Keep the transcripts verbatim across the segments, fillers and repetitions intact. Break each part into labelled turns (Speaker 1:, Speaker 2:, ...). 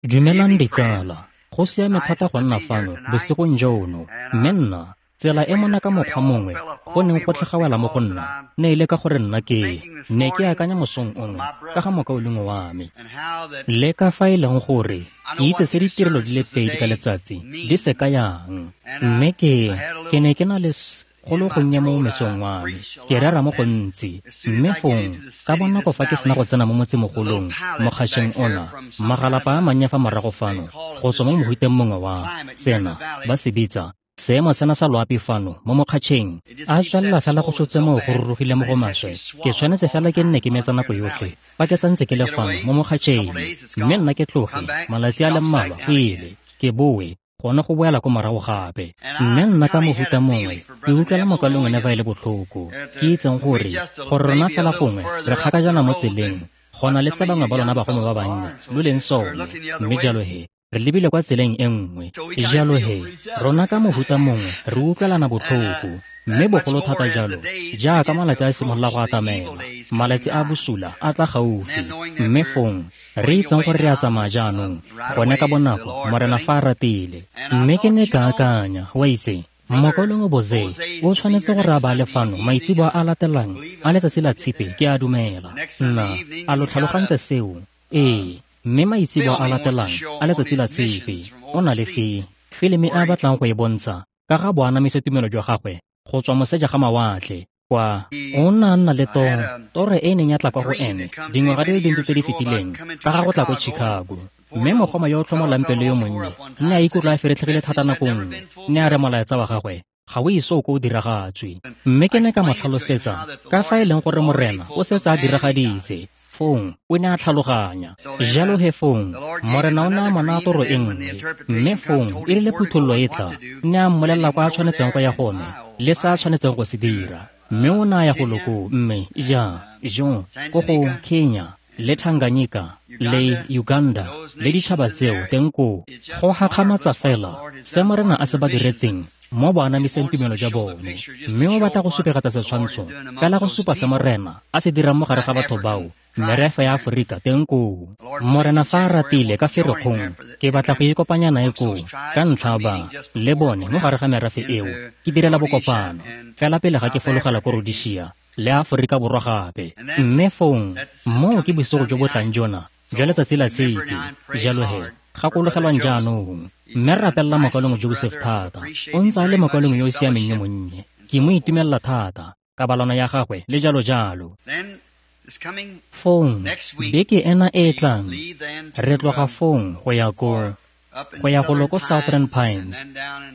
Speaker 1: Dumelang ditsala, go siame thata go nna fano bosigong jono, mme nna tsela e mona ka mokgwa mongwe go neng go tlhagawela mo go nna ne e le ka gore nna ke ne ke akanya mosong ono ka ga mokaulengwe wa me le ka fa e leng gore ke itse se ditirelo di le pedi ka letsatsi di se kayang, mme ke ke ne ke na le go le gonnye mo mesong wa me ke rera mo gontsi, mme fong ka bonako fa ke sena go tsena mo motsemogolong mokgašeng ona magalapa a mannye fa morago fano go tswa mo mohuteng mongwe wa sena ba se bitsa seemo sena sa loapi fano mo mokgatšheng a tswelela fela go tshotse moo go rurugile mo go maswe. Ke tshwanetse fela ke nne ke metsa nako yotlhe fa ke santse ke le fano mo mokgatšheng, mme nna ke tloge malatsi a le mmalwa go ile ke boe gone go boela ko morago gape. Mme nna ka mohuta mongwe ke utlwela mokalengwe ne ba e le botlhoko, ke itseng gore gore rona fela gongwe re kgakajana mo tseleng go na le se bangwe ba lona bagome ba bannye lo leng sone, mme jalo he re lebile kwa tseleng e nngwe. Jalo he rona ka mohuta mongwe re utlwelana botlhoko, mme bogolo thata jalo jaaka malatsi a simolola go atamela, malatsi a bosula a tla gaufi, mme fong re itseng gore re a tsamaya jaanong gone ka bonako Morena fa a ratile. Mme ke ne ka akanya, wa itse, mokaulengwe Boze o tshwanetse gore a ba le fano maitseboa a latelang a letsatsi la Tshipi, ke a dumela. Nna a lo tlhalogantse seo? Ee, mme maitseboa a latelang a letsatsi la Tshipi o na le fe filimi a batlang go e bontsha ka ga boanamisa tumelo jwa gagwe go tswa moseja ga mawatle kwa o nna a nna le toro, toro e neng ya tla kwa go ene dingwaga di le dintsi tse di fetileng ka ga go tla ko Chicago. Mme mogoma yo o tlhomolang pelo yo monnye nne a ikutlwa a feretlhegile thata nako nngwe, nne a re molaetsa wa gagwe ga o ise o ko o diragatswe. Mme ke ne ka mo tlhalosetsa ka fa e leng gore Morena o setse a diragaditse. Fong o ne a tlhaloganya. Jalo he fong Morena o ne a mo naya toro e nngwe, mme fong e rile phuthololo e tla nne a mmolelela kwa a tshwanetseng go ya gone le se a tshwanetseng go se dira. Mme o ne a ya go loko mme ja jo ko go Kenya le Tanganyika le Uganda le ditšhaba tseo teng koo. Go gakgamatsa fela se Morena a se ba diretseng mo boanamiseng tumelo jwa bone, mme o batla go supegetsa setshwantsho fela go supa se Morena a se dirang mo gare ga batho bao merafe ya Aforika teng koo. Morena fa a ratile ka Ferikgong ke batla go ikopanya nae koo ka ntlha ba le bone mo gare ga merafe eo ke direla bokopano fela pele ga ke fologela ko Rhodesia le Aforika Borwa gape. Mme fong moo ke bosigo jo bo tlang jona jwa letsatsi la Tshipi. Jalo he gakologelwang jaanong, mme re rapelela mokaulengwe Joseph thata. O ntse a le mokaulengwe yo o siameng yo monnye, ke mo itumelela thata kabalano ya gagwe le jalo jalo. Fong beke ena e e tlang re tloga fong go ya ko go ya golo ko Southern Pines,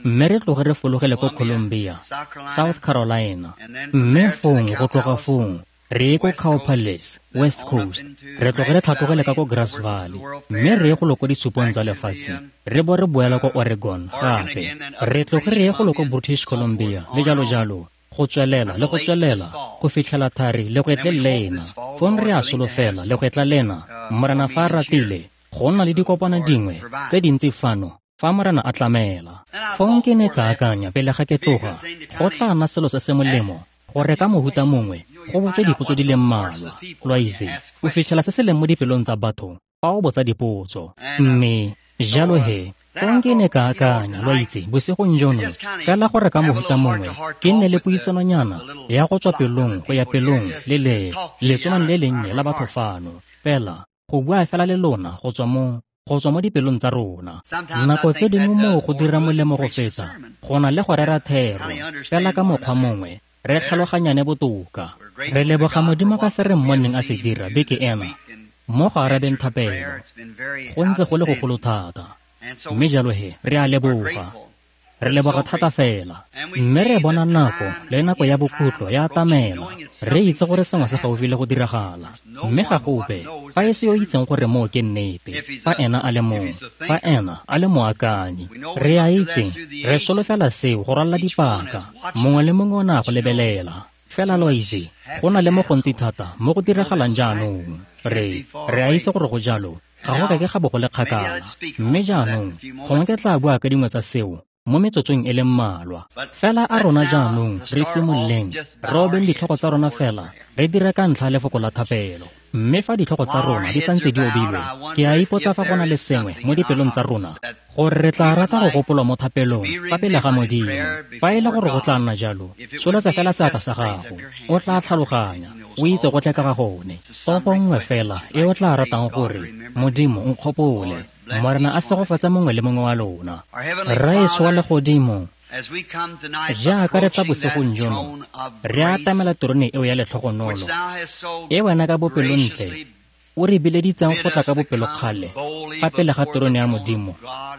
Speaker 1: mme re tloge re fologele ko Columbia, South Carolina, mme fong go tloga fong re ye ko Cow Palace, West Coast, re tloge re tlhatlogele ka ko Grass Valley, mme re ye golo ko ditshupong tsa lefatshe, re bo re boela ko Oregon gape, re tloge re ye golo ko British Columbia le jalo jalo, go tswelela le go tswelela go fitlhela thari le gwetle lena. Fong re a solofela le gwetla lena Morena fa a ratile go nna le dikopano dingwe tse dintsi fano fa Morena a tlamela. Fong ke ne ka akanya pele ga ke tloga go tla nna selo se se molemo gore ka mohuta mongwe go botswe dipotso di le mmalwa. Lo a itse, o fitlhela se se leng mo dipelong tsa batho fa o botsa dipotso. Mme jalo he fong ke ne ka akanya, lo a itse, bosigong jono fela gore ka mohuta mongwe ke nne le puisanonyana ya go tswa pelong go ya pelong le le letsomane le lennye la batho fano, fela go bua fela le lona go tswa mo go tswa mo dipelong tsa rona. Nako tse dingwe moo go dira molemo go feta go na le go rera thero, fela ka mokgwa mongwe re tlhaloganyane botoka. Re leboga Modimo ka se re mmoneng a se dira beke ena mo go arabeng thapelo. Go ntse go le gogolo thata, mme jalo he re a leboga, re leboga thata fela. Mme re bona nako le nako ya bokhutlo ya atamela, re itse gore sengwe se gaufi le go diragala, mme ga gope fa e se yo itseng gore moo ke nnete, fa ena a le mong, fa ena a le moakanyi. Re a itse, re solofela seo go rwalla dipaka, mongwe le mongwe o ne a go lebelela. Fela lo itse, go na le mo gontsi thata mo go diragalang jaanong. Re re a itse gore go jalo, ga go kake ga bo go le kgakala. Mme jaanong gongwe ke tla bua ka dingwe tsa seo mo metsotsong e le mmalwa. Fela a rona jaanong re simololeng re obeng ditlhogo tsa rona fela re dire ka ntlha lefoko la thapelo. Mme fa ditlhogo tsa rona di santse di obilwe, ke a ipotsa fa go na le sengwe mo dipelong tsa rona gore re tla rata go gopolwa mo thapelong fa pele ga Modimo. Fa e le gore go tla nna jalo, tsholetsa fela seatla sa gago, o tla tlhaloganya, o itse go tle ka ga gone. Topo nngwe fela e o tla ratang gore Modimo nkgopole. Morena a segofatse mongwe le mongwe wa lona. Rraetsho wa legodimo, jaaka re tla bosigong jono, re atamela terone eo ya letlhogonolo, e wena ka bopelontle o re bileditseng go tla ka bopelokgale fa pele ga terone ya Modimo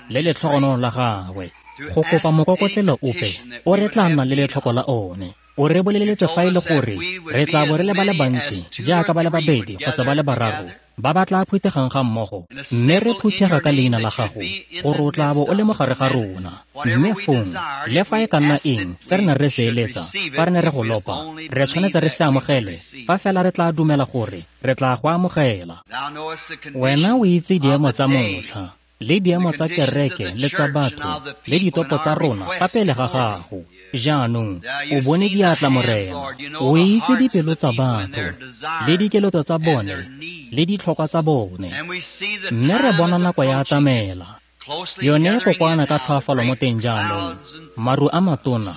Speaker 1: le letlhogonolo la gagwe, go kopa mokokotlelo ope o re tla nnang le letlhoko la one. O re boleletse fa e le gore re tla bo re le ba le bantsi jaaka ba le babedi kgotsa ba le bararo ba ba tla phuthegang ga mmogo, mme re phuthega ka leina la gago, gore o tla bo o le mo gare ga rona. Mme fong, le fa e ka nna eng se re ne re se eletsa, fa re ne re go lopa, re tshwanetse re se amogele, fa fela re tla dumela gore re tla go amogela. Wena o itse diemo tsa motlha, le diemo tsa kereke le tsa batho, le ditopo tsa rona fa pele ga gago. Jaanong o bone diatla, Morena, o itse dipelo tsa batho, le dikeletso tsa bone, le ditlhokwa tsa bone. Mme re bona nako ya atamela, yone e kokoana ka tlhoafalo mo teng jaanong, maru a matona,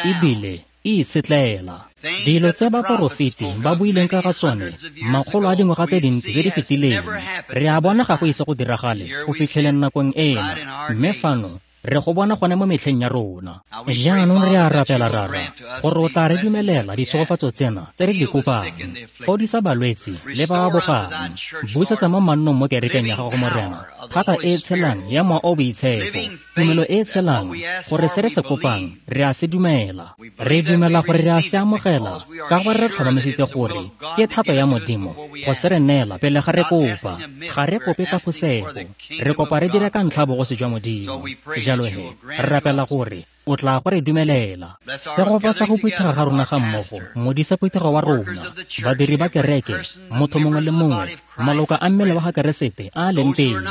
Speaker 1: ebile e itshetlela. Dilo tse baporofeti ba buileng ka ga tsone makgolo a dingwaga tse dintsi tse di fetileng, re a bona ga go ise go diragale go fitlheleng nakong ena, mme fano re go bona gone mo metlheng ya rona. Jaanong re a rapela, Rara, gore o tla re dumelela disegofatso tsena tse re di kopang. Fodisa balwetsi le ba ba bogang, busetsa mo mannong mo kerekeng ya gago, Morena, thata e e tshelang ya Mowa o Boitshepo, tumelo e e tshelang, gore se re se kopang re a se dumela. Re dumela gore re a se amogela, ka gore re tlhomamisitse gore ke thato ya Modimo go se re neela pele ga re kopa. Ga re kope ka phosego, re kopa re dire ka ntlha bogosi jwa Modimo. Jalo he, re rapela gore o tla go re dumelela. Segofatsa go phuthega ga rona ga mmogo, modisa phuthego wa rona, badiri ba kereke, motho mongwe le mongwe, maloka a mmele wa ga Keresete a a leng teng,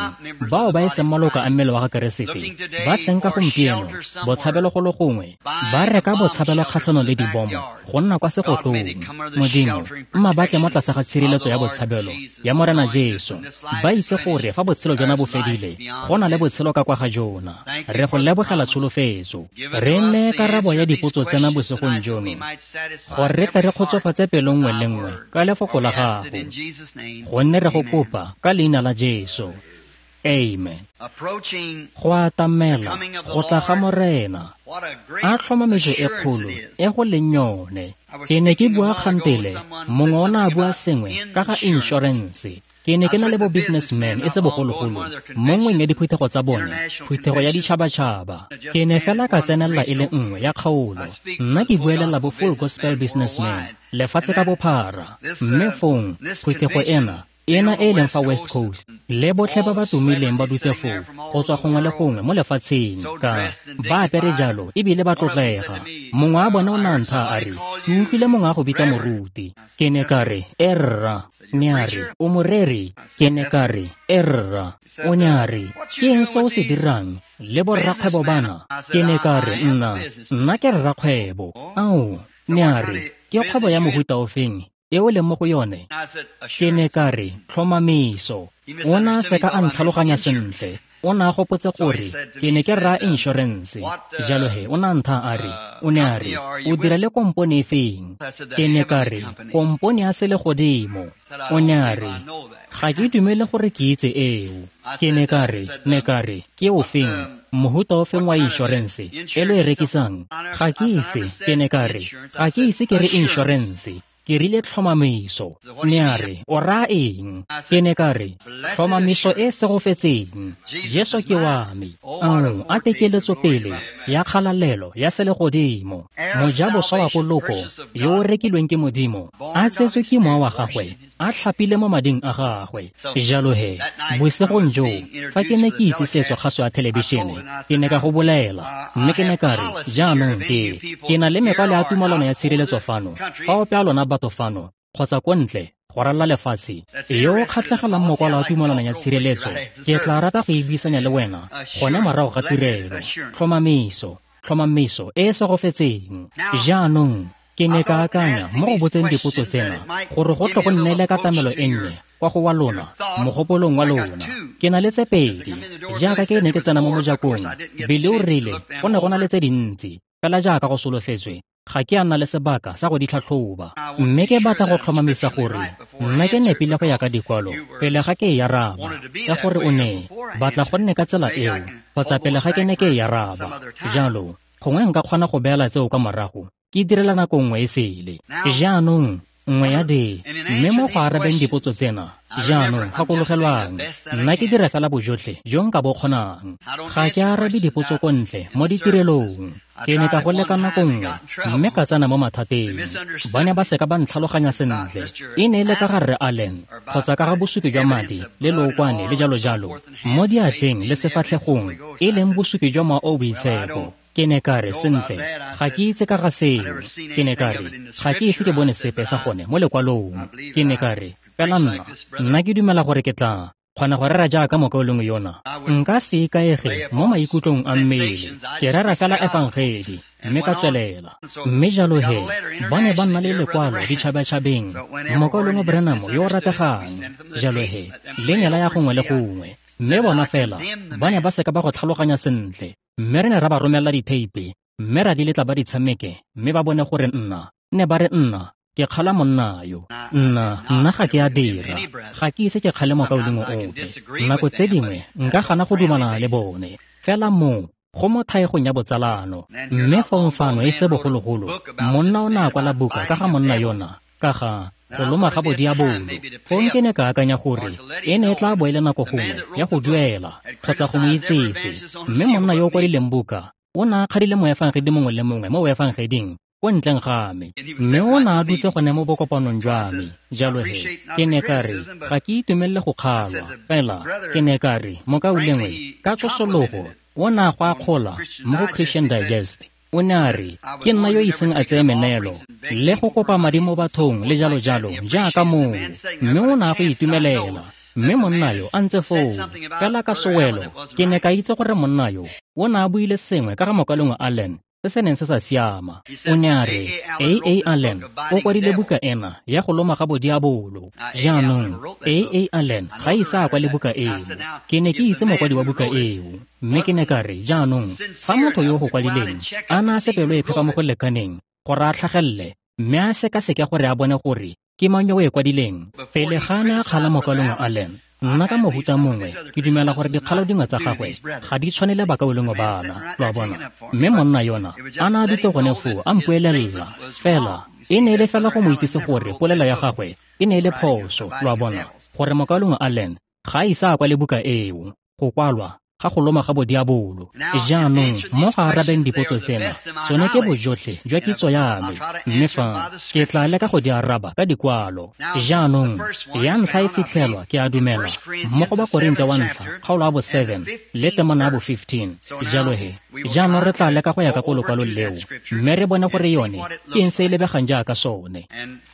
Speaker 1: bao ba e seng maloka a mmele wa ga Keresete, ba senka gompieno botshabelo go le gongwe, ba reka botshabelo kgatlhanong le dibomo go nna kwa segotlong. Modimo, mma ba tle mo tlase ga tshireletso ya botshabelo ya Morena Jesu, ba itse gore fa botshelo jona bo fedile, go na le botshelo ka kwa ga jona. Re go lebogela tsholofetso. Re nne karabo ya dipotso tsena bosigong jono, gore re tle re kgotsofatse pelo nngwe le nngwe ka lefoko la gago, gonne re go kopa ka leina la Jesu. Amen. Go atamela go tla ga Morena, a tlhomamiso e kgolo e go leng yone. Ke ne ke bua kgantele, mongwe o ne a bua sengwe ka ga inšorense. Ke ne ke na le bo businessman e se bogologolo mo nngweng ya diphuthego tsa bone, phuthego ya ditšhabatšhaba. Ke ne fela ka tsenelela e le nngwe ya kgaolo. Nna ke buelela bo full gospel businessman lefatshe ka bophara. Mme fong phuthego ena, ena e leng fa West Coast, le botlhe ba ba tumileng ba dutse foo go tswa gongwe le gongwe mo lefatsheng, ka ba apere jalo ebile ba tlotlega. Mongwe wa bona o ne a ntha a re, ke utlwile mongwe a go bitsa moruti. Ke ne ka re, e rra. Ne a re, o moreri? Ke ne ka re, e rra. O ne a re, ke eng se o se dirang le borrakgwebo bana? Ke ne ka re, nna nna ke rrakgwebo. Ao, ne a re, ke kgwebo ya mohuta ofeng e o leng mo go yone? Ke ne ka re, tlhomamiso. O ne a seka a ntlhaloganya sentle. O ne a gopotse gore ke ne ke raya inšorense. Jalo he, o ne a ntha a re, o ne a re, o dira le kompone e feng? Ke ne ka re, kompone ya selegodimo. O ne a re, ga ke dumele gore ke itse eo. Ke ne ka re, ne ka re, ke o feng? Mohuta o feng wa inšorense e lo e rekisang? Ga ke ise, ke ne ka re, ga ke ise ke re inšorense. Ke rile tlhomamiso. Ne a re, o raya eng? Ke ne ka re, tlhomamiso e segofetseng. Jesu ke wa me. Ao, a tekeletso pele ya kgalalelo ya selegodimo. Mojaboswa wa poloko yo o rekilweng ke Modimo, a tsetswe ke mowa wa gagwe, a tlhapile mo mading a gagwe. Jalo he, bosigong joo, fa ke ne ke itsisetswa kgaso ya thelebišene, ke ne ka go bolela, mme ke ne ka re, jaanong ke, ke na le mekwalo ya tumalano ya tshireletso fano, fa ope a lona batho fano, kgotsa ko ntle, go ralala lefatshe, yo o kgatlhegelang mokwalo wa tumalano ya tshireletso, ke tla rata go e buisanya le wena gone morago ga tirelo. Tlhomamiso, tlhomamiso e e segofetseng. Jaanong Ke ne ka akanya mo go botseng dipotso tsena gore go tle go nne le katamelo e nnye kwa go wa lona, mogopolong wa lona. Ke na le tse pedi. Jaaka ke ne ke tsena mo mojakong, Billy o rile go ne go na le tse dintsi, fela jaaka go solofetswe, ga ke a nna le sebaka sa go di tlhatlhoba. Mme ke batla go tlhomamisa gore nna ke nepile go ya ka dikwalo pele ga ke e araba, ka gore o ne batla go nne ka tsela eo kgotsa pele ga ke ne ke e araba. Jalo, gongwe nka kgona go beela tseo kwa morago, ke direla nako nngwe e sele. Jaanong, nngwe ya di, mme mo go arabeng dipotso tsena, jaanong gakologelwang, nna ke dira fela bojotlhe jo nka bo kgonang. Ga ke arabe dipotso ko ntle mo ditirelong. Ke ne ka go leka nako nngwe, mme ka tsena mo mathateng. Ba ne ba seka ba ntlhaloganya sentle. E ne e le ka ga Rre Allen, kgotsa ka ga bosupi jwa madi le lookwane le jalo-jalo mo diatleng le sefatlhegong, e leng bosupi jwa Mowa o o Boitshepo. Ke ne ka re, sentle, ga ke itse ka ga seo. Ke ne ka re, ga ke ise ke bone sepe sa gone mo lekwalong. Ke ne ka re, fela nna, nna ke dumela gore ke tla kgona go rera jaaka mokaulengwe yona. Nka se ikaege mo maikutlong a mmele. Ke rera fela efangedi, mme ka tswelela. Mme jalo he, ba ne ba nna le lekwalo ditšhabatšhabeng, mokaulengwe Branham yo o rategang. Jalo he, le ne la ya gongwe le gongwe. Mme bona fela, ba ne ba seka ba go tlhaloganya sentle. Mme re ne ra ba romela ditheipe, mme ra di letla ba di tshameke, mme ba bone gore nna, ne ba re nna, ke kgala monna yo. Nna, nna ga ke a dira. Ga ke ise ke kgale mokaulengwe ope. Nako tse dingwe, nka gana go dumalana le bone. Fela moo, go mo thaegong ya botsalano. Mme fong fano e se bogologolo, monna o ne a kwala buka ka ga monna yona, ka ga go loma ga bodiabolo. Fong ke ne ka akanya gore e ne e tla bo e le nako gongwe ya go duela kgotsa go mo itsese. Mme monna yo o kwadileng buka o ne a kgadile moefangedi mongwe le mongwe mo boefangeding ko ntleng ga me, mme o ne a dutse gone mo bokopanong jwa me. Jalo he, ke ne ka re, ga ke itumelele go kgalwa. Fela ke ne ka re, mokaulengwe, ka tsosologo o ne a go akgola mo go Christian Digest. O ne a re, ke nna yo iseng a tseye meneelo le go kopa madi mo bathong le jalo-jalo jaaka moo, mme o ne a go itumelela. Mme monna yo a ntse foo, fela ka sewelo, ke ne ka itse gore monna yo o ne a buile sengwe ka ga mokaulengwe Allen se se neng se sa siama. O ne a re, A A Allen o kwadile buka ena ya go loma ga bodiabolo. Jaanong, A A Allen ga ise a kwale buka eo. Ke ne ke itse mokwadi wa buka eo. Mme ke ne ka re, jaanong, fa motho yo go kwadileng a na a se pelo e phepa mo go lekaneng gore a tlhagelele, mme a sekaseke gore a bone gore ke mang yo o e kwadileng, pele ga a ne a kgala mokaulengwe Allen, nna ka mohuta mongwe ke dumela gore dikgalo dingwe tsa gagwe ga di tshwanele bakaulengwe bana, lo a bona. Mme monna yona a ne a dutse gone foo a mpuelela. Fela e ne e le fela go mo itsise gore polelo ya gagwe e ne e le phoso, lo a bona, gore mokaulengwe Allen ga a ise a kwale buka eo, go kwalwa ga go loma ga bodiabolo. Jaanong, mo go arabeng dipotso tsena, tsone ke bojotlhe jwa kitso ya me, mme fa ke tla leka go di araba ka dikwalo. Jaanong, ya ntlha e fitlhelwa, ke a dumela, mo go Bakorinte wa ntlha, kgaolo ya bo seven le temana ya bo fifteen. Jalo he, jaanong re tla leka go ya ka ko lokwalong leo, mme re bone gore yone ke eng se e lebegang jaaka sone.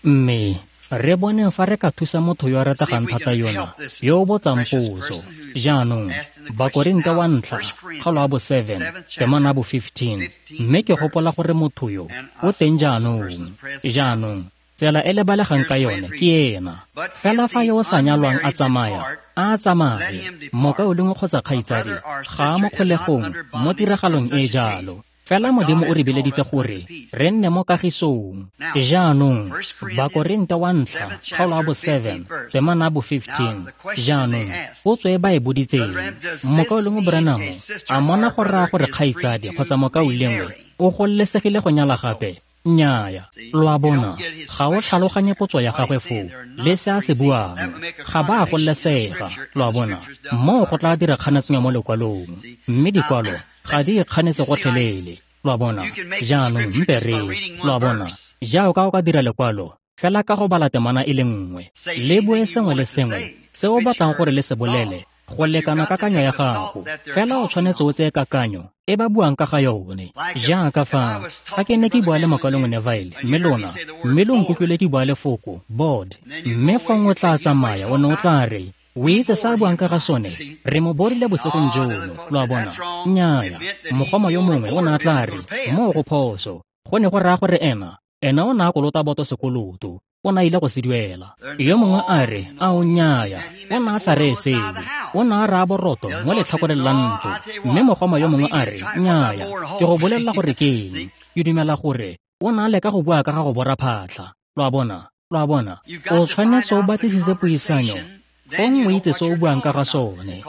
Speaker 1: Mme re boneng fa re ka thusa motho yo a rategang thata yona, yo o botsang potso. Jaanong, Bakorinte wa ntlha, kgaolo ya bo seven, temana ya bo fifteen. Mme ke gopola gore motho yo o teng jaanong. Jaanong, tsela e le balegang ka yone ke ena. Fela fa yo o sa nyalwang a tsamaya, a tsamaye. Mokaulengwe kgotsa kgaitsadi ga a mo kgolegong mo tiragalong e jalo. Fela Modimo o re bileditse gore re nne mo kagisong. Jaanong, Bakorinte wa ntlha, kgaolo ya bo seven, temana ya bo fifteen. Jaanong, potso e ba e boditseng, mokaulengwe Branham a mona go raya gore kgaitsadi kgotsa mokaulengwe o gololesegile go nyala gape? Nnyaya. Lo a bona, ga o tlhaloganye potso ya gagwe foo le se a se buang. Ga ba a gololesega, lo a bona. Moo go tla dira kganetso mo lekwalong, mme dikwalo ga di ikganetse gotlhelele, lo a bona. Jaanong mpe re, lo a bona, jaaka o ka dira lekwalo fela ka go bala temana e le nngwe, le bue sengwe le sengwe se o batlang gore le se bolele go lekana kakanyo ya gago. Fela o tshwanetse o tseye kakanyo e ba buang ka ga yone. Jaaka fa fa ke ne ke bua le mokaulengwe Neville, mme lona, mme lo nkutlwile ke bua lefoko board, mme fong o tla tsamaya o ne o tla re, o itse sa buang ka ga sone, re mo borile bosigong jono, lo a bona. Nnyaya, mogoma yo mongwe o ne a tla re, moo go phoso, go ne go raya gore ena Ena o ne a kolota boto sekoloto, o ne a ile go se duela. Yo mongwe a re, a o nnyaya, o ne a sa reye seo, o ne a raya boroto mo letlhakoreng la ntlo. Mme mogoma yo mongwe a re, nnyaya, ke go bolelela gore ke eng, ke dumela gore o ne a leka go bua ka ga go bora phatlha. Lo a bona, lo a bona, o tshwanetse o batlisise puisanyo, fong o itse se o buang ka ga sone.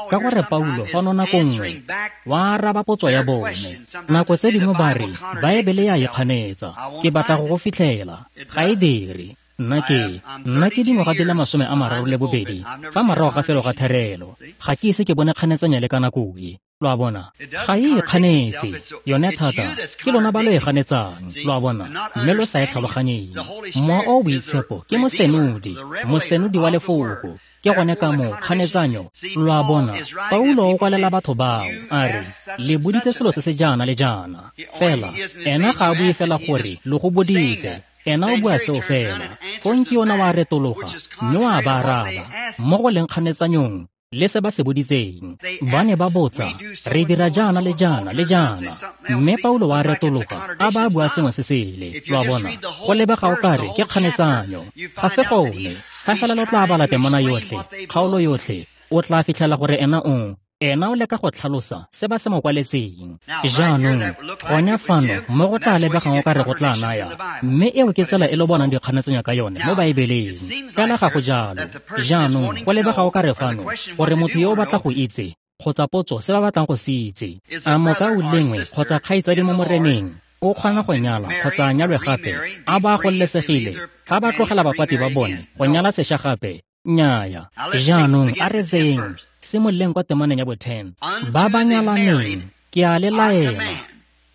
Speaker 1: Ka gore Paulo fano nako nngwe wa araba potso ya bone. Nako tse dingwe ba re Baebele ya ikganetsa. Ke batla go go fitlhela, ga e dire. Nna ke nna ke dingwaga di le masome a mararo le bobedi fa morago ga felo ga therelo, ga ke ise ke bone kganetsanyo le ka nako e. Lo a bona, ga e ikganetse yone thata, ke lona ba lo e ganetsang. Lo a bona, mme lo sa e tlhaloganyeng. Mowa o o Boitshepo ke mosenodi, mosenodi wa lefoko. Ke gone ka moo kganetsanyo. Lo a bona, Paulo o kwalela batho bao a re, le boditse selo se se jaana le jaana. Fela ena ga a bue fela gore lo go boditse, ena o bua seo fela. Fong ke yona wa retologa mme wa ba araba mo go leng kganetsanyong le se ba se boditseng. Ba ne ba botsa, re dira jaana le jaana le jaana, mme Paulo wa retologa a ba bua sengwe se sele. Lo a bona, go lebega o kare ke kganetsanyo, ga se gone. Ga fela lo tla bala temana yotlhe, kgaolo yotlhe, o tla fitlhela gore ena o ena o leka go tlhalosa se ba se mo kwaletseng. Jaanong gone fano mo go tla lebegang o ka re go tla naya, mme eo ke tsela e lo bonang dikganetsanyo ka yone mo Baebeleng. Fela ga go jalo. Jaanong go lebega o ka re fano gore motho yo o batla go itse kgotsa potso se ba batlang go se itse, a mokaulengwe kgotsa kgaitsadi mo Moreneng o kgona go nyala kgotsa a nyalwe gape, a ba gololesegile fa ba tlogela bapati ba bone go nyala sešwa gape? Nnyaya. Jaanong a re tseyeng simololeng kwa temaneng ya bo ten. Ba ba nyalaneng ke a le laela,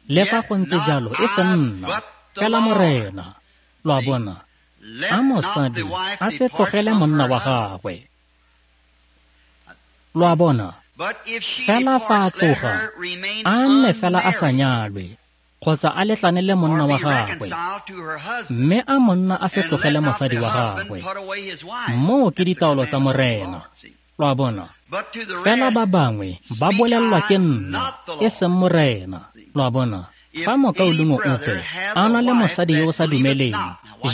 Speaker 1: le fa go ntse jalo e se nna, fela Morena. Lo a bona, a mosadi a se tlogele monna wa gagwe. Lo a bona, fela fa a tloga, a nne fela a sa nyalwe kgotsa a letlane le monna wa gagwe, mme a monna a se tlogele mosadi wa gagwe. Moo ke ditaolo tsa Morena. Lo a bona, fela ba bangwe ba bolelelwa ke nna, e seng Morena. Lo a bona, fa mokaulengwe ope a na le mosadi yo o sa dumeleng,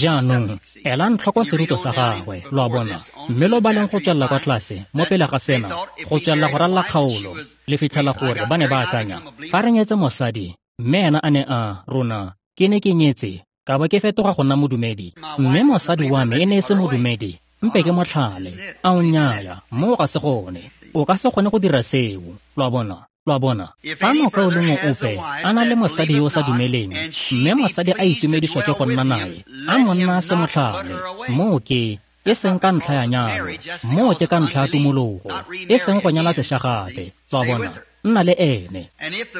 Speaker 1: jaanong elang tlhoko serutwa sa gagwe. Lo a bona, mme lo baleng go tswelela kwa tlase mo pele ga sena, go tswelela go ralla kgaolo, le fitlhela gore ba ne ba akanya, fa re nyetse mosadi mme ena a ne a rona, ke ne ke nyetse ka ba ke fetoga go nna modumedi, mme mosadi wa me e ne e se modumedi, mpe ke motlhale. A o nnyaya, moo ga se gone. O ka se kgone go dira seo. Lo a bona, lo a bona, fa mokaulengwe ope a na le mosadi yo o sa dumeleng, mme mosadi a itumediswa ke go nna nae, a monna a se motlhale, moo ke e seng ka ntlha ya nyalo, moo ke ka ntlha ya tumologo, e seng go nyala sešwa gape. Lo a bona, nna le ene.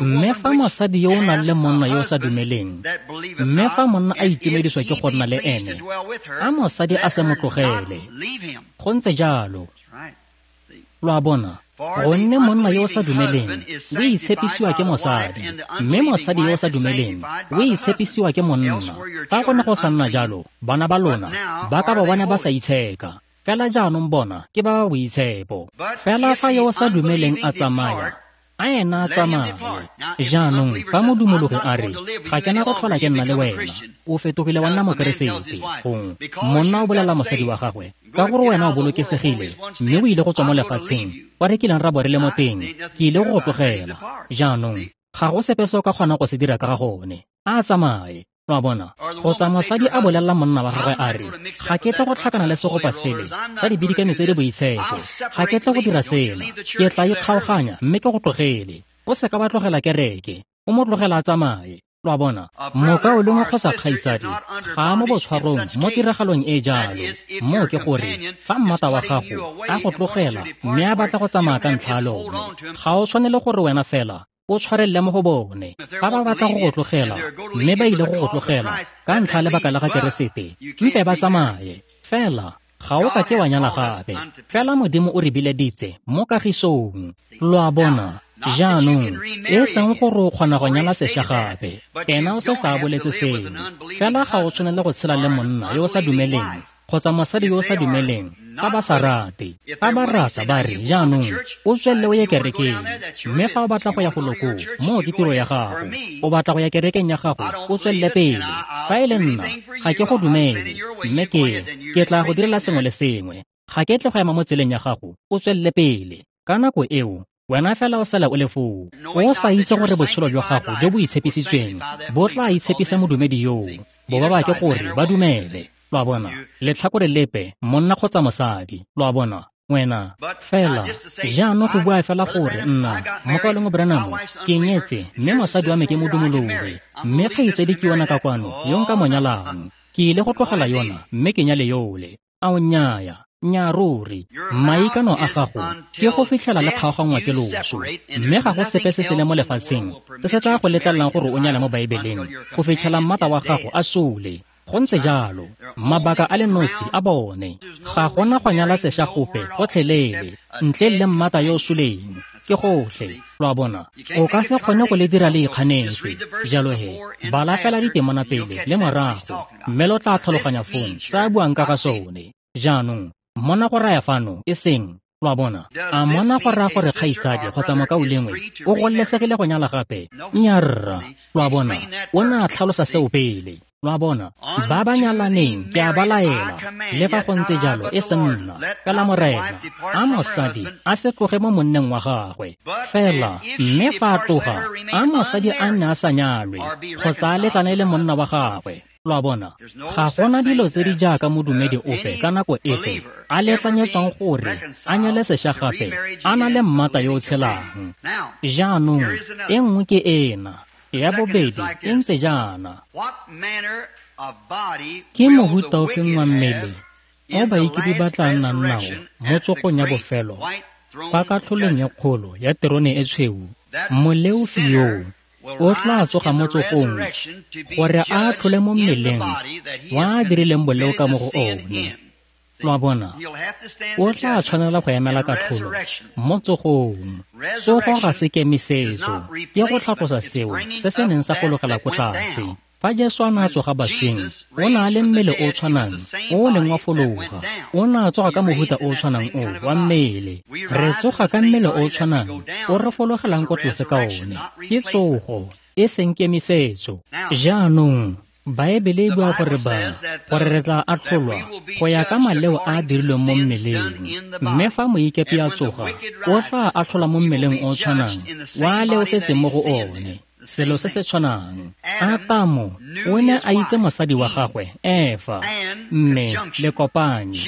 Speaker 1: Mme fa mosadi yo o nang le monna yo o sa dumeleng, mme fa monna a itumediswa ke go nna le ene, a mosadi a se mo tlogele. Go ntse jalo. Lo a bona, gonne monna yo o sa dumeleng o itshepisiwa ke mosadi, mme mosadi yo o sa dumeleng o itshepisiwa ke monna. Fa go ne go sa nna jalo, bana ba lona ba ka ba bone ba sa itsheka. Fela jaanong bona ke ba ba boitshepo. Fela fa yo o sa dumeleng a tsamaya, a ena a tsamaye. Jaanong fa modumologi a re, ga ke na go tlhola ke nna le wena, o fetogile wa nna Mokeresete. Gongwe monna o bolela mosadi wa gagwe, ka gore wena o bolokesegile mme o ile go tswa mo lefatsheng kwa re kileng ra bo re le mo teng, ke ile go go tlogela. Jaanong ga go sepe se o ka kgonang go se dira ka ga gone, a tsamaye. Lo a bona, kgotsa mosadi a bolelela monna wa gagwe a re, ga ke tle go tlhakana le segopa sele sa dibidikami tse di boitshepo, ga ke tle go dira sena, ke tla ikgaoganya mme ke go tlogele. O se ka ba tlogela kereke, o mo tlogela a tsamaye. Lo a bona, mokaulengwe kgotsa kgaitsadi ga a mo botshwarong mo tiragalong e jalo. Moo ke gore fa mmata wa gago a go tlogela mme a batla go tsamaya ka ntlha ya lone, ga o tshwanele gore wena fela o tshwarelele mo go bone. Fa ba batla go go tlogela mme ba ile go go tlogela ka ntlha ya lebaka la ga Keresete, mpe ba tsamaye. Fela ga o ka ke wa nyala gape. Fela Modimo o re bileditse mo kagisong. Lo a bona, jaanong e seng gore o kgona go nyala sešwa gape, ena o setse a boletse seo. Fela ga o tshwanele go tshela le monna yo o sa dumeleng kgotsa mosadi yo o sa dumeleng, fa ba sa rate, fa ba rata ba re, jaanong, o tswelele o ye kerekeng, mme fa o batla go ya go lokong, moo ke tiro ya gago, o batla go ya kerekeng ya gago, o tswelele pele. Fa e le nna, ga ke go dumele, mme ke, ke tla go direla sengwe le sengwe, ga ke tle go ema mo tseleng ya gago, o tswelele pele. Ka nako eo, wena fela o sala o le foo, o sa itse gore botshelo jwa gago jo bo itshepisitsweng bo tla itshepisa modumedi yoo, bo ba bake gore ba dumele. Lo a bona, letlhakore lepe, monna kgotsa mosadi, lo a bona, wena fela jaanong go bua fela gore nna mokaulengwe Branham ke nyetse, mme mosadi wa me ke modumologi, mme kgaitsedi ke yona ka kwano yo nka mo nyalang, ke ile go tlogela yona mme ke nyale yole. Ao nnyaya, nnyaa ruri, maikano a gago ke go fitlhela le kgaoganngwa ke loso, mme ga go sepe se se le mo lefatsheng se se tla go letlelelang gore o nyale mo Baebeleng go fitlhela mmata wa gago a sole. Go ntse jalo, mabaka a le nosi a bone, ga gona go nyala sešwa gope gotlhelele ntle le mmata yo o suleng, ke gotlhe. Lo a bona, o ka se kgone go le dira le ikganetse. Jalo he, bala fela ditemana pele le morago, mme lo tla tlhaloganya fong se a buang ka ga sone. Jaanong, mona go raya fano e seng, lo a bona, a mona go raya gore kgaitsadi kgotsa mokaulengwe o gololesegile go nyala gape? Nnyaa rra, lo a bona, o ne a tlhalosa seo pele. Lo a bona, ba ba nyalaneng ke a ba laela, le fa go ntse jalo e se nna, fela Morena, a mosadi a se tloge mo monneng wa gagwe. Fela, mme fa a tloga, a mosadi a nne a sa nyalwe, kgotsa a letlane le monna wa gagwe. Lo a bona, ga gona dilo tse di jaaka modumedi ope ka nako epe a letlanyetswang gore a nyale sešwa gape a na le mmata yo o tshelang. Jaanong, e nngwe ke ena, ya bobedi e ntse jaana. Ke mohuta ofeng wa mmele o baikepi ba tla nnang nao mo tsogong ya bofelo kwa katlholong e kgolo ya terone e tshweu? Moleofi yoo o tla tsoga mo tsogong gore a atlhole mo mmeleng wa a dirileng boleo ka mo go one. Lo a bona, o tla tshwanela go emela katlholo mo tsogong. Tsogo ga se kemisetso, ke go tlhatlosa seo se se neng sa fologela ko tlase. Fa Jesu a ne a tsoga basweng, o ne a le mmele o tshwanang o o neng wa fologa, o ne a tsoga ka mohuta o tshwanang o wa mmele. Re tsoga ka mmele o tshwanang o re fologelang ko tlase ka one. Ke tsogo, e seng kemisetso. Jaanong, Baebele e bua gore ba, gore re tla atlholwa go ya ka maleo a a dirilweng mo mmeleng, mme fa moikepi a tsoga, o tla atlholwa mo mmeleng o tshwanang wa a leofetseng mo go one. Selo se se tshwanang. Atamo o ne a itse mosadi wa gagwe Efa, mme le kopanye.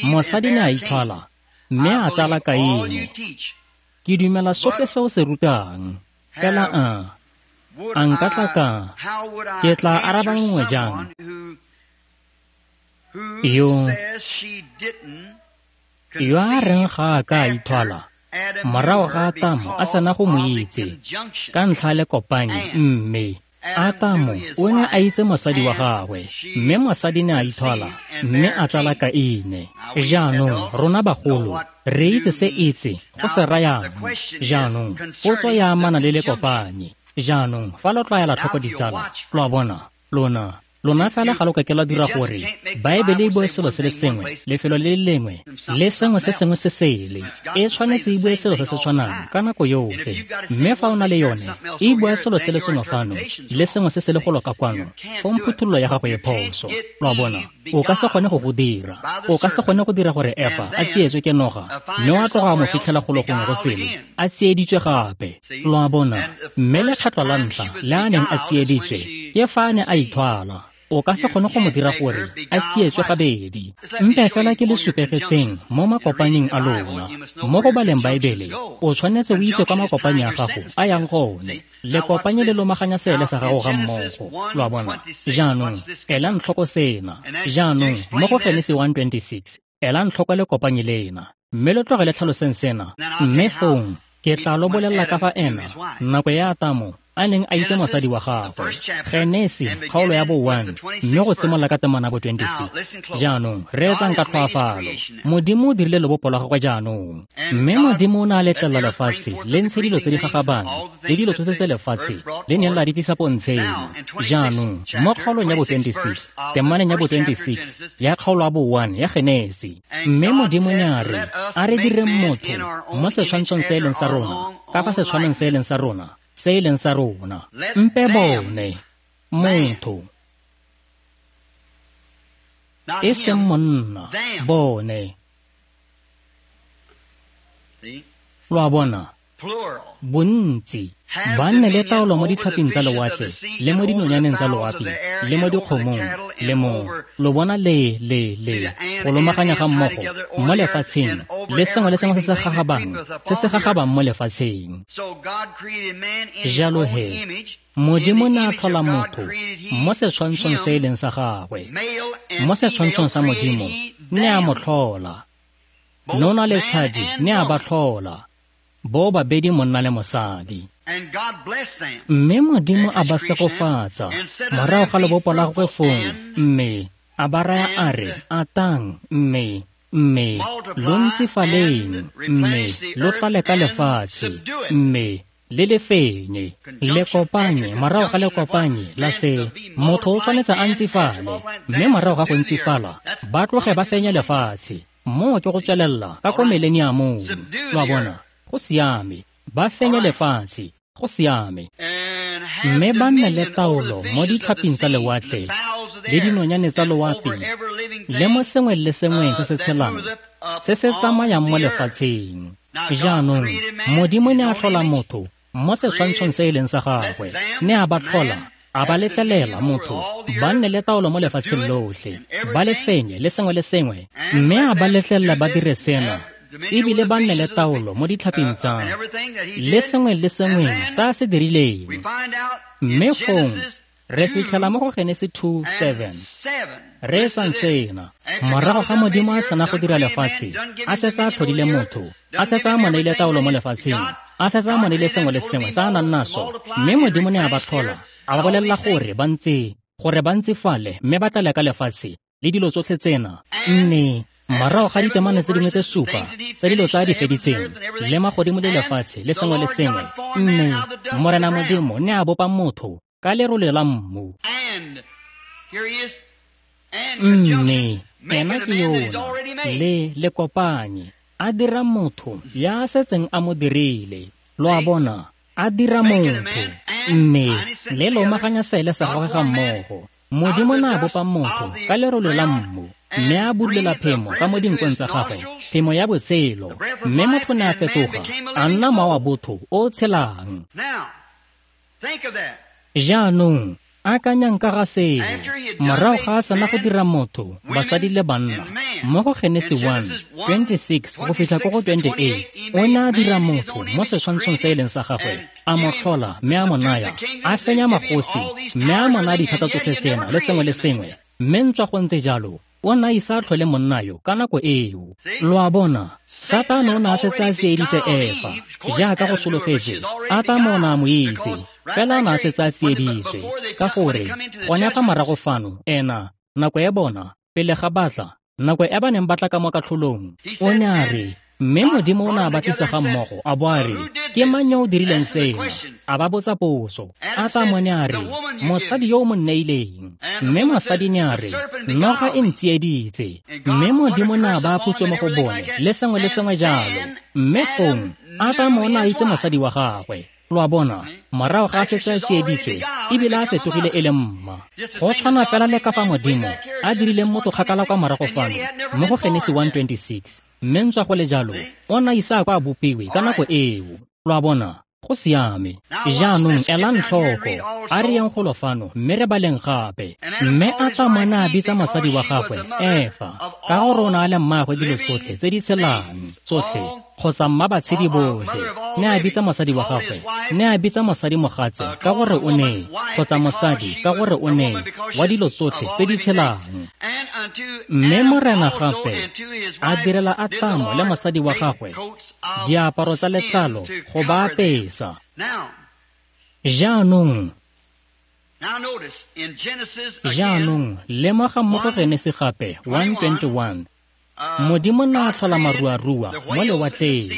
Speaker 1: Mosadi ne a ithwala, mme a tsala Kaine. Ke dumela sotlhe se o se rutang, fela a a nka tla ka, ke tla araba nngwe jang? Yo, yo a reng ga a ka a ithwala, morago ga Atamo a sena go mo itse, ka ntlha le kopanye, mme Atamo o ne a itse mosadi wa gagwe, mme mosadi ne a ithwala, mme a tsala Kaine. Jaanong, rona bagolo, re itse se itse go se rayang. Jaanong, potso ya amana le le kopanye. Jaanong, fa lo tlwaela tlhoko ditsala, lo a bona, lona, lona fela ga lo ka ke la dira gore Baebele e bue selo se le sengwe, lefelo le le lengwe, le sengwe se sengwe se sele. E tshwanetse e bue selo se se tshwanang ka nako yotlhe. Mme fa o na le yone, e bua selo se le sengwe fano, le sengwe se se le golo ka kwano, fong phuthololo ya gago e phoso. Lo a bona, o ka se kgone go go dira. O ka se kgone go dira gore Efa a tsietswe ke noga, mme wa tloga a mo fitlhela golo gongwe go sele, a tsieditswe gape. Lo a bona, mme lekgetlo la ntlha le a neng a tsieditswe ke fa a ne a ithwala. O ka se kgone go mo dira gore a tsietswe gabedi. Mpe fela ke le supegetseng mo makopaneng a lona. Mo go baleng Baebele, o tshwanetse o itse kwa makopanyi a gago a yang gone. Lekopanye le lomaganya seele sa gago ga mmogo. Lo a bona? Jaanong, elang tlhoko sena. Jaanong, mo go Genesi one twenty-six, elang tlhoko lekopanye lena, mme lo tloge le tlhaloseng sena. Mme fong, ke tla lo bolelela ka fa ena, nako ya Atamo a neng a itse mosadi wa gagwe. Genesi kgaolo ya bo one mme go simolola ka temana bo twenty-six. Jaanong reetsang ka tlhoafalo. Modimo o dirile lobopo lwa gagwe jaanong. Mme Modimo o ne a letlelela lefatshe le ntshe dilo tse di gagabang le dilo tsotlhe tse lefatshe le neng la di tlisa pontsheng. Jaanong mo kgaolong ya bo twenty-six, temaneng ya bo twenty-six ya kgaolo ya bo one ya Genesi. Mme Modimo ne a re, a re direng motho mo setshwantshong se e leng sa rona, ka fa setshwanong se e leng sa rona, se e leng sa rona. Mpe bone motho, e seng monna, bone. Lo a bona, bontsi ba nne le taolo mo ditlhaping tsa lewatle le mo dinonyaneng tsa loapi le mo dikgomong le mo lo bona le le le go lomaganya ga mmogo mo lefatsheng le sengwe le sengwe se se gagabang se se gagabang mo lefatsheng. Jalo he Modimo ne a tlhola motho mo setshwantshong se e leng sa gagwe, mo setshwantshong sa Modimo ne a mo tlhola. Nona le tshadi ne a ba tlhola, bo babedi monna le mosadi. Mme Modimo a ba segofatsa morago ga lebopo la gagwe fong, mme a ba raya a re, atang mme mme lo ntsifaleng mme lo tlale ka lefatshe mme le le fenye. Le kopanye morago ga le kopanye la se motho o tshwanetse a ntsifale, mme morago ga go ntsifala ba tloge ba fenye lefatshe. Moo ke go tswelela ka ko mileniamong. Lo a bona, go siame, ba fenye lefatshe, go siame. Mme ba nne le taolo mo ditlhaping tsa lewatle le dinonyane tsa loapi le mo sengwe le sengweng se se tshelang se se tsamayang mo lefatsheng. Jaanong Modimo ne a tlhola motho mo setshwantshong se e leng sa gagwe, ne a ba tlhola, a ba letlelela motho ba nne le taolo mo lefatsheng lotlhe, ba le fenye le sengwe le sengwe, mme a ba letlelela ba dire sena ebile ba nne le taolo mo ditlhaping tsa le sengwe le sengwe sa se dirileng. Mme fong re fitlhela mo go Genesi two seven. Reetsang sena. Morago ga Modimo a sena go dira lefatshe, a setse a tlhodile motho, a setse a mo neile taolo mo lefatsheng, a setse a mo neile sengwe le sengwe sa a nang naso, mme Modimo ne a ba tlhola, a ba bolelela gore ba ntse gore ba ntsifale mme ba tlale ka lefatshe le dilo tsotlhe tsena. Mme morago ga ditemane tse dingwe tse supa tsa dilo tsa di feditseng le magodimo le lefatshe le sengwe le sengwe, mme Morena Modimo ne a bopa motho ka lerole la mmu. Mme ena ke yona le le kopanye, a dira motho ya setseng a mo dirile. Lo a bona, a dira motho mme le lomaganya seele sa gagwe ga mmogo. Modimo ne a bopa motho ka lerole la mmu, mme a budulela phemo ka mo dinkong tsa gagwe, phemo ya botshelo, mme motho ne a fetoga a nna mowa wa botho o tshelang. Jaanong akanyang ka ga seo. Morago ga a sena go dira motho, basadi le banna, mo go Genesi one twenty-six go fitlha ko go twenty-eight, o ne a dira motho mo setshwantshong se e leng sa gagwe, a mo tlhola mme a mo naya, a fenya magosi mme a mo naya dithata tsotlhe tsena le sengwe le sengwe. Mme ntswa go ntse jalo, o ne a ise a tlhole monna yo ka nako eo. Lo a bona, Satane o ne a setse a tsieditse Efa jaaka go solofetswe. Atamo o ne a mo itse, fela a ne a setse a tsieditswe, ka gore gone fa morago fano ena nako e bona pele ga batla, nako e ba neng ba tla ka mo katlholong, o ne a re, mme Modimo o ne a ba tlisa ga mmogo a bo a re, ke mang yo o dirileng sena? A ba botsa potso. Atamo ne a re, mosadi yo o mo nneileng. Mme mosadi ne a re, noga e ntsieditse. Mme Modimo ne a ba putso mo go bone le sengwe le sengwe jalo. Mme fong Atamo o ne a itse mosadi wa gagwe. Lo a bona, morago ga a setse a tsieditswe ebile a fetogile e le mma. Go tshwana fela le ka fa Modimo a dirileng motho kgakala kwa morago fano mo go Genesi one twenty-six. Mme ntswa go le jalo, o ne a ise a kwa a bopiwe ka nako eo. Lo a bona, go siame. Jaanong elang tlhoko, a re yeng golo fano mme re baleng gape. Mme Atamo ne a bitsa mosadi wa gagwe Efa, ka gore o ne a le mmaagwe dilo tsotlhe tse di tshelang tsotlhe, kgotsa mma batshedi botlhe. Ne a bitsa mosadi wa gagwe, ne a bitsa mosadi mogatse ka gore o ne, kgotsa mosadi ka gore o ne wa dilo tsotlhe tse di tshelang. Mme Morena gape a direla Atamo le mosadi wa gagwe diaparo tsa letlalo go ba apesa. Jaanong, jaanong lemoga mo go Genesi gape one twenty-one. Modimo ne a tlhola maruarua mo lewatleng.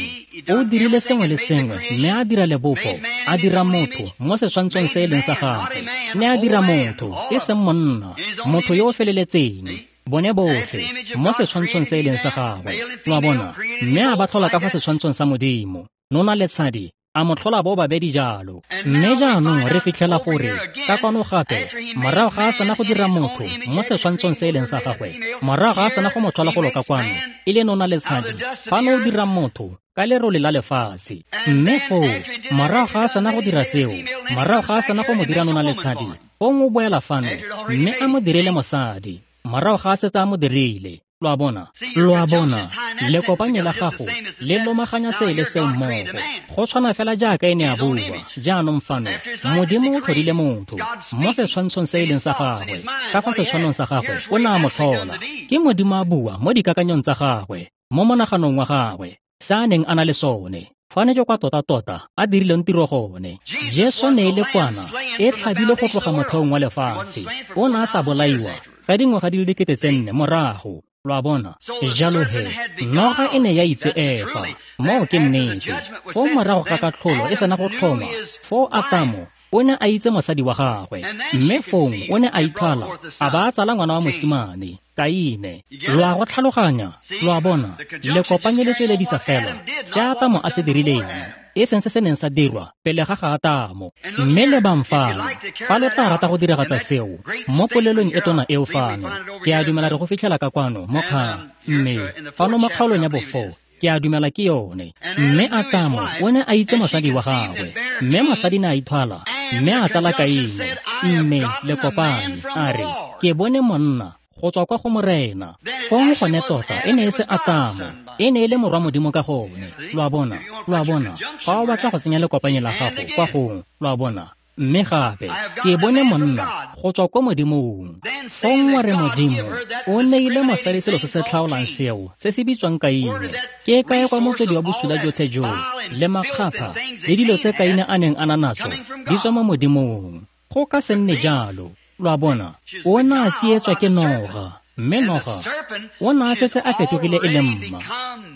Speaker 1: O dirile sengwe le sengwe mme a dira lebopo, a dira motho mo setshwantshong se e leng sa gagwe. Ne a dira motho, e seng monna, motho yo o feleletseng, bone botlhe mo setshwantshong se e leng sa gagwe. Lo a bona? Mme a ba tlhola ka fa setshwantshong sa Modimo. Nona le tshadi a mo tlhola bo babedi jalo. Mme jaanong re fitlhela gore ka kwano gape, morago ga a sena go dira motho mo setshwantshong se e leng sa gagwe, morago ga a sena go mo tlhola go loka kwano, e le nona le tshadi, fano o dira motho ka lerole la lefatshe. Mme foo, morago ga a sena go dira seo, morago ga a sena go mo dira nona le tshadi, fong o boela fano, mme a mo direle mosadi, morago ga a setse a mo dirile. Lo a bona? Lo a bona, lekopanye la gago le lomaganya se le seo mmogo. Go tshwana fela jaaka e ne a bua. Jaanong fano, Modimo o tlhodile motho mo setshwantshong se e leng sa gagwe. Ka fa setshwanong sa gagwe, o ne a mo tlhola. Ke Modimo a bua mo dikakanyong tsa gagwe, mo monaganong wa gagwe, se a neng a na le sone. Fane ke kwa tota-tota a dirileng tiro gone. Jesu ne e le kwana e tlhabile go tloga motheong wa lefatshe. O ne a sa bolaiwa ka dingwaga di le dikete tse nne morago. Lo a bona? Jalo he, noga e ne ya itse Efa. Moo ke nnete. Foo morago ga katlholo e sena go tlhoma, foo Atamo o ne a itse mosadi wa gagwe, mme fong o ne a ithwala a ba a tsala ngwana wa mosimane, Kaine. Lo a go tlhaloganya? Lo a bona? Lekopanye le tsweledisa fela se Atamo a se dirileng, e seng se se neng sa dirwa pele ga ga Atamo. Mme lebang fano, fa lo tla rata go diragatsa seo mo polelong e tona eo fano, ke a dumela re go fitlhela ka kwano mo kgang, mme fano mo kgaolong ya bofo, ke a dumela ke yone. Mme Atamo o ne a itse mosadi wa gagwe, mme mosadi ne a ithwala, mme a tsala Kaine. Mme lekopane a re, ke bone monna go tswa kwa go Morena. Fong gone tota e ne e se Atamo, e ne e le morwa Modimo ka gone. Lo a bona? Lo a bona? Fa o batla go tsenya lekopanye la gago kwa gong, lo a bona? Mme gape, ke bone monna go tswa kwa Modimong. Fong wa re Modimo o neile mosadi selo se se tlhaolang seo, se se bitswang Kaine. Ke kae kwa motswedi wa bosula jotlhe joo, le makgapha, le dilo tse Kaine a neng a na natso, di tswa mo Modimong. Go ka se nne jalo. Lo a bona? O ne a tsietswa ke noga, mme noga o ne a setse a fetogile e le mma.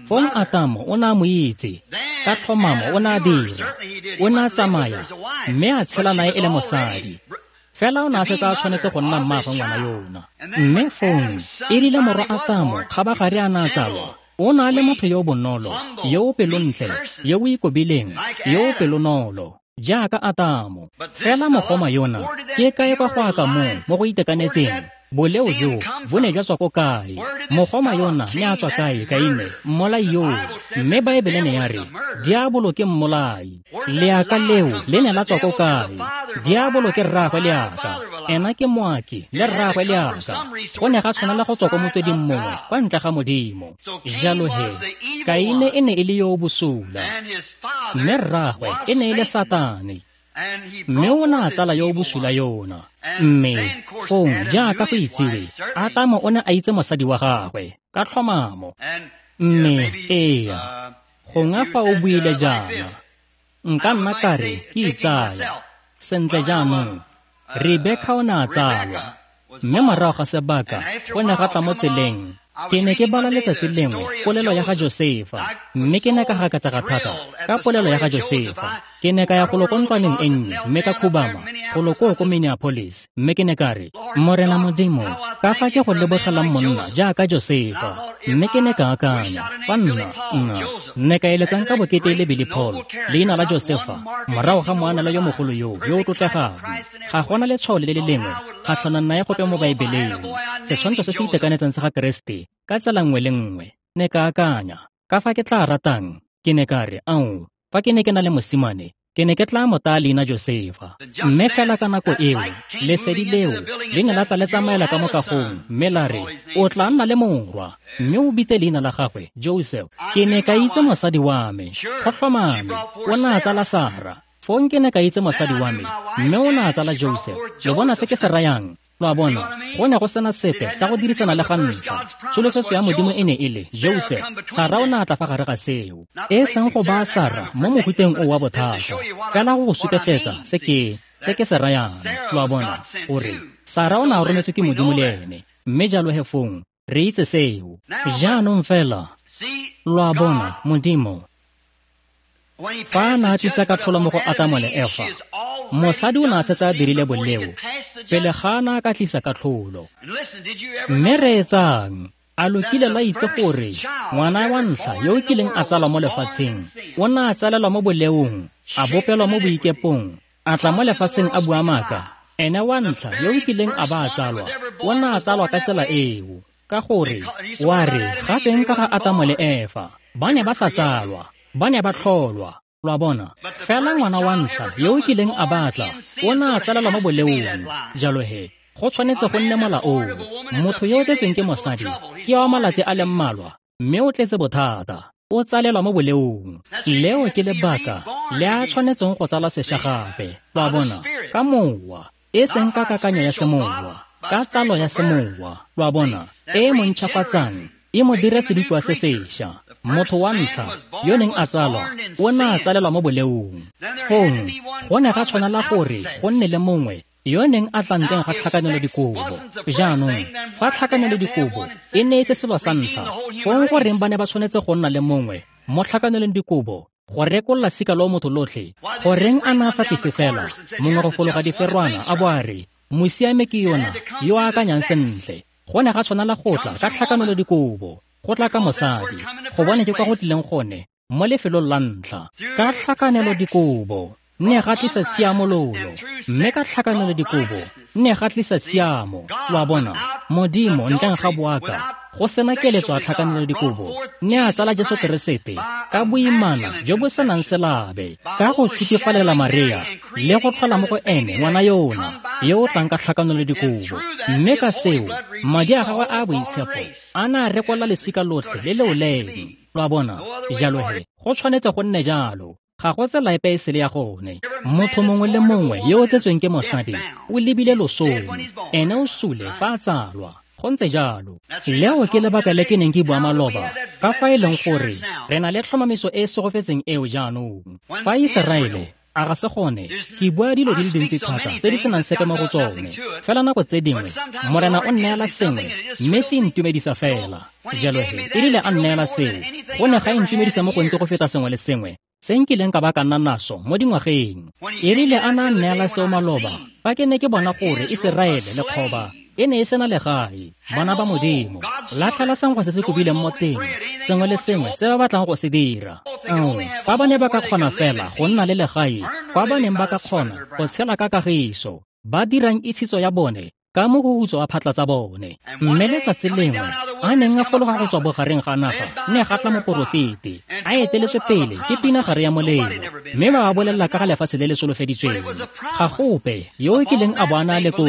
Speaker 1: Fong Atamo o ne a mo itse, ka tlhomamo o ne a dira. O ne a tsamaya, mme a tshela nae e le mosadi. Fela o ne a setse a tshwanetse go nna mmaagwe ngwana yona. Mme fong, e rile morwa Atamo kgabagare a ne a tsalwa, o ne a le motho yo o bonolo, yo o pelontle, yo o ikobileng, yo o pelonolo, jaaka Atamo. Fela mogoma yona, ke kae kwa go aka moo mo go itekanetseng? Boleo jo bo ne jwa tswa ko kae? Mogoma yona ne a tswa kae, Kaine, mmolai yoo? Mme Baebele ne ya re, diabolo ke mmolai. Leaka leo le ne la tswa ko kae? Diabolo ke rraagwe leaka, ena ke moaki le rraagwe leaka. Go ne ga tshwanela go tswa ko motsweding mongwe kwa ntle ga Modimo. Jalo he, Kaine e ne e le yo o bosula, mme rraagwe e ne e le Satane. Mme o ne a tsala yo o bosula yona. Mme fong jaaka go itsiwe, Atamo o ne a itse mosadi wa gagwe ka tlhomamo. Mme ea, gongwe fa o buile jaana, nka nna ka re ke itsaya. Sentle jaanong, Rebeka o ne a tsalwa, mme morago ga sebaka o ne ga tla mo tseleng. Ke ne ke bala letsatsi lengwe polelo ya ga Josefa, mme ke ne ka gakatsega thata ka polelo ya ga Josefa. Ke ne ka ya golo ko ntlwaneng e nnye mme ka khubama golo koo ko Minneapolis, mme ke ne ka re, Morena Modimo, ka fa ke go lebogelang monna jaaka Josefa. Mme ke ne ka akanya, fa nna, nna, ne ka eletsang ka bokete le Billy Paul, leina la Josefa, morago ga moanela yo mogolo yo, yo o tlotlegang. Ga gona letshwao le le lengwe kgatlhanong nae gope mo Baebeleng, setshwantsho se se itekanetseng sa ga Keresete ka tsela nngwe le nngwe. Ne ka akanya, ka fa ke tla ratang, ke ne ka re, ao, fa ke ne ke na le mosimane, ke ne ke tla mo taya leina Josefa. Mme fela ka nako eo, lesedi leo le ne la tla le tsamaela ka mo kagong, mme la re, o tla nna le morwa, mme o bitse leina la gagwe Joseph. Ke ne ka itse mosadi wa me, go tlhomame, o ne a tsala Sara. Fong ke ne ka itse mosadi wa me, mme o ne a tsala Joseph. Lo bona se ke se rayang? Lo a bona, go ne go sena sepe sa go dirisana le ga ntlha. Tsholofetso ya Modimo e ne e le Joseph. Sara o ne a tla fa gare ga seo. E seng go baya Sara mo mohuteng o wa bothata, fela go go supegetsa se ke se ke se rayang. Lo a bona, gore Sara o ne a rometswe ke Modimo le ene, mme jalo he fong re itse seo. Jaanong fela, lo a bona, Modimo fa a ne a tlisa katlholo mo go Atamo le Efa, mosadi o ne a setse a dirile boleo pele ga a ne a ka tlisa katlholo. Mme reetsang, a lo kile la itse gore ngwana wa ntlha yo o kileng a tsalwa mo lefatsheng o ne a tsalelwa mo boleong, a bopelwa mo boikepong, a tla mo lefatsheng a bua maaka? Ene wa ntlha yo o kileng a ba a tsalwa o ne a tsalwa ka tsela eo, ka gore wa re gateng ka ga Atamo le Efa, ba ne ba sa tsalwa, ba ne ba tlholwa. Lo a bona, fela ngwana wa ntlha yo o kileng a batla o ne a tsalelwa mo boleong. Jalo he, go tshwanetse go nne mola oo. Motho yo o tletsweng ke mosadi ke wa malatsi a le mmalwa, mme o tletse bothata, o tsalelwa mo boleong. Leo ke lebaka le a tshwanetseng go tsalwa sešwa gape. Lo a bona, ka mowa, e seng ka kakanyo ya semowa, ka tsalo ya semowa. Lo a bona, e mo ntšhafatsang, e mo dire sedikwa se sešwa. Motho wa ntlha yo neng a tsalwa o ne a tsalelwa mo boleong. Fong go ne ga tshwanela gore go nne le mongwe yo neng a tla ntleng ga tlhakanelo dikobo. Jaanong fa tlhakanelo dikobo e ne e se selo sa ntlha, fong goreng ba ne ba tshwanetse go nna le mongwe mo tlhakanelong dikobo go rekolola sika loo motho lotlhe? Goreng a ne a sa tlise fela mongwe go fologa diferwana a bo a re, mosiame ke yona yo a akanyang sentle? Go ne ga tshwanela go tla ka tlhakanelo dikobo, go tla ka mosadi, go bone ke kwa go tlileng gone mo lefelong la ntlha. Ka tlhakanelo dikobo ne ga tlisa tshiamololo, mme ka tlhakanelo dikobo ne ga tlisa tshiamo. Lo a bona, Modimo ntleng ga boaka, go sena keletso a tlhakanelo dikobo, ne a tsala Jesu Keresete ka boimana jo bo senang selabe, ka go tshutifalela Maria le go tlhola mo go ene ngwana yona yo o tlang ka tlhakanelo dikobo. Mme ka seo, madi a gagwe a boitshepo a ne a rekolla lesika lotlhe le leoleng. Lo a bona, jalo he go tshwanetse go nne jalo. Ga go tsela epe e sele ya gone. Motho mongwe le mongwe yo o tsetsweng ke mosadi o lebile losong, ene o sule fa a tsalwa. Go ntse jalo. Leo ke lebaka le ke neng ke bua maloba ka fa e leng gore re na le tlhomamiso e e segofetseng eo jaanong. Fa Iseraele a ga se gone, ke bua dilo di le dintsi thata tse di senang sepe mo go tsone. Fela nako tse dingwe Morena o nneela sengwe mme se intumedisa fela. Jalo he, e rile a nneela seo, go ne ga intumedisa mo gontsi go feta sengwe le sengwe se nkileng ka ba ka nna naso mo dingwageng. E rile a na nneela seo maloba, fa ke ne ke bona gore Iseraele lekgoba e ne e sena legae, bana ba Modimo, latlhela sengwe se se kobileng mo teng, sengwe le sengwe se ba batlang go se dira. Ao, fa ba ne ba ka kgona fela go nna le legae kwa ba neng ba ka kgona go tshela ka kagiso, ba dirang itshitso ya bone ka mohuhutso wa phatla tsa bone. Mme letsatsi lengwe a neng a fologa go tswa bogareng ga naga, ne ga tla moporofeti a eteletswe pele ke pinagare ya molelo, mme ba ba bolelela ka ga lefatshe le le solofeditsweng. Ga gope yo o kileng a bo a na le koo,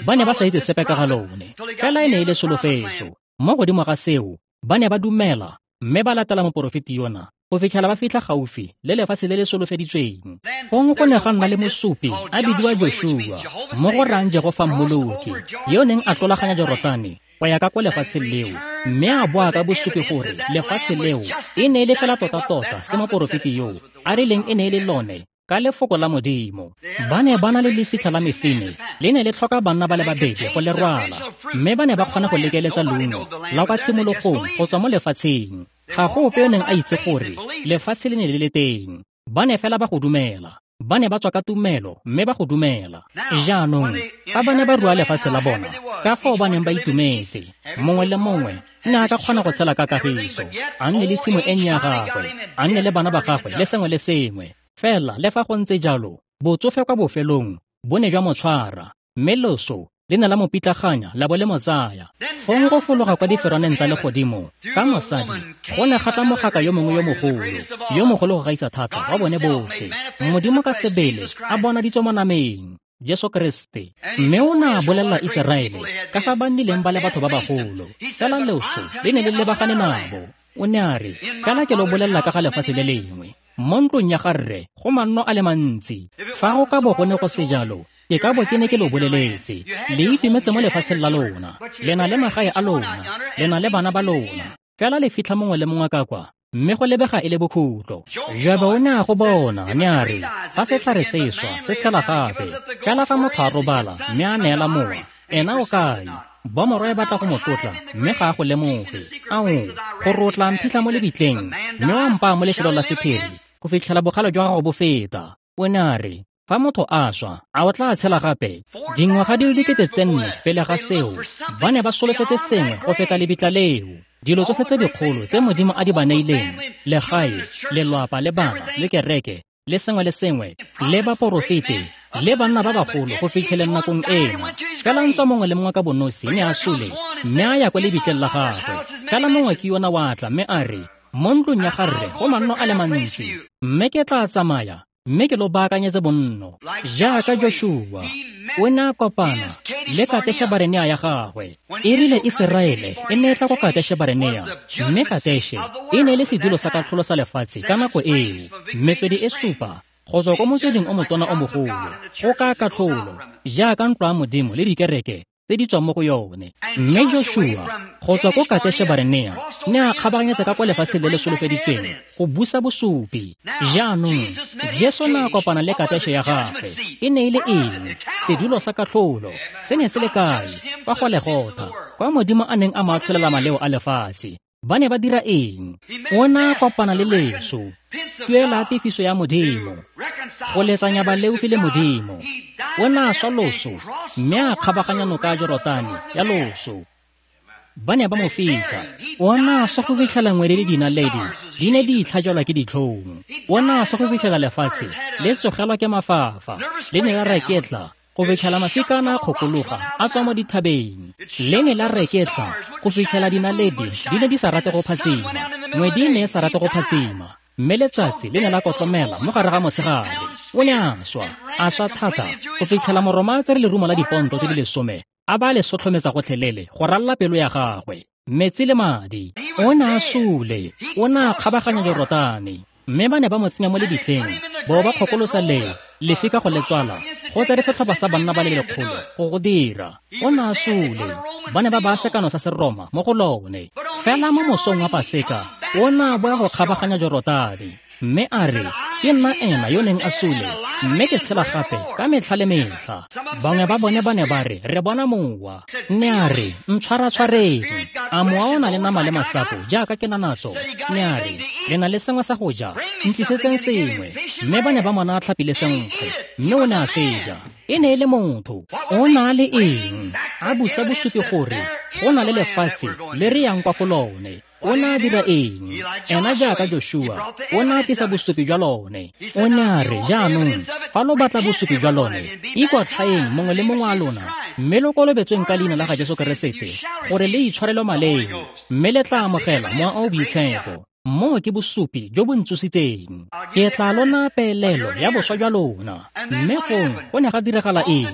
Speaker 1: ba ne ba sa itse sepe ka ga lone, fela e ne e le solofetso. Mo godimo ga seo, ba ne ba dumela mme ba latela moporofeti yona go fitlhela ba fitlha gaufi le lefatshe le le solofeditsweng. Fong go ne ga nna le mosupi a bidiwa Joshua, mo go rayang Jehofa Mmoloki, yo neng a tlolaganya Jorotane go ya ka kwa lefatsheng leo, mme a boa ka bosupi gore lefatshe leo e ne e le fela tota-tota se moporofeti yoo a rileng e ne e le lone ka lefoko la Modimo. Ba ne ba na le lesitlha la mefine, le ne le tlhoka banna ba le babedi go le rwala, mme ba ne ba kgona go lekeletsa leungo la kwa tshimologong go tswa mo lefatsheng. Ga go ope yo neng a itse gore lefatshe le ne le le teng. Ba ne fela ba go dumela. Ba ne ba tswa ka tumelo mme ba go dumela. Jaanong fa ba ne ba rua lefatshe la bona, ka fao ba neng ba itumetse, mongwe le mongwe ne a ka kgona go tshela ka kagiso, a nne le tshimo e nnye ya gagwe, a nne le bana ba gagwe le sengwe le sengwe. Fela le fa go ntse jalo, botsofe kwa bofelong bo ne jwa mo tshwara, mme loso le ne la mo pitlaganya la bo le mo tsaya. Fong go fologa kwa diferwaneng tsa legodimo ka mosadi go ne ga tla mogaka yo mongwe yo mogolo, yo mogolo go gaisa thata wa bone botlhe, Modimo ka sebele a bonaditswe mo nameng, Jesu Kriste. Mme o ne a bolelela Iseraele ka fa ba nnileng ba le batho ba bagolo, fela loso le ne le lebagane nabo. O ne a re, fela ke lo bolelela ka ga lefatshe le lengwe, mo ntlong ya ga rre go manno a le mantsi. Fa go ka bo go ne go se jalo, Ke ka bo ke ne ke lo boleletse. Le itumetse mo lefatsheng la lona. Le na le magae a lona. Le na le bana ba lona. Fela le fitlha mongwe le mongwe ka kwa, mme go lebega e le bokhutlo. Jobe o ne a go bona, mme a re, fa setlhare se swa, se tshela gape. Fela fa motho a robala, mme a neela mowa, ena o kae? Bomorwa e batla go mo tlotla, mme ga a go lemoge. Ao, gore o tla mphitlha mo lebitleng, mme wa mpaa mo lefelong la sephiri, go fitlhela bogale jwa gago bo feta. O ne a re, fa motho a swa, a o tla tshela gape? Dingwaga di le dikete tse nne pele ga seo, ba ne ba solofetse sengwe go feta lebitla leo. Dilo tsotlhe tse dikgolo tse Modimo a di ba neileng, legae, lelwapa le bana, le kereke, le sengwe le sengwe, le baporofete, le banna ba bagolo go fitlheleng nakong ena. Fela ntswa mongwe le mongwe ka bonosi ne a sule, mme a ya kwa lebitleng la gagwe. Fela mongwe ke yona wa tla mme a re, mo ntlong ya ga rre go manno a le mantsi, mme ke tla tsamaya, mme ke lo baakanyetse bonno. Jaaka Joshua, o ne a kopana le Kateshe-Barenea ya gagwe. E rile Iseraele e ne e tla ko Kateshe-Barenea, mme Kateshe e ne e le sedulo sa katlholo sa lefatshe ka nako eo. Metswedi e supa go tswa ko motsweding o motona o mogolo, go ka katlholo, jaaka ntlo ya Modimo le dikereke tse di tswang mo go yone. Mme Joshua go tswa ko Kateshe-Barenea ne a kgabaganyetsa ka kwa lefatsheng le le solofeditsweng go busa bosupi. Jaanong Jesu ne a kopana le Kateshe ya gagwe. E ne e le eng? Sedulo sa katlholo. Se ne se le kae? Kwa Golegotha, kwa Modimo a neng a mo atlholela maleo a lefatshe. Ba ne ba dira eng? O ne a kopana le leso, tuelo ya tefiso ya Modimo, go letsanya baleofi le Modimo. O ne a swa loso, mme a kgabaganya noka ya Jorotane ya loso. Ba ne ba mo fitlha. O ne a swa go fitlhela ngwedi le dinaledi di ne di itlhajelwa ke ditlhong. O ne a swa go fitlhela lefatshe le tsogelwa ke mafafa, le ne la reketla go fitlhela mafika a ne a kgokologa a tswa mo dithabeng. Le ne la reketla go fitlhela dinaledi di ne di sa rate go phatsima, ngwedi e ne e sa rate go phatsima, mme letsatsi le ne la kotlomela mo gare ga motshegare. O ne a swa, a swa thata go fitlhela Moroma a tsere lerumo la diponto tse di lesome, a ba le sotlhometsa gotlhelele go ralla pelo ya gagwe, metsi le madi. O ne a sule, o ne a kgabaganya Jorotane, mme ba ne ba mo tsenya mo lebitleng, bo ba kgokolosa le lefika go le tswala, go tsere setlhopha sa banna ba le lekgolo go go dira. O ne a sule, ba ne ba baya sekano sa Seroma mo go lone. Fela mo mosong wa Paseka, o ne a boa go kgabaganya Jorotane, mme a re, ke nna ena yo neng a sule, mme ke tshela gape ka metlha le metlha. Bangwe ba bone ba ne ba re, re bona mowa. Mme a re, ntshwaratshwareng. A mowa o na le nama le masapo jaaka ke na natso? Mme a re, le na le sengwe sa go ja, ntlisetseng sengwe. Mme ba ne ba mona a tlhapile senkgwe, mme o ne a se ja. E ne e le motho. O na le eng? A busa bosupi gore go na le lefatshe le re yang kwa go lone. O ne a dira eng? Ena jaaka Joshua, o ne a tlisa bosupi jwa lone. O ne a re, jaanong, fa lo batla bosupi jwa lone, ikwatlhaeng mongwe le mongwe a lona, mme lo kolobetsweng ka leina la ga Jesu Keresete, gore le itshwarelwe maleo, mme le tla amogela Mowa o o Boitshepo. Moo ke bosupi jo bo ntsositseng. Ke tla lona peelelo ya boswa jwa lona. Mme fong go ne ga diragala eng?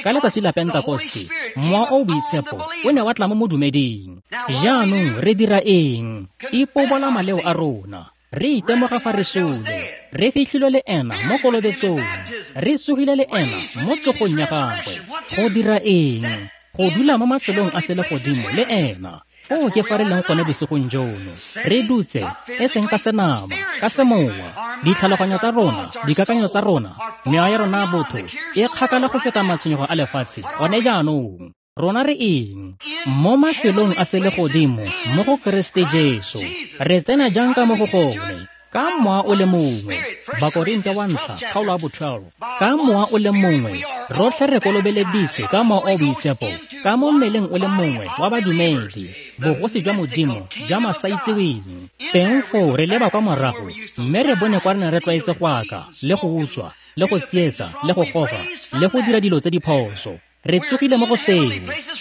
Speaker 1: Ka letsatsi la Pentekoste, Mowa o o Boitshepo o ne wa tla mo modumeding. Jaanong re dira eng? Ipobola maleo a rona. Re itemoga fa re sule. Re fitlhilwe le ena mo kolobetsong. Re tsogile le ena mo tsogong ya gagwe. Go dira eng? Go dula mo mafelong a selegodimo le ena. Foo ke fa re leng gone bosigong jono. Re dutse, e seng ka senama, ka semowa. Ditlhaloganyo tsa rona, dikakanyo tsa rona, mewa ya rona ya botho e kgakala go feta matshwenyego a lefatshe gone jaanong. Rona re eng? Mo mafelong a selegodimo, mo go Keresete Jesu. Re tsena jang ka mo go gone? Ka mowa o le mongwe. Bakorinte wa ntlha, kgaolo ya bo twelve. Ka mowa o le mongwe, rotlhe re kolobeleditswe ka Mowa o Boitshepo, ka mo mmeleng o le mongwe wa badumedi, bogosi jwa Modimo jwa masaitseweng. Teng foo re leba kwa morago, mme re bone kwa re ne re tlwaetse go aka, le go utswa, le go tsietsa, le go goga, le go dira dilo tse di phoso. Re tsogile mo go seo,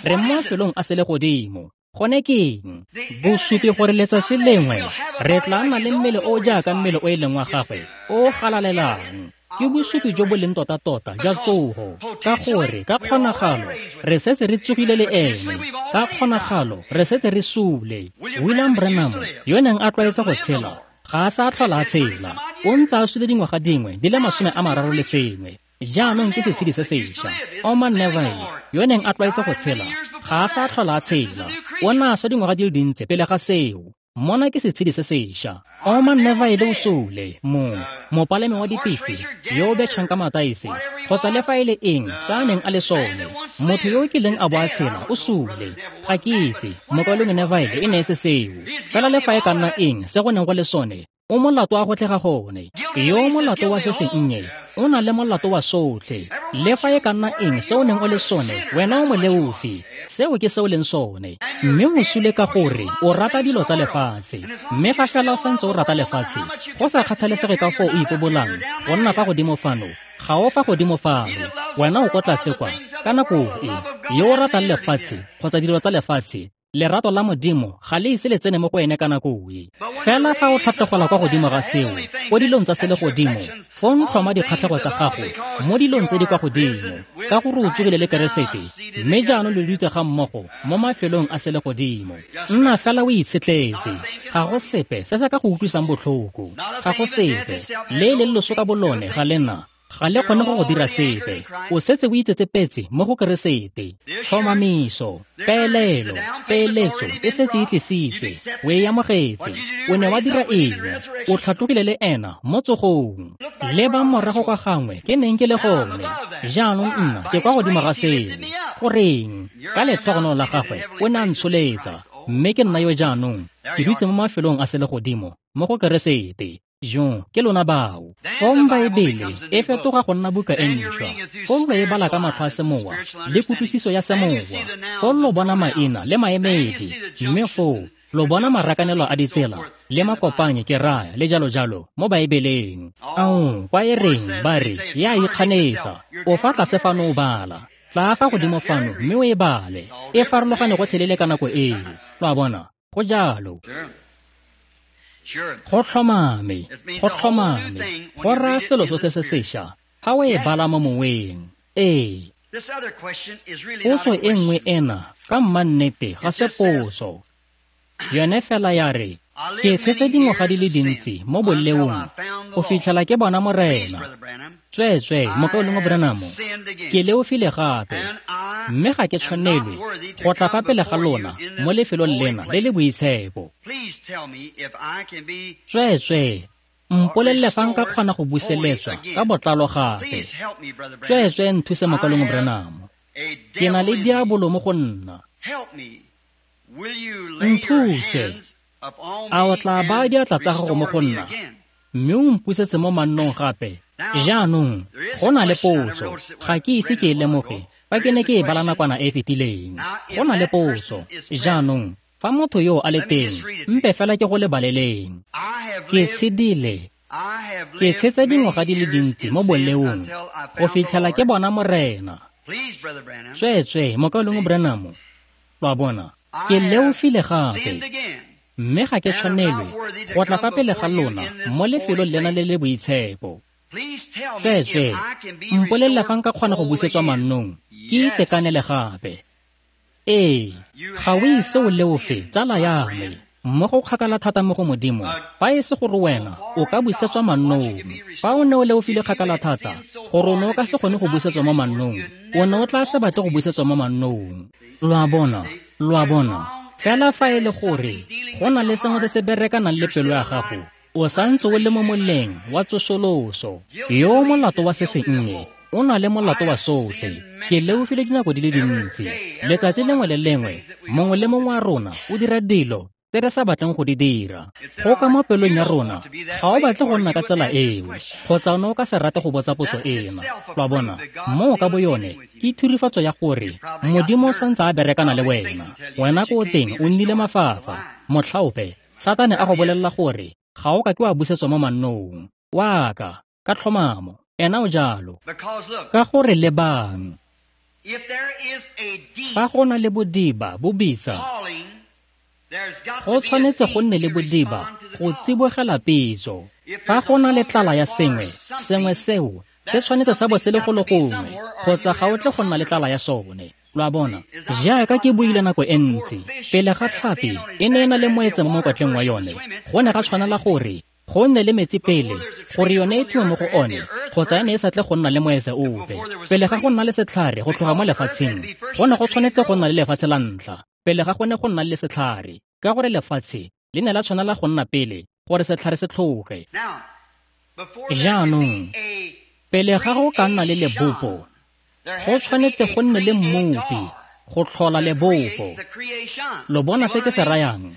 Speaker 1: re mo mafelong a selegodimo. Gone ke eng? Bosupi gore letsatsi lengwe re tla nna le mmele o jaaka mmele o e leng wa gagwe, o galalelang. Ke bosupi jo bo leng tota-tota jwa tsogo, ka gore ka kgonagalo re setse re tsogile le ene, ka kgonagalo re setse re sule. William Branham, yo neng a tlwaetse go tshela, ga a sa tlhola a tshela. O ntse a sule dingwaga dingwe di le masome a mararo le sengwe. Jaanong ke setshedi se sešwa. Orman Neville, yo neng a tlwaetse go tshela, ga a sa tlhola a tshela. O ne a swa dingwaga di le dintsi pele ga seo. Mona ke setshedi se sešwa. Orman Neville o sule, mo mopalemi wa dipitse yo o betšhang ka mataese, kgotsa le fa e le eng se a neng a le sone. Motho yo o kileng a bo a tshela o sule. Ga ke itse, mokaulengwe Neville e ne e se seo. Fela le fa e ka nna eng se go neng go le sone, o molato wa go tlhega gone. Yo molato wa se sennye o na le molato wa sotlhe. Le fa e ka nna eng se o neng o le sone, wena o moleofi. Seo ke se o leng sone. Mme o sule ka gore o rata dilo tsa lefatshe. Mme fa fela o santse o rata lefatshe, go sa kgathalesege ka foo o ipobolang go nna fa godimo fano, ga o fa godimo fano, wena o ko tlase kwa. Ka nako e, yo o ratang lefatshe kgotsa dilo tsa lefatshe, lerato la Modimo ga le ise le tsene mo go ene ka nako e. Fela fa o tlhatlogela kwa godimo ga seo, ko dilong tsa selegodimo, fong tlhoma dikgatlhego tsa gago mo dilong tse di kwa godimo, ka gore o tsogile le Keresete, mme jaanong le dutse ga mmogo mo mafelong a selegodimo. Nna fela o itshetletse. Ga go sepe se se ka go utlwisang botlhoko. Ga go sepe. Le e leng loso ka bolone ga le na. Ga le kgone go go dira sepe. O setse o itsetsepetse mo go Keresete. Tlhomamiso, peelelo, peeletso e setse e tlisitswe. O e amogetse. O ne wa dira eng? O tlhatlogile le ena mo tsogong. Leba morago kwa gangwe ke neng ke le gone. Jaanong nna ke kwa godimo ga seo. Goreng? Ka letlhogonolo la gagwe o ne a ntsholetsa. Mme ke nna yo jaanong ke dutse mo mafelong a selegodimo mo go Keresete. Jo, ke lona bao. Fong Baebele e fetoga go nna buka e ntšhwa. Fong lo e bala ka matlho a semowa le kutlwisiso ya semowa. Fong lo bona maina le maemedi, mme foo lo bona marakanelo a ditsela le makopanye ke raya le jalo jalo mo Baebeleng. Ao, kwa e reng ba re ya ikganetsa. O fa tlase fano o bala. Tla fa godimo fano mme o e bale. E farologane gotlhelele ka nako eo. Lo a bona? Go jalo. Go tlhomame, go tlhomame, go raya selo sotlhe se sešwa ga o e bala mo moweng. Ee. Potso e nngwe ena ka mmannete ga se potso. Yone fela ya re, ke tshetse dingwaga di le dintsi mo boleong go fitlhela ke bona Morena. Tsweetswee, mokaulengwe Branham, ke leofile gape, mme ga ke tshwanelwe go tla fa pele ga lona mo lefelong lena le le boitshepo. Tsweetswee, mpolelele fa nka kgona go buseletswa ka botlalo gape. Tsweetswee nthuse mokaulengwe Branham. Ke na le diabolo mo go nna. Nthuse. A o tla baya diatla tsa gago mo go nna, mme o mpusetse mo mannong gape? Jaanong, go na le potso. Ga ke ise ke e lemoge fa ke ne ke e bala nakwana e e fetileng. Go na le potso. Jaanong, fa motho yo a le teng, mpe fela ke go lebaleleng. Ke tshedile. Ke tshetse dingwaga di le dintsi mo boleong go fitlhela ke bona Morena. Tsweetswee, mokaulengwe Branham, lo a bona, ke leofile gape, mme ga ke tshwanelwe go tla fa pele ga lona mo lefelong lena le le boitshepo. Tsweetswee, mpolelele fa nka kgona go busetswa mannong, ke itekanele gape. Ee, ga o ise o leofe, tsala ya me, mmogo kgakala thata mo go Modimo, fa e se gore wena o ka busetswa mannong. Fa o ne o leofile kgakala thata, gore o ne o ka se kgone go busetswa mo mannong, o ne o tla se batle go busetswa mo mannong. Lo a bona, lo a bona. Fela fa e le gore go na le sengwe se se berekanang le pelo ya gago, o santse o le mo moleng wa tsosoloso. Yo molato wa se sennye o na le molato wa sotlhe. Ke leofile dinako di le dintsi. Letsatsi lengwe le lengwe, mongwe le mongwe wa rona o dira dilo tse re sa batleng go di dira. Go ka mo pelong ya rona, ga o batle go nna ka tsela eo, kgotsa o ne o ka se rate go botsa potso ena. Lo a bona, moo ka bo yone ke thurifatso ya gore Modimo o santse a berekana le wena. Wena ko teng o nnile mafafa. Motlhaope, Satane a go bolelela gore ga o ka ke wa busetswa mo mannong. Wa ka, ka tlhomamo, ena o jalo. Ka gore lebang, fa go na le bodiba bo bitsa, go tshwanetse go nne le bodiba go tsibogela pitso. Fa go na le tlala ya sengwe, sengwe seo se tshwanetse sa bo se le go le gongwe, kgotsa ga o tle go nna le tlala ya sone. Lo a bona, jaaka ke buile nako e ntsi, pele ga tlhapi e ne e na le moetse mo mokwatleng wa yone, go ne ga tshwanela gore go nne le metsi pele gore yone e thume mo go one, kgotsa e ne e sa tle go nna le moetse ope. Pele ga go nna le setlhare go tloga mo lefatsheng, go ne go tshwanetse go nna le lefatshe la ntlha pele ga go ne go nna le setlhare, ka gore lefatshe le ne la tshwanela go nna pele gore setlhare se tlhoge. Jaanong, pele ga go ka nna le lebopo, go tshwanetse go nne le mmopi go tlhola lebopo. Lo bona se ke se rayang?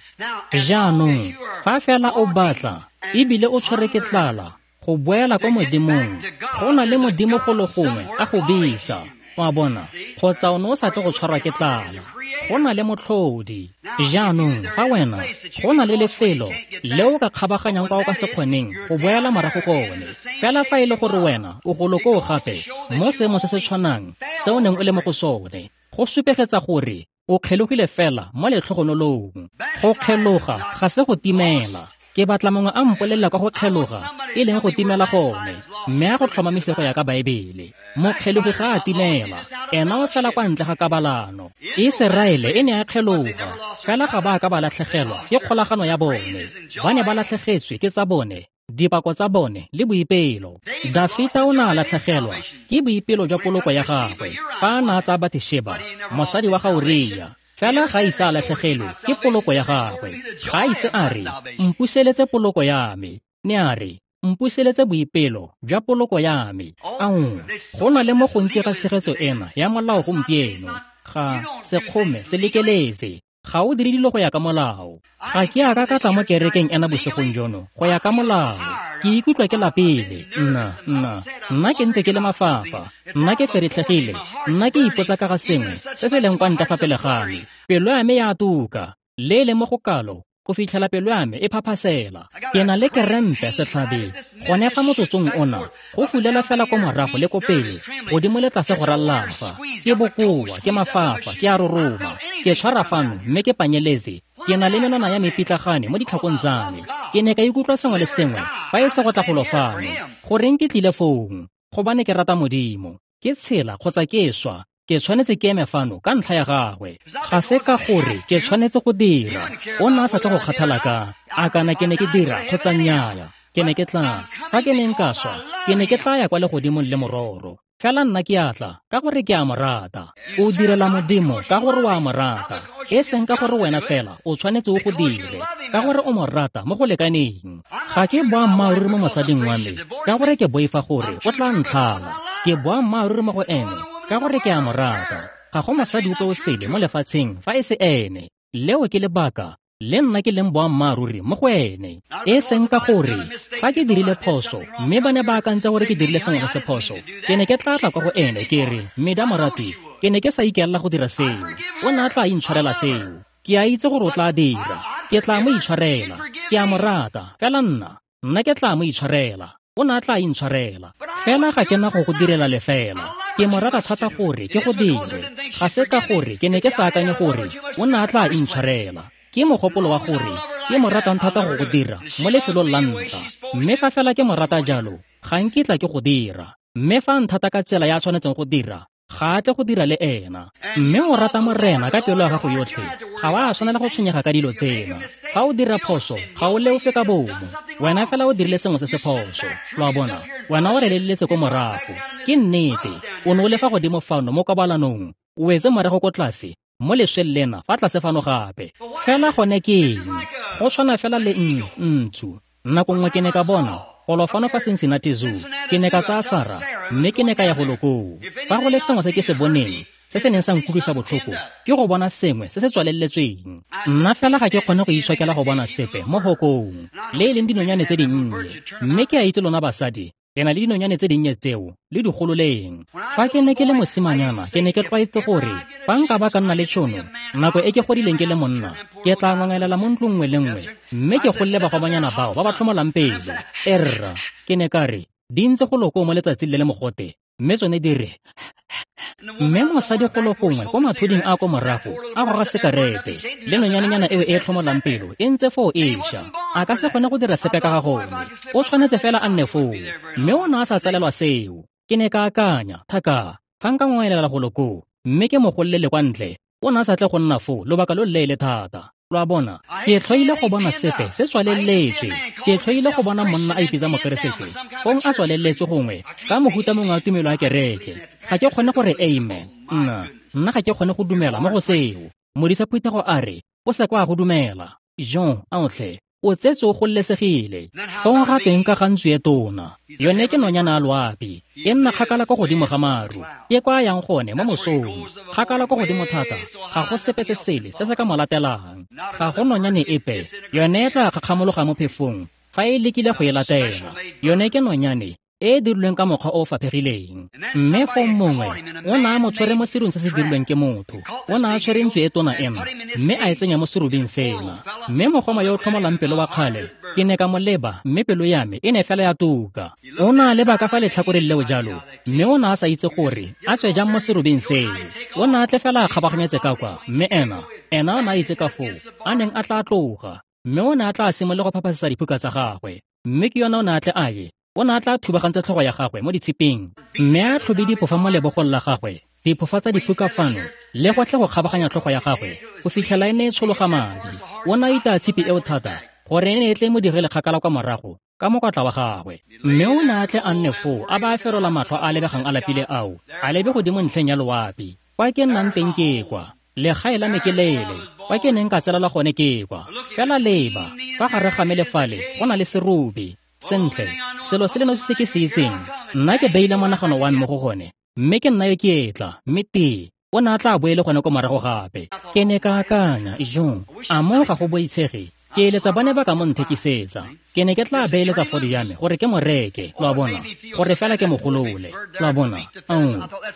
Speaker 1: Jaanong, fa fela o batla ebile o tshwere ke tlala go boela kwa Modimong, go na le Modimo golo gongwe a go bitsa, wa bona, kgotsa o ne o sa tle go tshwarwa ke tlala. Go na le motlhodi. Jaanong, fa wena go na le lefelo le o ka kgabaganyang kwa o ka se kgoneng go boela morago kone, fela fa e le gore wena o golo koo gape mo seemo se se tshwanang se o neng o le mo go sone, go supegetsa gore o kgelogile fela mo letlhogonolong. Go kgeloga ga se go timela. Ke batla mongwe a mpolelela kwa go kgeloga e leng go timela gone, mme a go tlhomamise go ya ka Baebele. Mokgelogi ga a timela, ena o fela kwa ntle ga kabalano. Iseraele e ne ya kgeloga, fela ga ba ka ba latlhegelwa ke kgolagano ya bone. Ba ne ba latlhegetswe ke tsa bone, dipako tsa bone le boipelo. Dafita o ne a latlhegelwa ke boipelo jwa poloko ya gagwe fa a ne a tsaya Bathesheba, mosadi wa ga Uria. Fela ga ise a latlhegelwe ke poloko ya gagwe. Ga ise a re, mpuseletse poloko ya me. Ne a re, mpuseletse boipelo jwa poloko ya me. Ao, go na le mo gontsi ga tshegetso ena ya molao gompieno. Ga sekgome se lekeletse. Ga o dire dilo go ya ka molao. Ga ke a ka ka tla mo kerekeng ena bosigong jono go ya ka molao. Ke ikutlwa ke lapile. Nna, nna, nna ke ntse ke le mafafa. Nna ke feretlhegile. Nna ke ipotsa ka ga sengwe se se leng kwa ntle fa pele ga me. Pelo ya me ya tuka, le e leng mo go kalo go fitlhela pelo ya me e phaphasela. Ke na le kerempe setlhabe gone fa motsotsong ona, go fulela fela ko morago le ko pele, godimo le tlase go ralla fa. Ke bokoa, ke mafafa, ke a roroma, ke tshwara fano mme ke panyeletse. Ke na le menwana ya mepitlagane mo ditlhakong tsa me. Ke ne ka ikutlwa sengwe le sengwe fa e se go tla golo fano. Goreng ke tlile fong? Gobane ke rata Modimo. Ke tshela kgotsa ke swa, ke tshwanetse ke eme fano ka ntlha ya gagwe. Ga se ka gore ke tshwanetse go dira. O ne a sa tle go kgathala ka a kana ke ne ke dira kgotsa nnyaya. Ke ne ke tla, fa ke neng ka swa, ke ne ke tla ya kwa legodimong le mororo. Fela nna ke a tla ka gore ke a mo rata. O direla Modimo ka gore o a mo rata, e seng ka gore wena fela o tshwanetse o go dire, ka gore o mo rata mo go lekaneng. Ga ke boammaaruri mo mosading wa me ka gore ke boifa gore o tla ntlhala. Ke boammaaruri mo go ene ka gore ke a mo rata. Ga go mosadi ope o sele mo lefatsheng fa e se ene. Leo ke lebaka le nna ke leng boammaaruri mo go ene. E seng ka gore fa ke dirile phoso mme ba ne ba akantse gore ke dirile sengwe se phoso, ke ne ke tla tla kwa go ene ke re, Meda morati, ke ne ke sa ikaelela go dira seo. O ne a tla intshwarela seo. Ke a itse gore o tla dira. Ke tla mo itshwarela. Ke a mo rata. Fela nna, nna ke tla mo itshwarela. O ne a tla intshwarela. Fela ga ke na go go direla lefela. Ke mo rata thata gore ke go dire. Ga se ka gore ke ne ke sa akanye gore o ne a tla intshwarela. Ke mogopolo wa gore ke mo ratang thata go go dira mo lefelong la ntlha. Mme fa fela ke mo rata jalo, ga nkitla ke go dira. Mme fa nthata ka tsela ya tshwanetseng go dira, ga a tle go dira le ena. Mme o rata Morena ka pelo ya gago yotlhe, ga wa tshwanela go tshwenyega ka dilo tsena. Fa o dira phoso, ga o leofe ka bomo. Wena fela o dirile sengwe se se phoso. Lo a bona, wena o releletse ko morago. Ke nnete, o ne o le fa godimo fano mo kabalanong, o wetse morago ko tlase mo lesweng lena fa tlase fano gape. Fela gone ke eng? Go tshwana fela le ntsu. Nako nngwe ke ne ka bona golo fano fa Cincinnati Zoo. Ke ne ka tsaya Sara mme ke ne ka ya golo koo. Fa go le sengwe se ke se boneng se se neng sa nkutlwisa botlhoko, ke go bona sengwe se se tswaleletsweng. Nna fela ga ke kgone go itshokela go bona sepe mo hokong, le e leng dinonyane tse dinnye. Mme ke a itse lona basadi, le na le dinonyane tse dinnye tseo le di gololeng. Fa ke ne ke le mosimanyana, ke ne ke tlwaetse gore fa nka ba ka nna le tšhono nako e ke godileng ke le monna, ke tla ngongelela mo ntlong nngwe le nngwe mme ke golole bagomanyana bao ba ba tlhomolang pelo. Erra, ke ne ka re di ntse go loko mo letsatsing le le mogote, mme tsone di re. Mme mosadi golo gongwe ko mathuding a ko morago a goga sekarete le nonyanenyana eo e tlhomolang pelo e ntse foo e ša. A ka se kgone go dira sepe ka ga gone. O tshwanetse fela a nne foo, mme o ne a sa tsalelwa seo. Ke ne ka akanya, thaka, fa nka ngwaelela golo koo mme ke mo gololele kwa ntle, o ne a sa tle go nna foo lobaka lo leele thata. Lo a bona, ke tlhoile go bona sepe se tswaleletswe. Ke tlhoile go bona monna a ipitsa mokeresete, fong a tswaleletswe gongwe ka mohuta mongwe wa tumelo ya kereke. Ga ke kgone gore amen. Nna, nna ga ke kgone go dumela mo go seo. Modisa phuthego a re, o se kwa go dumela. Jean, aotlhe, o tsetswe o gololesegile. Fong ga teng ka ga ntsu e tona. Yone ke nonyana ya loapi, e nna kgakala kwa godimo ga maru. Ke kwa a yang gone mo mosong, kgakala kwa godimo thata, ga go sepe se sele se se ka mo latelang. Ga go nonyane epe, yone e tla kgakgamologa mo phefong fa e lekile go e latela. Yone ke nonyane e e dirilweng ka mokgwa o o faphegileng. Mme fong mongwe o ne a mo tshwere mo serung se se dirilweng ke motho. O ne a tshwere ntsu e tona ena, mme a e tsenya mo serubing sena. Mme mogoma yo o tlhomolang pelo wa kgale, ke ne ka mo leba, mme pelo ya me e ne fela ya tuka. O ne a leba ka fa letlhakoreng leo jalo, mme o ne a sa itse gore a tswe jang mo serubing seo. O ne a tle fela a kgabaganyetse ka kwa, mme ena, ena o ne a itse ka foo a neng a tla tloga, mme o ne a tla simolola go phaphasetsa diphuka tsa gagwe. Mme ke yona o ne a tle a ye, o ne a tla thubagantse tlhogo ya gagwe mo ditshiping, mme a tlhobe diphofa mo lebogong la gagwe, diphofa tsa diphuka fano, le go tle go kgabaganya tlhogo ya gagwe go fitlhela e ne e tshologa madi. O ne a itaya tshipi eo thata gore e ne e tle mo digele kgakala kwa morago ka mokwatla wa gagwe. Mme o ne a tle a nne foo a ba a ferola matlho a a lebegang a lapile ao, a lebe godimo ntlheng ya loapi. Kwa ke nnang teng ke kwa, legae la me ke lele, kwa ke neng ka tselela gone ke kwa. Fela leba, fa gare ga me le fale go na le serubi. Sentle, selo se le nosi se ke se itseng, nna ke beile monagano wa me mo go gone, mme ke nna yo ke etla, mme tee o ne a tla boele gone ko morago gape. Ke ne ka akanya, ijong, a mo ga go boitshege? Ke eletsa ba ne ba ka mo nthekisetsa. Ke ne ke tla beeletsa fodi ya me gore ke mo reke, lo a bona, gore fela ke mo golole, lo a bona. Ao,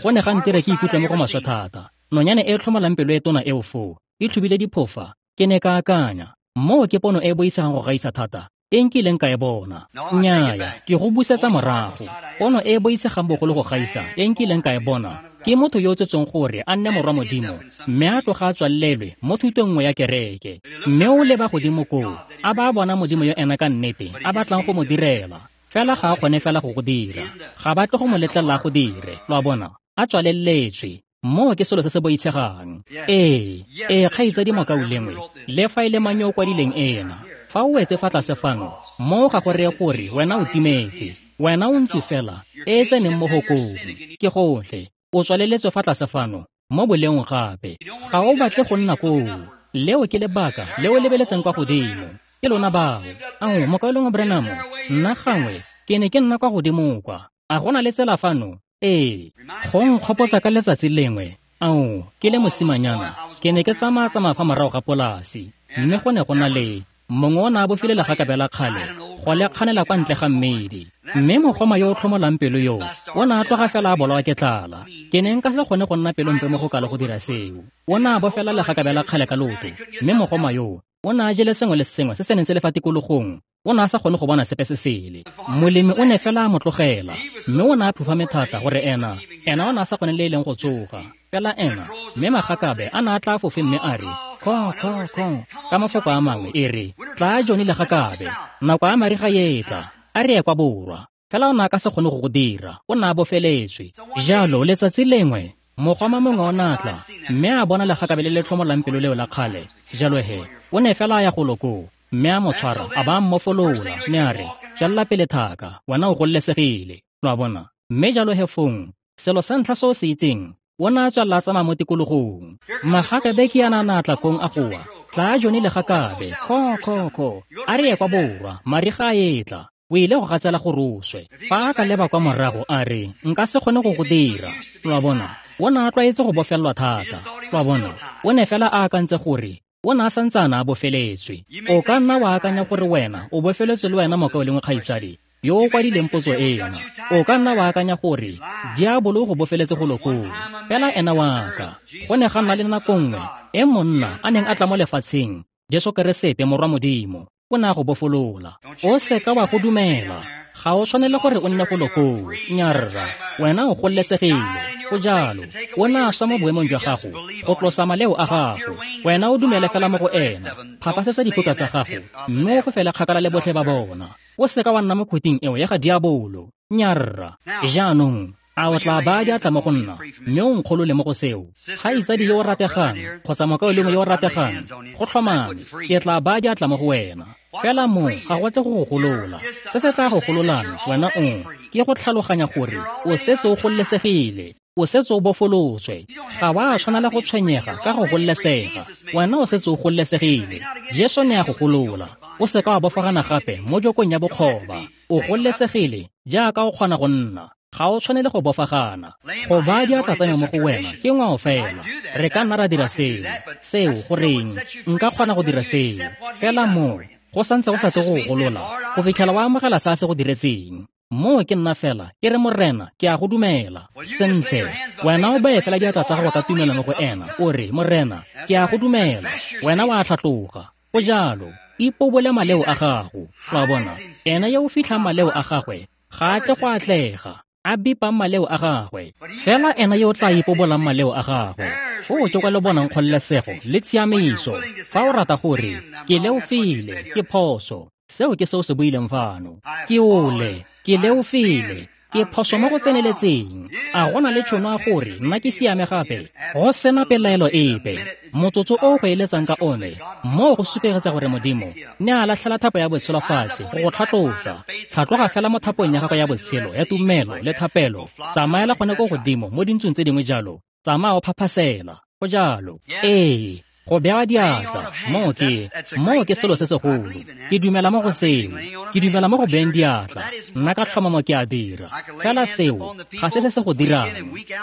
Speaker 1: go ne ga ntire ke ikutlwe mo go maswe thata. Nonyane e tlhomolang pelo e tona eo foo, e tlhobile diphofa. Ke ne ka akanya, moo ke pono e boitshegang go gaisa thata e nkileng ka e bona. Nnyaya, ke go busetsa morago. Pono e boitshegang bogolo go gaisa e nkileng ka e bona ke motho yo o tsetsweng gore a nne morwa Modimo, mme a tloga a tswalelwe mo thutong nngwe ya kereke. Mme o leba godimo koo, a ba a bona Modimo yo ena ka nnete a batlang go mo direla. Fela ga a kgone fela go go dira. Ga ba tle go mo letlelela go dire, lo a bona, a tswaleletswe. Moo ke selo se se boitshegang. Ee, ee, kgaitsadi mokaulengwe, le fa e le mang yo o kwadileng ena, fa o wetse fa tlase fano, moo ga go reye gore wena o timetse. Wena o ntse fela e e tseneng mo hokong. Ke gotlhe, o tswaleletswe fa tlase fano mo boleong gape. Ga o batle go nna koo. Leo ke lebaka le o lebeletseng kwa godimo. Ke lona bao. Ao, mokaulengwe Branham, nna gangwe ke ne ke nna kwa godimo kwa. A go na le tsela fano? Ee, go nkgopotsa ka letsatsi lengwe. Ao, ke le mosimanyana, ke ne ke tsamaya-tsamaya fa morago ga polasi, mme go ne go na le mongwe o ne a bofile legakabe la kgale go le kganela kwa ntle ga mmedi. Mme mogoma yo o tlhomolang pelo yo o ne a tloga fela a bolawa ke tlala. Ke ne nka se kgone go nna pelompe mo go kalo go dira seo. O ne a bofela legakabe la kgale ka loto, mme mogoma yo o ne a jele sengwe le sengwe se se neng se le fa tikologong. O ne a sa kgone go bona sepe se sele. Molemi o ne fela a mo tlogela, mme o ne a phufame thata gore ena, ena o ne a sa kgone le e leng go tsoga. Fela ena, mme magakabe a ne a tla fofe mme a re, kho, kho, kho, ka mafoko a mangwe e re, tla Johnny legakabe, nako ya mariga e tla, a re ye kwa borwa. Fela o ne a ka se kgone go go dira, o ne a bofeletswe. Jalo letsatsi lengwe, mogoma mongwe o ne a tla, mme a bona legakabe le le tlhomolang pelo leo la kgale. Jalo he, o ne fela a ya golo koo, mme a mo tshwara, a ba a mmofolola, mme a re, tswelela pele thaka, wena o gololesegile. Lo a bona? Mme jalo he fong, selo sa ntlha se o se itseng, o ne a tswelela a tsamaya mo tikologong. Magakabe ke yana a ne a tla kong a goa, tla Johnny legakabe, kho, kho, kho, a re ye kwa borwa, mariga a etla. O ile go gatsela gore o swe. Fa a ka leba kwa morago a re, nka se kgone go go dira. Lo a bona? O ne a tlwaetse go bofelelwa thata. Lo a bona? O ne fela a akantse gore o ne a santse a ne a bofeletswe. O ka nna wa akanya gore wena o bofeletswe le wena mokaulengwe kgaitsadi yo o kwadileng potso ena. O ka nna wa akanya gore diabolo o go bofeletse golo koo. Fela ena wa ka. Go ne ga nna le nako nngwe e monna a neng a tla mo lefatsheng, Jesu Keresete morwa Modimo, o ne a go bofolola. O seka wa go dumela. Ga o tshwanele gore o nne golo koo. Nnyarra, wena o gololesegile. Go jalo, o ne a swa mo boemong jwa gago go tlosa maleo a gago. Wena o dumele fela mo go ena, phapasetsa diphuka tsa gago, mme o fofele kgakala le botlhe ba bona. O seka wa nna mo khuting eo ya ga diabolo. Nnyarra. Jaanong, A o tla baya diatla mo go nna mme o nkgolole mo go seo? Kgaitsadi yo o rategang kgotsa mokaulengwe yo o rategang, go tlhomame ke tla baya diatla mo go wena. Fela moo ga go tle go go golola. Se se tla go gololang wena o ke go tlhaloganya gore o setse o gololesegile, o setse o bofolotswe. Ga wa tshwanela go tshwenyega ka go gololesega, wena o setse o gololesegile. Jesu ne a go golola. O seka wa bofagana gape mo jokong ya bokgoba. O gololesegile jaaka o kgona go nna. Ga o tshwanele go bofagana. Go baya diatla tsa me mo go wena ke ngwao fela. Re ka nna ra dira seo. Seo goreng nka kgona go dira seo. Fela moo go santse go sa tle go go golola go fitlhela wa amogela se a se go diretseng. Moo ke nna fela ke re Morena ke a go dumela. Sentle, wena o beye fela diatla tsa gago ka tumelo mo go ena, o re Morena ke a go dumela. Wena wa tlhatloga. Go jalo. Ipobole maleo a gago. Wa bona, ena yo o fitlhang maleo a gagwe ga a tle go atlega, a bipang maleo a gagwe. Fela ena yo o tla ipobolang maleo a gagwe, foo ke kwa le bonang kgololesego le tshiamiso. Fa o rata gore ke leofile, ke phoso, seo ke seo se buileng fano. Ke ole, ke leofile, ke phoso mo go tseneletseng. A go na le tšhono ya gore nna ke siame gape? Go sena pelaelo epe. Motsotso o go eletsang ka one moo go supegetsa gore Modimo ne a latlhela thapo ya botshelo fatshe go go tlhatlosa. Tlhatloga fela mo thapong ya gago ya botshelo ya tumelo le thapelo. Tsamaela gone ko godimo mo dintsong tse dingwe jalo. Tsamaya o phaphasela. Go jalo. Ee, go bewa diatla moo ke moo ke selo se segolo. Ke dumela mo go seo. Ke dumela mo go beeng diatla. Nna ka tlhomamo ke a dira. Fela seo ga se se se go dirang.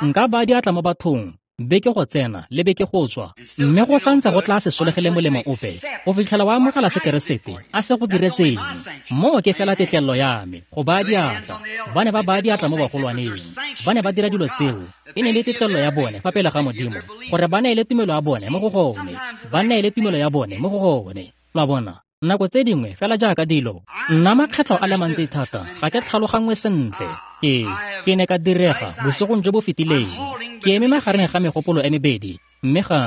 Speaker 1: Nka baya diatla mo bathong beke go tsena le beke go tswa, mme go santse go tla se solegele molemo ope go fitlhela wa amogela se Keresete a se go diretseng. Moo ke fela tetlelelo ya me go baya diatla. Ba ne ba baya diatla mo bagolwaneng, ba ne ba dira dilo tseo. E ne le tetlelelo ya bone fa pele ga Modimo gore ba neele tumelo ya bone mo go gone, ba neele tumelo ya bone mo go gone. Lwa bona, nako tse dingwe fela jaaka dilo, nna makgetlho a le mantsi thata ga ke tlhalogangwe sentle. Ke ke ne ka direga bosigong jo bo fetileng. Ke eme magareng ga megopolo e mebedi, mme ga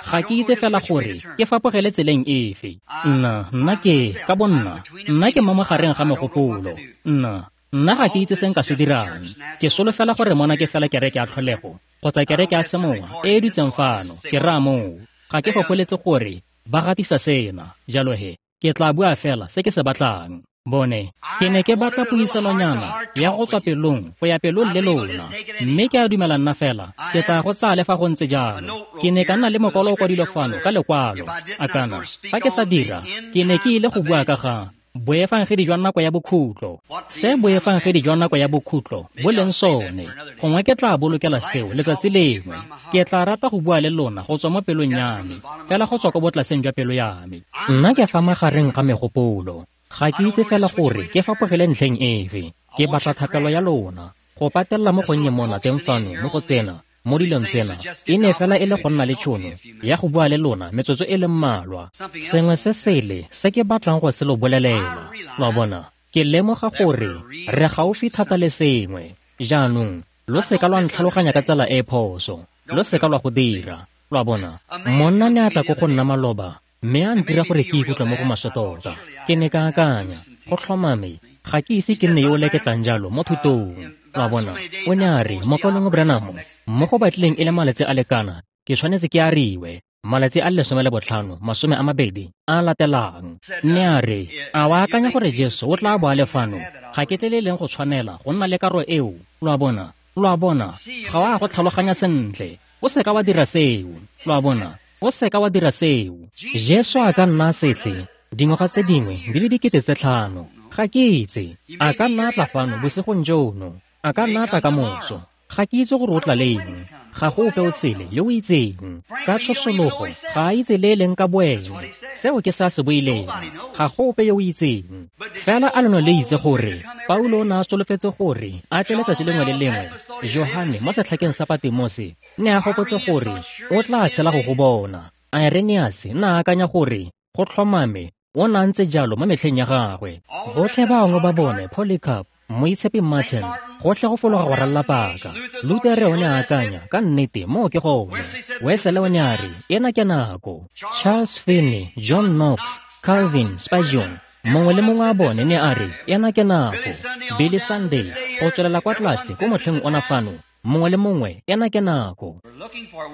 Speaker 1: ga ke itse fela gore ke fapogele tseleng efe. Nna nna ke ka bonna, nna ke mo magareng ga megopolo. Nna nna ga ke itse se nka se dirang. Ke solofela gore mona ke fela kereke ya tlholego kgotsa kereke ya semowa e e dutseng fano. Ke raya moo ga ke fopholetse gore ba gatisa sena. Jalo he ke tla bua fela se ke se batlang. Bone, ke ne ke batla puisanonyana ya go tswa pelong go ya pelong le lona, mme ke a dumela nna fela ke tla go tsaya le fa go ntse jalo. Ke ne ka nna le mokwalo o kwadilwe fano ka lekwalo. A kana fa ke sa dira, ke ne ke ile go bua ka ga boefangedi jwa nako ya bokhutlo. Se boefangedi jwa nako ya bokhutlo bo leng sone, gongwe ke tla bolokela seo letsatsi lengwe. Ke tla rata go bua le lona go tswa mo pelong ya me, fela go tswa ko botlaseng jwa pelo ya me. Nna ke fa magareng ga megopolo. Ga ke itse fela gore ke fapogele ntlheng efe. Ke batla thapelo ya lona. Go patelela mo gonnye mona teng fano mo go tsena mo dilong tsena e ne fela e le go nna le tšhono ya go bua le lona metsotso e le mmalwa. Sengwe se sele se ke batlang go se lo bolelela. Lwa bona, ke lemoga gore re gaufi thata le sengwe. Jaanong lo seka lwa ntlhaloganya ka tsela e phoso. Lo seka lwa go dira. Lwa bona, monna ne a tla ko go nna maloba mme a ntira gore ke ikutlwe mo go maswe tota. Ke ne ka akanya, go tlhomame ga ke ise ke nne yo o leketlang jalo mo thutong. Lwa bona, o ne a re, Mokaulengwe Branham, mo go batlileng e le malatsi a lekana, ke tshwanetse ke ariwe malatsi a lesome le botlhano masome a mabedi a latelang. Mme a re, a wa akanya gore Jesu o tla bo a le fano? Ga ke tle le leng go tshwanela go nna le karo eo. Lwa bona, lwa bona, ga wa go tlhaloganya sentle. O seka wa dira seo. Lwa bona, o seka wa dira seo. Jesu a ka nna setle dingwaga tse dingwe di le dikete tse tlhano. Ga ke itse. A ka nna tla fano bosigong jono, a ka nna tla ka moso. Ga ke itse gore o tla leng. Ga go ope o sele yo o itseng. Ka tshosologo ga a itse le e leng ka boene. Seo ke se a se buileng. Ga go ope yo o itseng. Fela a leno le itse gore Paulo o ne a solofetse gore a tle letsatsi lengwe le lengwe. Johane mo setlhakeng sa Patimose ne a gopotse gore o tla tshela go go bona. Irenaeus ne a akanya gore go tlhomame o ne a ntse jalo mo metlheng ya gagwe. Botlhe bangwe ba bone, Polycarp, Moitshepi Martin, gotlhe go fologa go ralla paka. Lutere o ne a akanya, ka nnete moo ke gone. Wesley o ne a re, ena ke nako. Charles Finney, John Knox, Calvin, Spurgeon, Mongwe le mongwe a bone ne a re, ena ke nako. Billy Sunday, go tswelela kwa tlase ko motlheng ona fano, mongwe le mongwe, ena ke nako.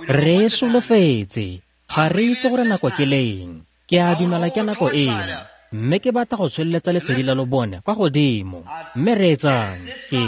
Speaker 1: Re solofetse, ga re itse gore nako ke leng. Ke a dumela ke nako ena. Mme ke batla go tsholeletsa lesedi la lobone kwa godimo. Mme reetsang, ke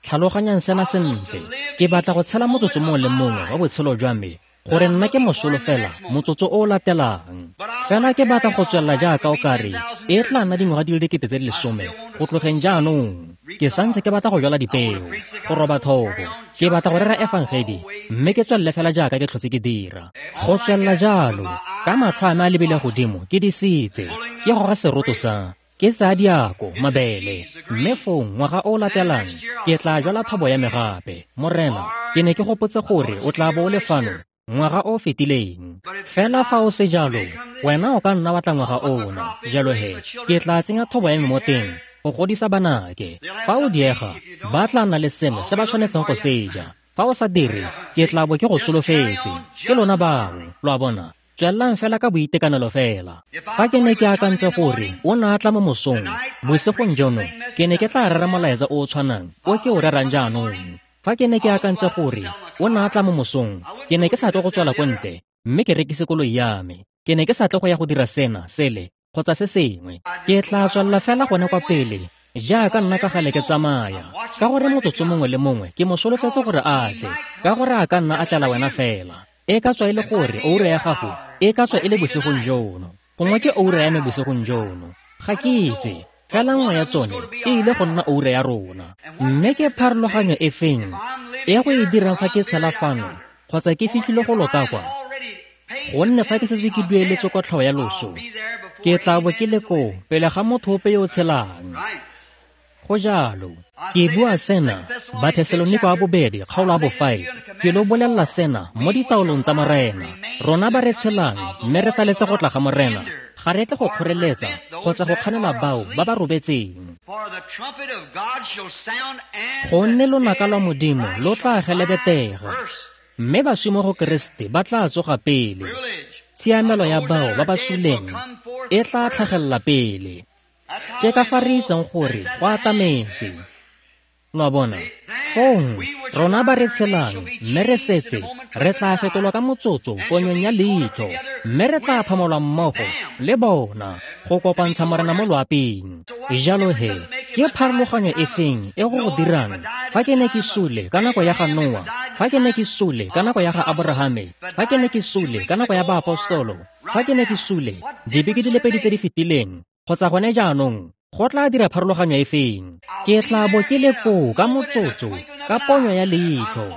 Speaker 1: tlhaloganyang sena sentle. Ke batla go tshela motsotso mongwe le mongwe wa botshelo jwa me, gore nna ke mosolo fela motsotso o o latelang. Fela ke batla go tswelela jaaka o kare e tla nna dingwaga di le dikete tse di lesome go tlogeng jaanong. Ke santse ke batla go jwala dipeo, go roba thobo. Ke batla go rera efangedi, mme ke tswelele fela jaaka ke tlhotse ke dira. Go tswelela jalo, ka matlho a me a lebile godimo, ke disitse, ke goga seroto sa, ke tsaya diako, mabele, mme fong ngwaga o latelang ke tla jwala thobo ya me gape. Morena, ke ne ke gopotse gore o tla bo o le fano ngwaga o fetileng. Fela fa o se jalo, wena o ka nna wa tla ngwaga ona. Jalo he, ke tla tsenya thobo ya me mo teng go godisa banake. Fa o diega, ba tla nna le sengwe se ba tshwanetseng go se ja. Fa o sa dire, ke tla bo ke go solofetse. Ke lona bao, lo a bona. Tswelelang fela ka boitekanelo fela. Fa ke ne ke akantse gore o ne a tla mo mosong, bosigong jono, ke ne ke tla rera molaetsa o o tshwanang o ke o rerang jaanong. Fa ke ne ke akantse gore o ne a tla mo mosong, ke ne ke sa tle go tswela ko ntle mme ke rekise koloi ya me. Ke ne ke sa tle go ya go dira sena, sele, kgotsa se sengwe. Ke tla tswelela fela gone kwa pele jaaka nna ka gale ke tsamaya, ka gore motsotso mongwe le mongwe ke mo solofetse gore a tle, ka gore a ka nna a tlela wena fela. E ka tswa e le gore oura ya gago e ka tswa e le bosigong jono, gongwe ke oura ya me bosigong jono, ga ke itse. Fela nngwe ya tsone e ile go nna oura ya rona. Mme ke pharologanyo e feng e go e dirang fa ke tshela fano kgotsa ke fitlhile go lota kwa? Gonne fa ke setse ke dueletse kotlhao ya loso, ke tla bo ke le koo pele ga motho ope yo o tshelang. Go jalo. Ke bua sena, Bathesaloniko a bobedi, kgaolo a bo five. Ke lo bolelela sena mo ditaolong tsa Morena. Rona ba re tshelang mme re saletse go tla ga Morena, ga re tle go kgoreletsa kgotsa go kganela bao ba ba robetseng. Gonne lonaka lwa Modimo lo tla gelebetega, mme baswi mo go Keresete ba tla tsoga pele. Tshiamelo ya bao ba ba suleng e tla tlhagelela pele. Ke ka fa re itseng gore go atametse. Lo a bona? Fong, rona ba re tshelang mme re setse, re tla fetolwa ka motsotso ponyong ya leitlho, mme re tla phamolwa mmogo le bona go kopantsha Morena mo loaping. Jalo he, ke pharologanyo e feng e go go dirang fa ke ne ke sule ka nako ya ga Noa, fa ke ne ke sule ka nako ya ga Aborahame, fa ke ne ke sule ka nako ya baapostolo, fa ke ne ke sule dibeke di le pedi tse di fetileng, kgotsa gone jaanong, go tla dira pharologanyo e feng? Ke tla bo ke le koo ka motsotso, ka ponyo ya leitlho.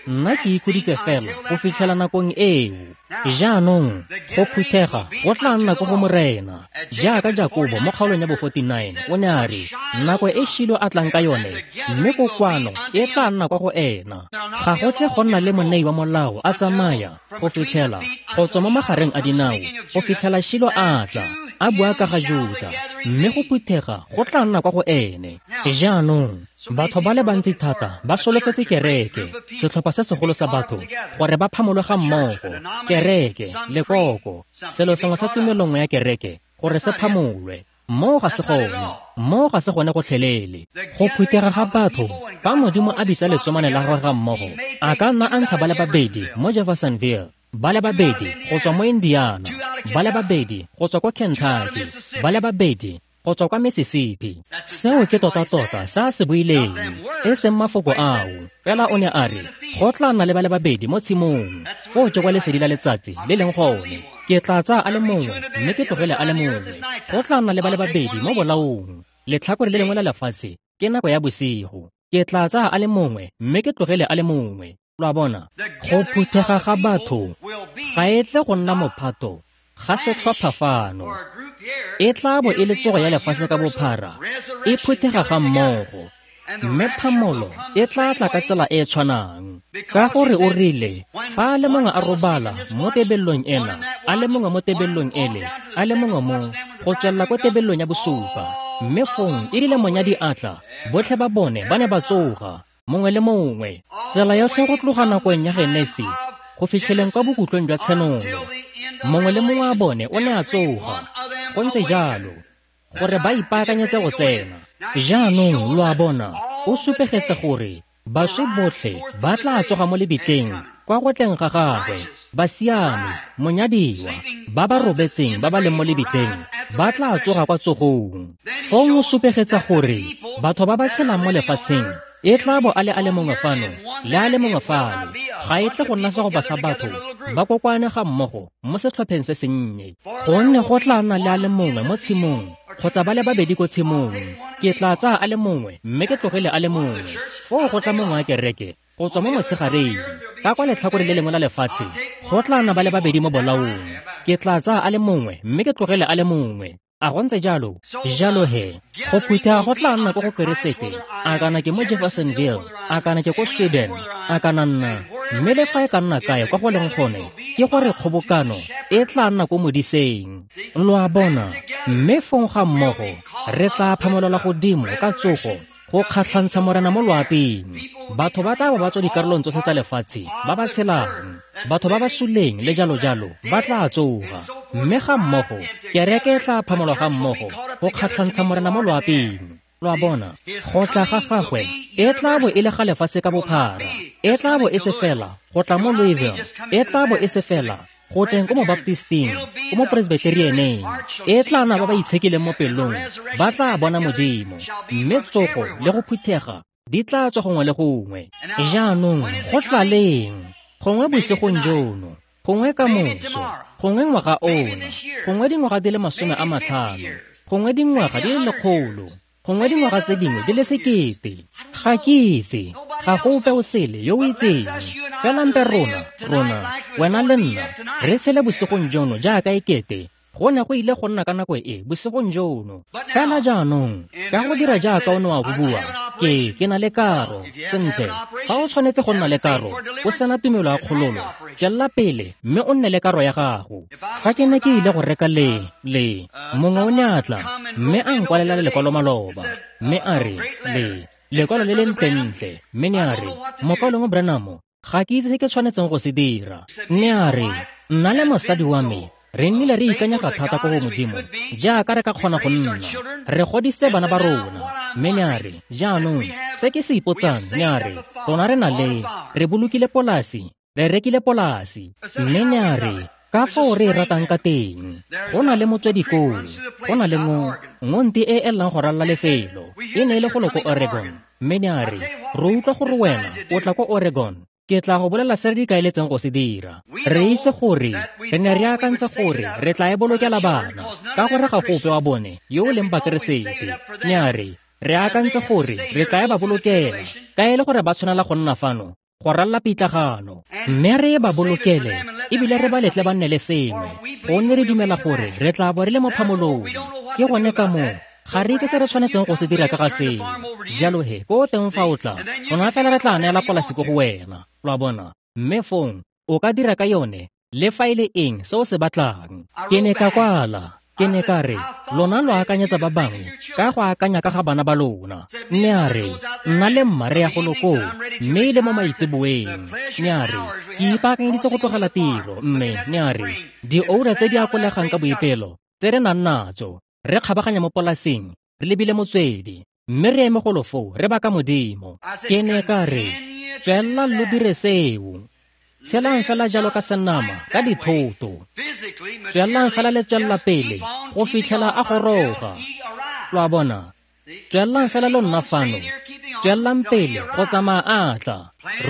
Speaker 1: Nna ke ikhuditse fela go fitlhela nakong eo. Jaanong, go phuthega go tla nna ko go Morena. Jaaka Jakobo mo kgaolong ya bo forty-nine, o ne a re, nako e Shilo a tlang ka yone, mme kokoano e tla nna kwa go ena. Ga go tle go nna le monei wa molao a tsamaya go fitlhela go tswa mo magareng a dinao go fitlhela Shilo a tla, a bua ka ga Juda, mme go phuthega go tla nna kwa go ene. Jaanong, batho ba le bantsi thata ba solofetse kereke, setlhopha se segolo sa batho, gore ba phamolwe ga mmogo, kereke, lekoko, selo sengwe sa tumelo nngwe ya kereke, gore se phamolwe. Moo ga se gone, moo ga se gone gotlhelele. Go phuthega ga batho, fa Modimo a bitsa letsomane la gagwe ga mmogo, a ka nna a ntsha ba le babedi mo Jeffersonville, ba le babedi go tswa mo Indiana, ba le babedi go tswa kwa Kentucky, ba le babedi go tswa kwa Mississippi. Seo ke tota-tota se a se buileng, e seng mafoko ao. Fela o ne a re, go tla nna le ba le babedi mo tshimong, foo ke kwa lesedi la letsatsi le leng gone. Ke tla tsaya a le mongwe mme ke tlogele a le mongwe. Go tla nna le ba le babedi mo bolaong, letlhakore le lengwe la lefatshe ke nako ya bosigo. Ke tla tsaya a le mongwe mme ke tlogele a le mongwe. Lo a bona? Go phuthega ga batho ga e tle go nna mophato ga setlhopha fano. E tla bo e le tsogo ya lefatshe ka bophara, e phuthega ga mmogo, mme phamolo e tla tla ka tsela e e tshwanang. Ka gore o rile, fa a le mongwe a robala mo tebellong ena, a le mongwe mo tebellong ele, a le mongwe mo, go tswelela ko tebellong ya bosupa. Mme fong e rile monyadi a tla, botlhe ba bone ba ne ba tsoga, mongwe le mongwe. Tsela yotlhe go tloga nakong ya Genesi go fitlheleng kwa bokutlong jwa Tshenolo, mongwe le mongwe a bone o ne a tsoga. Go ntse jalo. gore ba ipaakanyetse go tsena. Jaanong lo a bona, o supegetse gore baswi botlhe ba tla tsoga mo lebitleng kwa go tleng ga gagwe. Basiami, monyadiwa, ba ba robetseng ba ba leng mo lebitleng ba tla tsoga kwa tsogong. Fong o supegetsa gore batho ba ba tshelang mo lefatsheng e tla bo a le a le mongwe fano le a le mongwe fale, ga e tle go nna segopa sa batho ba kokoane ga mmogo mo setlhopheng se sennye, gonne go tla nna le a le mongwe mo tshimong kgotsa ba le babedi ko tshimong. Ke tla tsaya a le mongwe mme ke tlogele a le mongwe. Foo go tla mongwe wa kereke go tswa mo motshegareng ka kwa letlhakore le lengwe la lefatshe, go tla nna ba le babedi mo bolaong. Ke tla tsaya a le mongwe mme ke tlogele a le mongwe. A go ntse jalo? Jalo he, go phutha go tla nna ko go Keresete, a kana ke mo Jeffersonville, a kana ke ko Sweden, a kana nna, mme le fa e ka nna kae kwa go leng gone, ke gore kgobokano e tla nna ko modiseng. Lo a bona? Mme fong ga mmogo re tla phamolelwa godimo ka tsogo go kgatlhantsha Morena mo loaping. Batho ba tla ba ba tswa dikarolong tsotlhe tsa lefatshe ba ba tshelang, batho ba ba suleng le jalo jalo ba tla tsoga. Mme ga mmogo kereke e tla phamolwa ga mmogo go kgatlhantsha Morena mo loaping. Lo a bona? Go tla ga gagwe e tla bo e le ga lefatshe ka bophara, e tla bo e se fela go tla mo Louisville, e tla bo e se fela go teng ko mo Baptisting, ko mo Presbyterianeng. E tla nna ba ba itshekileng mo pelong ba tla bona Modimo, mme tsogo le go phuthega di tla tswa gongwe le gongwe. Jaanong go tla leng? Gongwe bosigong jono, gongwe ka moso, gongwe ngwaga ono, gongwe dingwaga di le masome a matlhano, gongwe dingwaga di le lekgolo, gongwe dingwaga tse dingwe di le sekete. Ga ke itse, ga go ope o sele yo o itseng. Fela mpe rona, rona, wena le nna, re tshele bosigong jono jaaka e kete go ne go ile go nna ka nako e bosigong jono. Fela jaanong, ka go dira jaaka o ne wa go bua, ke ke na le karo. Sentle, fa o tshwanetse go nna le karo, o sena tumelo ya kgololo, tswelela pele mme o nne le karo ya gago. Fa ke ne ke ile go reka le le mongwe o ne a tla mme a nkwalela lekwalo maloba, mme a re le lekwalo le le ntlentle, mme ne a re, Mokaulengwe Branham, ga ke itse se ke tshwanetseng go se dira. Mme a re, nna le mosadi wa me re nnile re ikanyega thata ko go Modimo jaaka re ka kgona go nna, re godisitse bana ba rona. Mme ne a re, jaanong se ke se ipotsang, ne a re, rona re na le, re bolokile polasi, re rekile polasi. Mme ne a re, ka fao re e ratang ka teng, go na le motswedi koo, go na le ngo ngonti e e llang go ralla lefelo, e ne e le golo ko Oregon. Mme ne a re, re utlwa gore wena o tla ko Oregon, ke tla go bolela se re ikaeletseng go se dira. Re itse gore re ne re akantse gore re tla e bolokela bana, ka gore ga go ope wa bone yo o leng Bakeresete. Ne a re, re akantse gore re tla e ba bolokela, ka e le gore ba tshwanela go nna fano go ralla pitlagano, mme re ba bolokele ebile re ba letle ba nne le sengwe, gonne re dumela gore re tla bo re le mo phamolong. Ke gone ka moo ga re itse se re tshwanetseng go se dira ka ga seo. Jalo he, ko teng fa o tla, rona fela re tla neela polasi ko go wena. Lo a bona? Mme fong o ka dira ka yone le fa e le eng se o se batlang. Ke ne ka kwala, ke ne ka re, lona lo akanyetsa ba bangwe ka go akanya ka ga bana ba lona. Mme a re, nna le mma re ya golo koo, mme e le mo maitseboeng. Mme a re, ke ipaakanyeditse go tlogela tiro, mme ne a re, dioura tse di akolegang ka boipelo tse re nang natso, re kgabaganya mo polaseng, re lebile motswedi, mme re eme golo foo re baka Modimo. Ke ne ka re, tswelela lo dire seo. Tshelang fela jalo ka senama, ka dithoto. Tswelelang fela le tswelela pele go fitlhela a goroga. Lo a bona? Tswelelang fela lo nna fano, tswelelang pele go tsamaya a tla.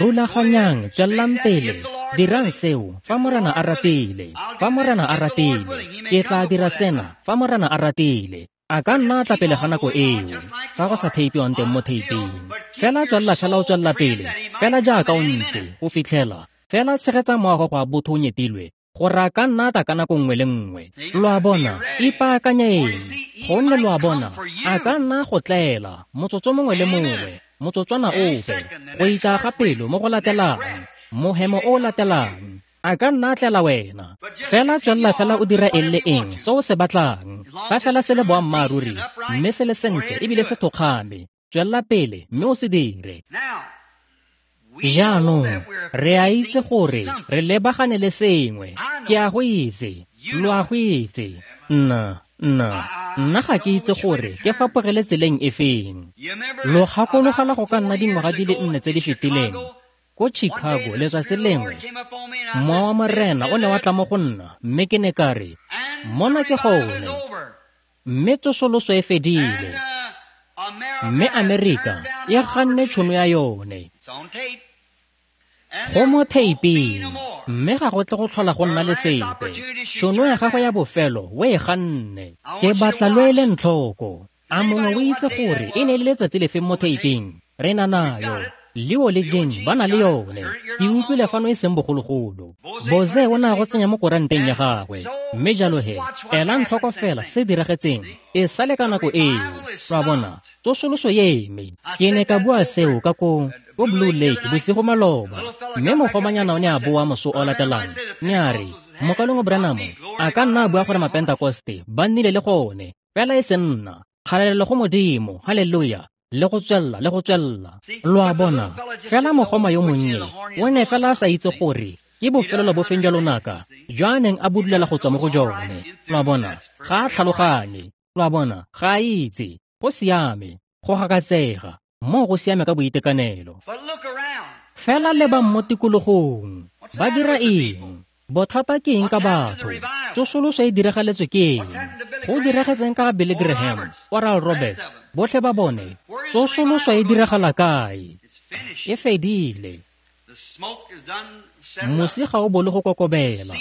Speaker 1: Rulaganyang, tswelelang pele, dirang seo fa Morena a ratile. Fa Morena a ratile, ke tla dira sena fa Morena a ratile. A ka nna tla pele ga nako eo, fa go sa theipiwang teng mo theiping. Fela tswelela fela o tswelela pele, fela jaaka o ntse, go fitlhela fela tshegetsa moago go a botho o nyetilwe, gore a ka nna tla ka nako nngwe le nngwe. Lo a bona? Ipaakanyeng, gonne lo a bona, a ka nna go tlela motsotso mongwe le mongwe, motsotswana ope, go itaya ga pelo mo go latelang, mohemo o o latelang, a ka nna tlela wena. Fela tswelela fela o dira eng le eng se o se batlang, fa fela se le boammaaruri, mme se le sentle ebile se thokgame, tswelela pele mme o se dire. Jaanong re a itse gore re lebagane le sengwe. Ke a go itse, lo a go itse. Nna, Nna, nna ga ke itse gore ke fapogele tseleng e feng. Lo gakologela go ka nna dingwaga di le nne tse di fetileng, ko Chicago letsatsi lengwe, Mowa wa Morena o ne wa tla mo go nna, mme ke ne ka re, mona ke gone, mme tsosoloso e fedile, mme Amerika e ganne tšhono ya yone. Go mo theiping, mme ga go tle go tlhola go nna le sepe. Tšhono ya gago ya bofelo o e ganne. Ke batla lo eleng tlhoko. A mongwe o itse gore e ne e le letsatsi lefeng mo theiping? Re na nayo. Leo le Jane ba na le yone. Ke utlwile fano e seng bogologolo. Boze o ne a go tsenya mo koranteng ya gagwe. Mme jalo he, elang tlhoko fela se diragetseng e sale ka nako eo. Lo a bona, tsosoloso e eme. Ke ne ka bua seo ka ko ko Blue Lake bosigo maloba, mme mogomanyana o ne a boa moso o latelang, mme a re, Mokalengwe Branham a ka nna a bua gore Mapentakoste ba nnile le gone, fela e se nna. Kgalalelo go Modimo, haleluya, le go tswella le go tswella. Lo a bona, fela mogoma yo monnye o ne fela a sa itse gore ke bofelelo bofeng jwa lonaka jo a neng a budulela go tswa mo go jone. Lo a bona, ga a tlhaloganye. Lo a bona, ga a itse. Go siame, go gakatsega, moo go siame ka boitekanelo. Fela lebang mo tikologong, ba dira eng? Bothata ke eng ka batho? Tsosoloso e diragaletswe ke eng? Go diragetseng ka ga Billy Graham, Oral Roberts, botlhe ba bone? Tsosoloso e diragala kae? E fedile. Mosi ga o bolo go kokobela.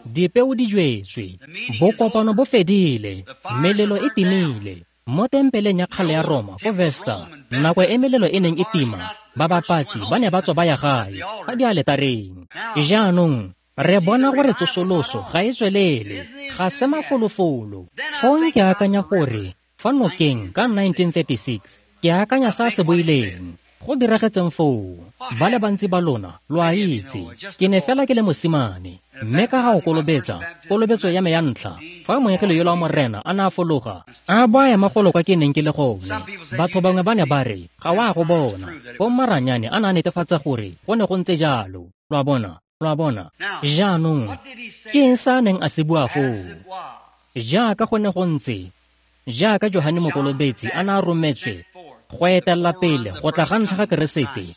Speaker 1: Dipeo di jwetswe. Bokopano bo fedile. Melelo e timile. Mo tempeleng ya kgale ya Roma ko Vesta, nako e melelo e neng e tima, babapatsi ba ne ba tswa ba ya gae ka dialetareng. Jaanong re bona gore tsosoloso ga e tswelele, ga se mafolofolo. Fong ke akanya gore fa nokeng ka nineteen thirty-six, ke akanya sa se boileng. Go diragetseng foo, ba le bantsi ba lona lo a itse. Ke ne fela ke le mosimane, mme ka ga go kolobetsa, kolobetso ya me ya ntlha, fa moengele yola wa Morena a ne a fologa, a bo a ema golo kwa ke neng ke le gone. Batho bangwe ba ne ba re, ga wa go bona. Bommaranyane a ne a netefatsa gore go ne go ntse jalo. Lo a bona, lo a bona. Jaanong, ke eng sa a neng a se bua foo? Jaaka go ne go ntse, jaaka Johane Mokolobetsi a ne a rometswe go etella pele go tla ga ntlha ga Keresete,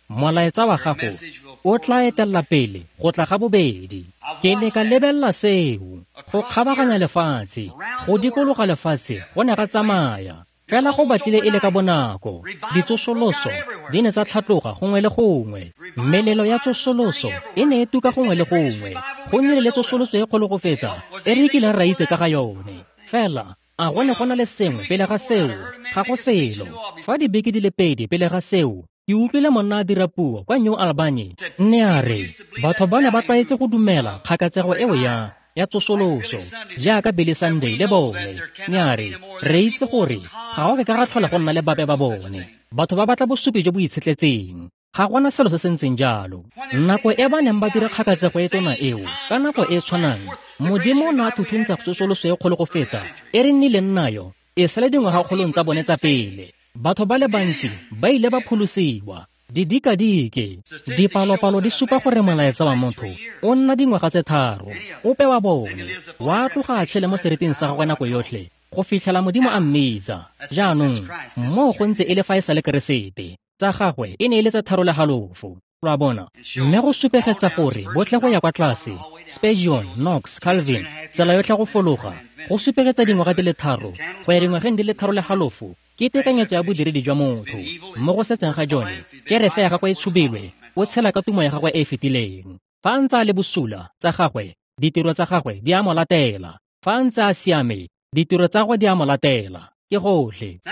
Speaker 1: molaetsa wa gago o tla etella pele go tla ga bobedi. Ke ne ka lebella seo, go kgabaganya lefatshe, go dikologa lefatshe go ne ga tsamaya. Fela go batlile e le ka bonako, ditsosoloso di ne tsa tlhatloga gongwe le gongwe. Melelo ya tsosoloso e ne e tuka gongwe le gongwe. Go nnile le tsosoloso e kgolo go feta e re kileng ra itse ka ga yone. Fela a go ne go na le sengwe pele ga seo? Ga go selo. Fa dibeke di le pedi pele ga seo, ke utlwile monna a dira puo kwa New Albany. Nne a re, batho ba ne ba tlwaetse go dumela kgakatsego eo ya ya tsosoloso, jaaka Billy Sunday le bone. Nne a re, re itse gore ga go ke ka ga tlhola go nna le bape ba bone. Batho ba batla bosupi jo bo itshetletseng. Ga gona selo se se ntseng jalo. Nako e ba neng ba dira kgakatsego e tona eo, ka nako e tshwanang, Modimo o ne a thuthuntsa tsosoloso e kgolo go feta e re nnileng nayo e sale dingwagakgolong tsa bone tsa pele. Batho ba le bantsi ba ile ba pholosiwa. Didikadike, dipalopalo di supa gore molaetsa wa motho o nna dingwaga tse tharo. Ope wa bone wa tloga a tshele mo seriting sa gagwe nako yotlhe go fitlhela Modimo a mmitsa. Jaanong moo go ntse e le fa e sa le Keresete, tsa gagwe e ne e le tse tharo le halofo. Lo a bona, mme go supegetsa gore botlhe go ya kwa tlase, Spurgeon, Knox, Calvin, tsela yotlhe go fologa, go supegetsa dingwaga di le tharo go ya dingwageng di le tharo le halofo ke tekanyetso ya bodiredi jwa motho. Mo go setseng ga jone, kerese ya gagwe e tshubilwe, o tshela ka tumo ya gagwe e e fetileng. Fa a ntse a le bosula, tsa gagwe, ditiro tsa gagwe di a mo latela. Fa a ntse a siame, ditiro tsa gagwe di a mo latela. Ke gotlhe.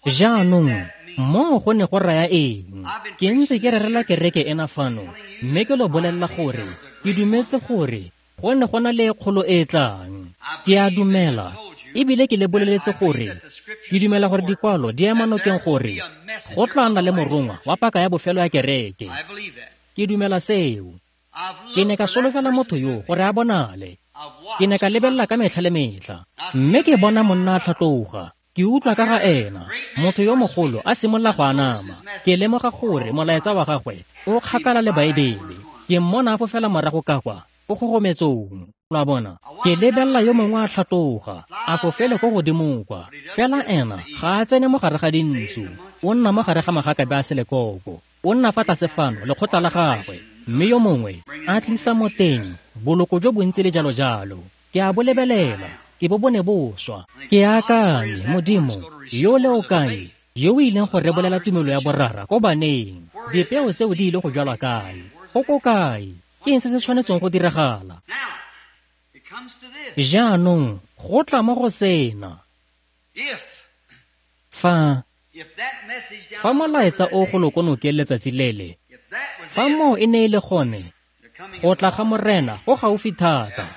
Speaker 1: Jaanong, moo go ne go raya eng? Ke ntse ke rerela kereke ena fano, mme ke lo bolelela gore ke dumetse gore go ne go na le kgolo e e tlang. Ke a dumela, ebile ke le boleletse gore ke dumela gore dikwalo di ema nokeng gore go tla nna le morongwa wa paka ya bofelo ya kereke. Ke dumela seo. Ke ne ka solofela motho yo gore a bonale. Ke ne ka lebelela ka metlha le metlha, mme ke bona monna a tlhatloga. Ke utlwa ka ga ena, motho yo mogolo a simolola go anama. Ke lemoga gore molaetsa wa gagwe o kgakala le Baebele. Ke mmona a fofela morago ka kwa ko kgogometsong. Lo a bona? Ke lebelela yo mongwe a tlhatloga, a fofele ko godimo kwa. Fela ena ga a tsene mo gare ga dintsu, o nna mo gare ga magakabe a selekoko. O nna fa tlase fano lekgotla la gagwe, mme yo mongwe a tlisa mo teng boloko jo bontsi le jalo jalo. Ke a bo lebelela, ke bo bone bo swa. Ke akanye, Modimo, yo le o kae, yo o ileng go rebolela tumelo ya borara ko baneng? Dipeo tseo di ile go jalwa kae? Go ko kae? Ke eng se se tshwanetseng go diragala? Jaanong go tla mo go sena. Fa fa molaetsa o go lokonokeng letsatsi lele, fa moo e ne e le gone, go tla ga Morena go gaufi thata,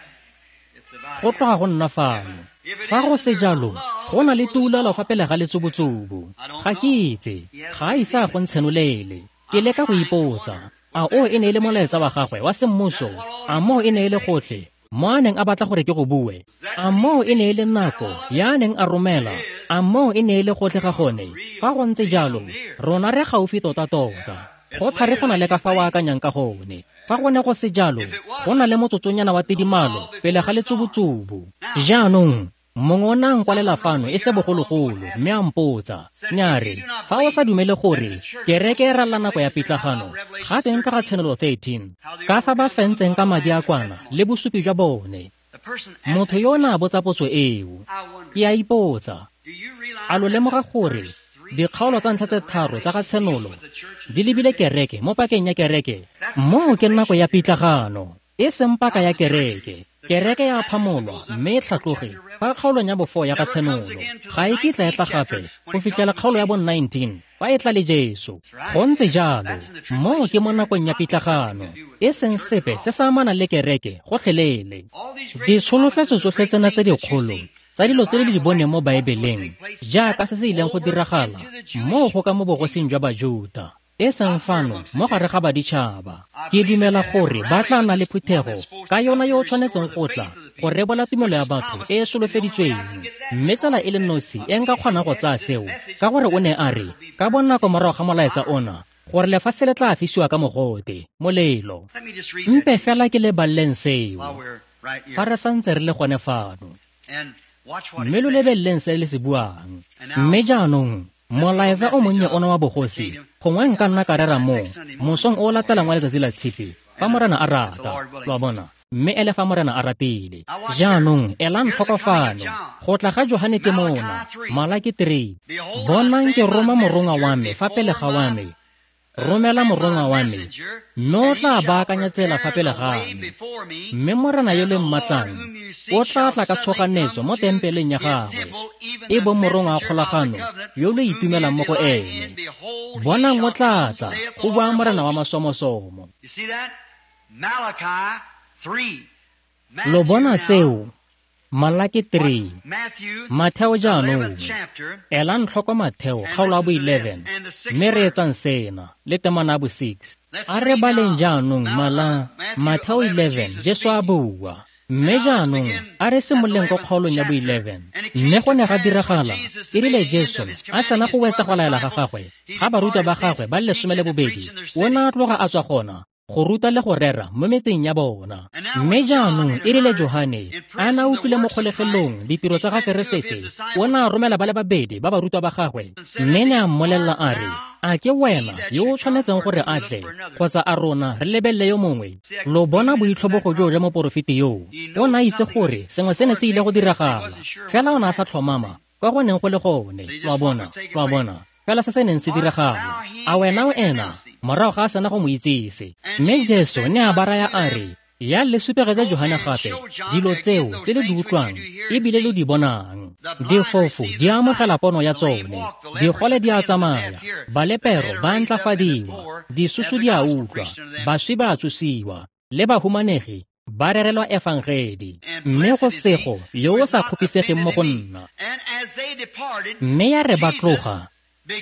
Speaker 1: go tloga go nna fano. Fa go se jalo, go na le tuulalo fa pele ga letsubutsubu. Ga ke itse, ga a ise a go ntshenolele. Ke leka go ipotsa, a o e ne e le molaetsa wa gagwe wa semmuso? A moo e ne e le gotlhe mo a neng a batla gore ke go bue? A moo e ne e le nako ya a neng a romela? A moo e ne e le gotlhe ga gone? Fa go ntse jalo, rona re gaufi tota-tota. Go thari go na le ka fa o akanyang ka gone. Fa go ne go se jalo, go na le motsotsonyana wa tidimalo pele ga letsubutsubu. Jaanong, mongwe o ne a nkwalela fano e se bogologolo, mme a mpotsa, ne a re, fa o sa dumele gore kereke e ralla nako ya pitlagano, ga teng ka ga Tshenolo thirteen, ka fa ba fentseng ka madi a kwana le bosupi jwa bone. Motho yo o ne a botsa potso eo. Ke a ipotsa, a lo lemoga gore dikgaolo tsa ntlha tse tharo tsa ga Tshenolo di lebile kereke mo pakeng ya kereke? Moo ke nako ya pitlagano, e seng paka ya kereke. Kereke ya phamolwa mme e tlhatloge fa kgaolong ya bofo ya ga Tshenolo. Ga e kitla e tla gape go fitlhela kgaolo ya bo nineteen fa e tla le Jesu. Go ntse jalo, moo ke mo nakong ya pitlagano, e seng sepe se se amanang le kereke gotlhelele. Ditsholofetso tsotlhe tsena tse dikgolo tsa dilo tse le di boneng mo Baebeleng, jaaka se se ileng go diragala moo go ka mo bogosing jwa Bajuta, e seng fano mo gare ga baditšhaba. Ke dumela gore ba tla nna le phuthego ka yona yo o tshwanetseng go tla go rebola tumelo ya batho e e solofeditsweng. Mme tsela e le nosi e nka kgonang go tsaya seo, ka gore o ne a re ka bonako morago ga molaetsa ona gore lefatshe le tla fisiwa ka mogote, molelo. Mpe fela ke le baleleng seo fa re santse re le gone fano, mme lo lebeleleng se le se buang. Mme jaanong molaetsa o monnye ona wa bogosi, gongwe nka nna ka rera mo mosong o latelang wa letsatsi la Tshipi, fa Morena a rata, lo a bona, mme ele fa Morena a ratile. Jaanong elang tlhoko fano, go tla ga Johane ke mona, Malaki three. Bonang ke roma morongwa wa me fa pele ga wa me, romela morongwa wa me, mme o tla baakanya tsela fa pele ga me. Mme Morena yo le mmatlang o tla tla ka tshoganetso mo tempeleng ya gagwe, e bong morongwa wa kgolagano yo lo itumelang mo go ene. Bonang o tla tla, go bua Morena wa masomosomo. Lo bona seo? Malaki three. Matheo jaanong, elang tlhoko Matheo kgaolo ya bo eleven, mme re etsang sena le temana ya bo six. A re baleng jaanong mala Matheo eleven, Jesu a bua. Mme jaanong a re simololeng ko kgaolong ya bo eleven. Mme go ne ga diragala e rile Jesu a sena go wetsa go laela ga gagwe ga barutwa ba gagwe ba le lesome le bobedi, o ne a tloga a tswa gona go ruta le go rera mo metseng ya bona. Mme jaanong e rile Johane a na utlwile mo kgolegelong ditiro tsa ga Keresete, o ne a romela ba le babedi ba barutwa ba gagwe, mme ne a mmolelela a re, a ke wena yo o tshwanetseng gore a tle, kgotsa a rona re lebelele yo mongwe? Lo bona boitlhobogo joo jwa moporofeti yoo. O ne a itse gore sengwe se ne se ile go diragala, fela o ne a sa tlhomama kwa go neng go le gone. Lo a bona, lo a bona, fela se se neng se diragala. A wena o ena? Morago ga a sena go mo itsise. Mme Jesu ne a ba raya a re, ya le supegetse Johane gape dilo tseo tse le di utlwang ebile lo di bonang. Difofu di amogela pono ya tsone, digole di a tsamaya, balepero ba ntlafadiwa, disusu di a utlwa, baswi ba a tsosiwa, le bahumanegi ba rerelwa efangedi. Mme go sego yo o sa kgopisegeng mo go nna. Mme ya re ba tloga,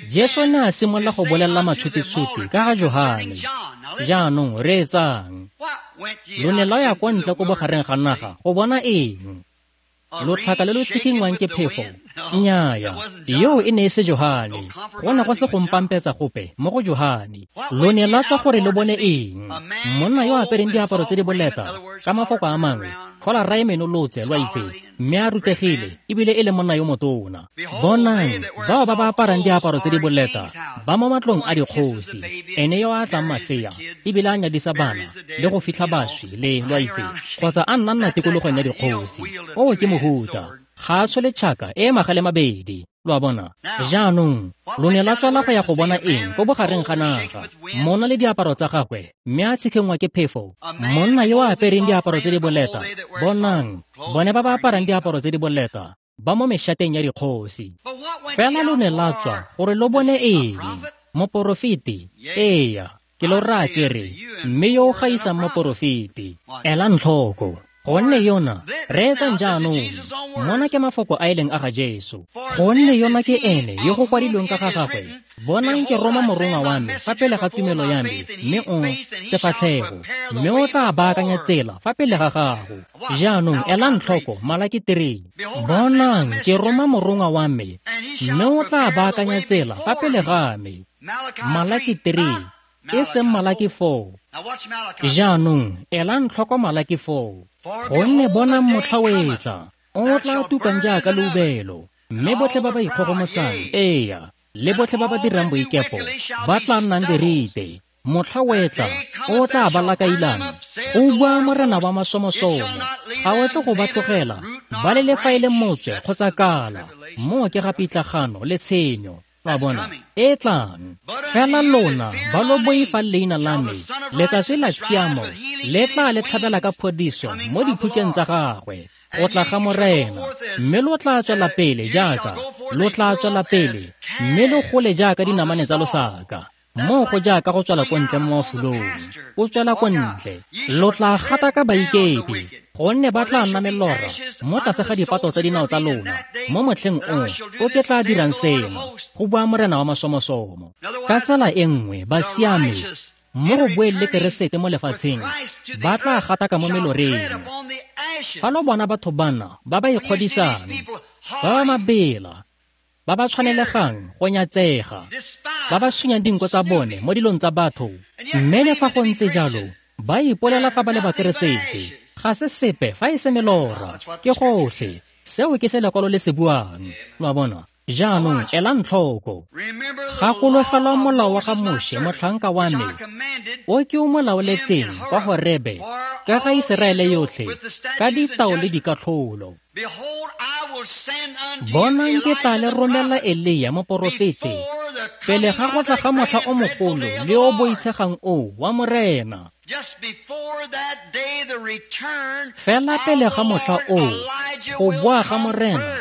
Speaker 1: Jesu ne a simolola go bolelela matshutitshuti ka ga Johane. Jaanong reetsang. Lo ne lwa ya kwa ntle ko bogareng ga naga go bona eng? Lotlhaka le lo tshikinngwang ke phefo? Nnyaya, yoo e ne e se Johane. Go ne go se go mpampetsa gope mo go Johane. Lo ne la tswa gore lo bone eng? Monna yo a apereng diaparo tse di boleta, ka mafoko a mangwe, Tlhola ra e menolotse, lo a itse, mme a rutegile ebile e le monna yo motona. Bonang, bao ba ba aparang diaparo tse di boleta ba mo matlong a dikgosi. Ene yo a tlang masea ebile a nyadisa bana le go fitlha baswi le, lo a itse, kgotsa a nna nna tikologong ya dikgosi. Oo ke mohuta. Ga a tshole tšhaka e magale mabedi, lo a bona. Jaanong lo ne la tswela go ya go bona eng ko bogareng ga naga? Monna le diaparo tsa gagwe, mme a tshikhengwa ke phefo. Monna yo a apereng diaparo tse di boleta, bonang, bone ba ba aparang diaparo tse di boleta ba mo mešateng ya dikgosi. Fela lo ne la tswa gore lo bone eng? Moporofeti? Eya, ke lo raya ke re, mme yo o gaisang moporofeti. Elang tlhoko, gonne yona, reetsang jaanong, mona ke mafoko a e leng a ga Jesu. Gonne yona ke ene yo go kwadilweng ka ga gagwe, bonang ke roma morongwa wa me fa pele ga tumelo ya me, mme o sefatlhego, mme o tla baakanya tsela fa pele ga gago. Jaanong elang tlhoko Malaki three. Bonang ke roma morongwa wa me, mme o tla baakanya tsela fa pele ga me. Malaki three, e seng Malaki four. Jaanong elang tlhoko Malaki four. Gonne bonang motlha o etla, o tla tukang jaaka leubelo, mme botlhe ba ba ikgogomosang, eya, le botlhe ba ba dirang boikepo, ba tla nnang dirite. Motlha o etla, o tla ba lakailang, o bua Morena wa masomosomo, ga o tle go ba tlogela, ba le le fa e le motswe kgotsa kala. Moo ke ga pitlagano le tshenyo. Lo a bona, e tlang. Fela lona ba lo boifang leina la me, letsatsi la tshiamo le tla le tlhabela ka phodiso mo diphukeng tsa gagwe, go tla ga Morena. Mme lo tla tswela pele jaaka, lo tla tswela pele, mme lo gole jaaka dinamane tsa losaka. Moo go jaaka go tswela ko ntle mo mafulong, o tswela ko ntle. Lo tla gata ka baikepi, gonne ba tla nna melora mo tlase ga dipato tsa dinao tsa lona mo motlheng o o ke tla dirang seno, go bua Morena wa masomosomo. Ka tsela e nngwe, basiami mo go boeng le Keresete mo lefatsheng ba tla gataka mo meloreng. Fa lo bona batho bana ba ba ikgodisang, ba ba mabela, ba ba tshwanelegang go nyatsega, ba ba sunyang dinko tsa bone mo dilong tsa batho, mme le fa go ntse jalo ba ipolela fa ba le Bakeresete, ga se sepe fa e se melora, ke gotlhe. Seo ke se lekwalo le se buang. Lo a bona? Jaanong elang tlhoko. Gakologelwa molao wa ga Moshe motlhanka wa me, o ke o mo laoletseng kwa Horebe ka ga Iseraele yotlhe ka ditao le dikatlholo. Bonang ke tla le romela Elia moporofeti pele ga go tla ga motlha o mogolo le o boitshegang o wa Morena. Fela pele ga motlha o, go boa ga Morena,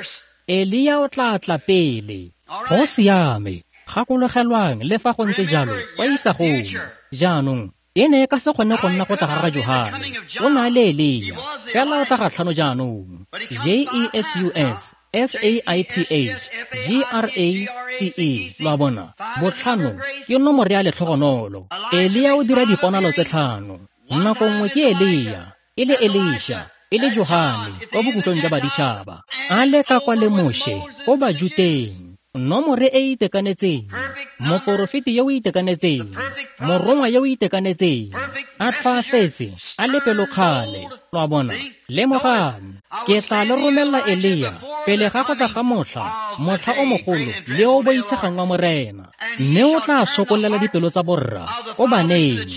Speaker 1: Elia o tla tla pele. Go siame, gakologelwang le fa go ntse jalo kwa isagong. Jaanong e ne e ka se kgone go nna go tla ga ga Johane, o ne a le Elia, fela o tla ga tlhano jaanong. J E S U S F A I T H G R A C E, lo a bona, botlhano ke nomoro ya letlhogonolo. Elia o dira diponalo tse tlhano. Nako nngwe ke Elia, e le Elisha, e le Johane kwa bokhutlong jwa baditšhaba, a le ka kwa le Moshe ko Bajuteng. Nomore e itekanetseng, moporofeti yo o itekanetseng, morongwa yo o itekanetseng, a tlhoafetse, a le pelokgale. Lo a bona? Lemogang, ke tla le romela Elia pele ga go tla ga motlha, motlha o mogolo le o boitshegang wa Morena, mme o tla sokolela dipelo tsa borra ko baneng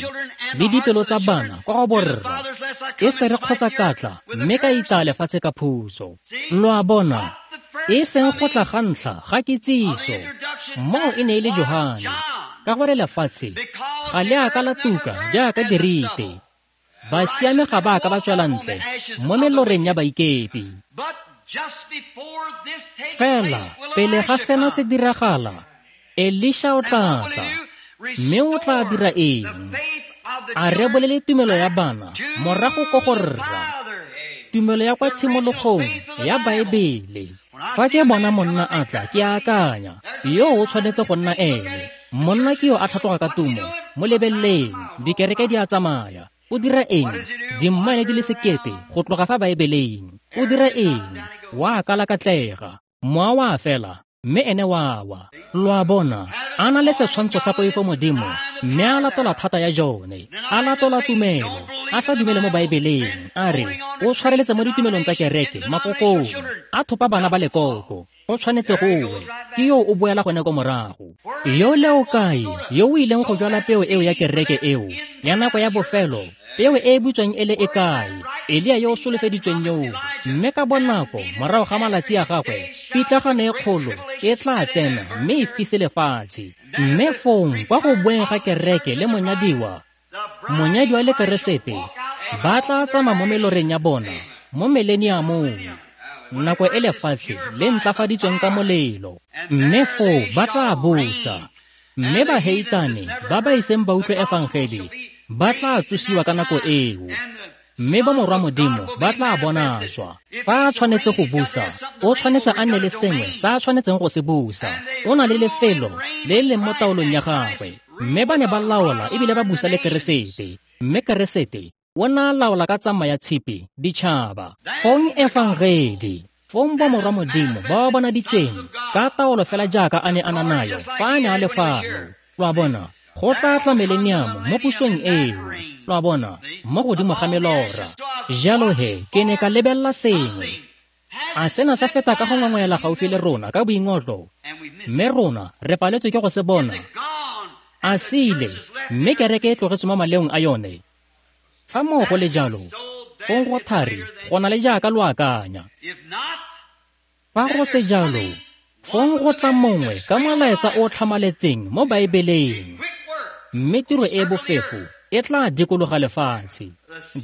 Speaker 1: le dipelo tsa bana kwa go borra, e se re kgotsa katla mme ka itaya lefatshe ka phuso. Lo a bona? E seng go tla ga ntlha ga kitsiso, moo e ne e le Johane, ka gore lefatshe ga le a ka la tuka jaaka dirite. Basiame ga ba ka ba tswela ntle mo meloreng ya baikepi. Fela pele ga sena se diragala, Elisha o tla tla, mme o tla dira eng? A rebolele tumelo ya bana morago ko go rra, tumelo ya kwa tshimologong ya Baebele. Fa ke bona monna a tla, ke akanya, yo o tshwanetse go nna ene. Monna ke yo a tlhatloga ka tumo, mo lebeleleng, dikereke di a tsamaya. O dira eng? Dimmaele di le sekete go tloga fa Baebeleng. O dira eng? Wa kalakatlega, mowa wa fela, mme ene wa wa. Lo a bona, a na le setshwantsho sa poifo modimo, mme a latola thata ya jone, a latola tumelo, a sa dumele mo Baebeleng, a re o tshwareletse mo ditumelong tsa kereke, makokong, a thopa bana ba lekoko. Go tshwanetse go we, ke yo o boela gone ko morago. Yo le o kae, yo o ileng go jwala peo eo ya kereke eo, ya nako ya bofelo, peo e e butsweng e le e kae? Elia yo o solofeditsweng yoo, mme ka bonako morago ga malatsi a gagwe, pitlagano e kgolo e tla tsena mme e fise lefatshe. Mme fong kwa go boeng ga kereke le monyadiwa, monyadiwa le Keresete ba tla tsamaya mo meloreng ya bona mo mileniamong, nako e lefatshe le ntlafaditsweng ka molelo. Mme foo ba tla busa, mme baheitane ba ba iseng ba utlwe efangedi ba tla tsosiwa ka nako eo, mme ba morwa modimo ba tla bonaswa. Fa a tshwanetse go busa, o tshwanetse a nne le sengwe sa a tshwanetseng go se busa. O na le lefelo le leng mo taolong ya gagwe, mme ba ne ba laola ebile ba busa le Keresete, mme Keresete o na laola ka tsamaya ya tshipi ditšhaba. Fong efangedi, fong ba morwa modimo ba ba bonaditsweng ka taolo fela jaaka a ne a na nayo fa a ne a le fano. Lo a bona, go tla tla mileniamo mo pusong eo, lo a bona, mo godimo ga melora. Jalo he, ke ne ka lebelela sengwe. A sena sa feta ka go ngongwela gaufi le rona ka boingotlo, mme rona re paletswe ke go se bona. A se ile, mme kereke e tlogetswe mo maleong a yone. Fa moo go le jalo, fong go thari go na le jaaka lo akanya. Fa go se jalo, fong go tla mongwe ka molaetsa o tlhamaletseng mo Baebeleng, mme tiro e bofefo e tla dikologa lefatshe.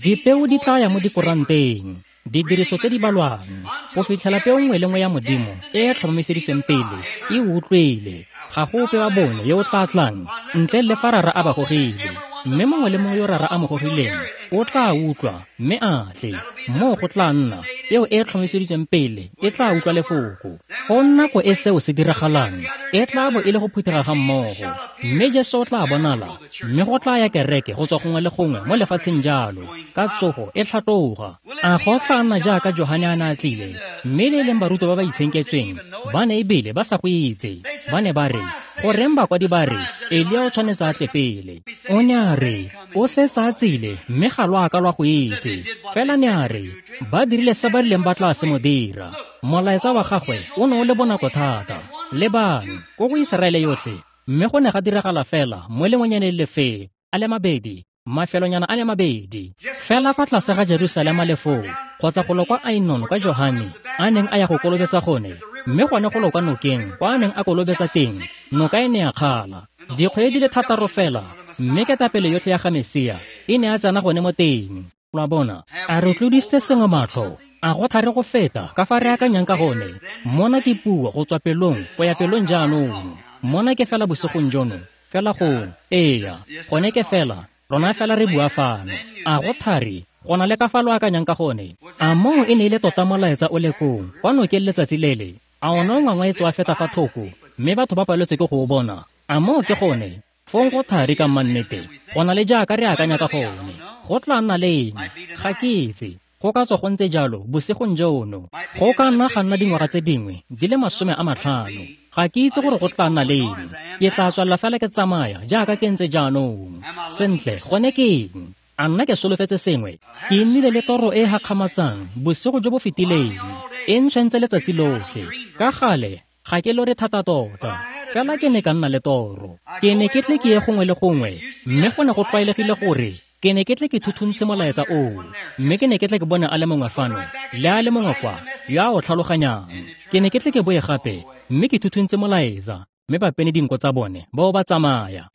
Speaker 1: Dipeo di tla ya mo dikoranteng, didiriso tse di balwang, go fitlhela peo nngwe le nngwe ya modimo e e tlhomamiseditsweng pele e utlwile. Ga go ope wa bone yo o tla tlang ntle le fa Rara a ba gogile, mme mongwe le mongwe yo Rara a mo gogileng o tla utlwa mme a tle. Moo go tla nna peo e e tlhomamiseditsweng pele e tla utlwa lefoko. Go nako e seo se diragalang e tla bo e le go phuthega ga mmogo, mme Jesu o tla bonala, mme go tla ya kereke go tswa gongwe le gongwe mo lefatsheng jalo ka tsogo e tlhatloga. A go tla nna jaaka Johane a ne a tlile, mme le e leng barutwa ba ba itshenketsweng ba ne ebile ba sa go itse. Ba ne ba re, goreng bakwadi ba re Elia o tshwanetse a tle pele? O ne a re o setse a tsile, mme ga lo a ka lwa go itse. Fela ne a re ba dirile se ba rileng ba tla se mo dira. Molaetsa wa gagwe o ne o le bonako thata. Lebang ko go Iseraele yotlhe, mme go ne ga diragala fela mo lengwenyaneng lefe a le mabedi, mafelonyana a le mabedi fela fa tlase ga Jerusalema le foo, kgotsa go lo kwa Ainon kwa Johane a neng a ya go kolobetsa gone, mme gone go lo kwa nokeng kwa a neng a kolobetsa teng, noka e ne ya kgala dikgwedi di le thataro fela, mme ketapele yotlhe ya ga Mesia e ne a tsena gone mo teng. Lo a bona, a re tlodisitse sengwe matlho, a go thare go feta ka fa re akanyang ka gone. Mona ke puo go tswa pelong go ya pelong jaanong. Mona ke fela bosigong jono, fela go eya, gone ke fela rona fela re bua fano. A go thari go na le ka fa lo akanyang ka gone? A moo e ne e le tota molaetsa o le kong kwa nokeng letsatsi lele? A one o ngwangwaetse wa feta fa thoko, mme batho ba paletswe ke go o bona? A moo ke gone? Fong go thari ka mannete go na le jaaka re akanya ka gone. Go tla nna leng? Ga ke itse. Go ka tswa go ntse jalo bosigong jono. Go ka nna ga nna dingwaga tse dingwe di le masome a matlhano. Ga ke itse gore go tla nna leng. Ke tla tswelela fela ke tsamaya jaaka ke ntse jaanong. Sentle, gone ke eng? A nna ke solofetse sengwe? Ke nnile le toro e e gakgamatsang bosigo jo bo fetileng. E ntshwentse letsatsi lotlhe. Ka gale ga ke lore thata tota, fela ke ne ka nna le toro. Ke ne ke tle ke ye gongwe le gongwe, mme go ne go tlwaelegile gore ke ne ke tle ke thuthuntshe molaetsa oo, mme ke ne ke tle ke bone a le mongwe fano le a le mongwe kwa yo a o tlhaloganyang. Ke ne ke tle ke boe gape mme ke thuthuntshe molaetsa, mme ba pene dinko tsa bone bao ba tsamaya.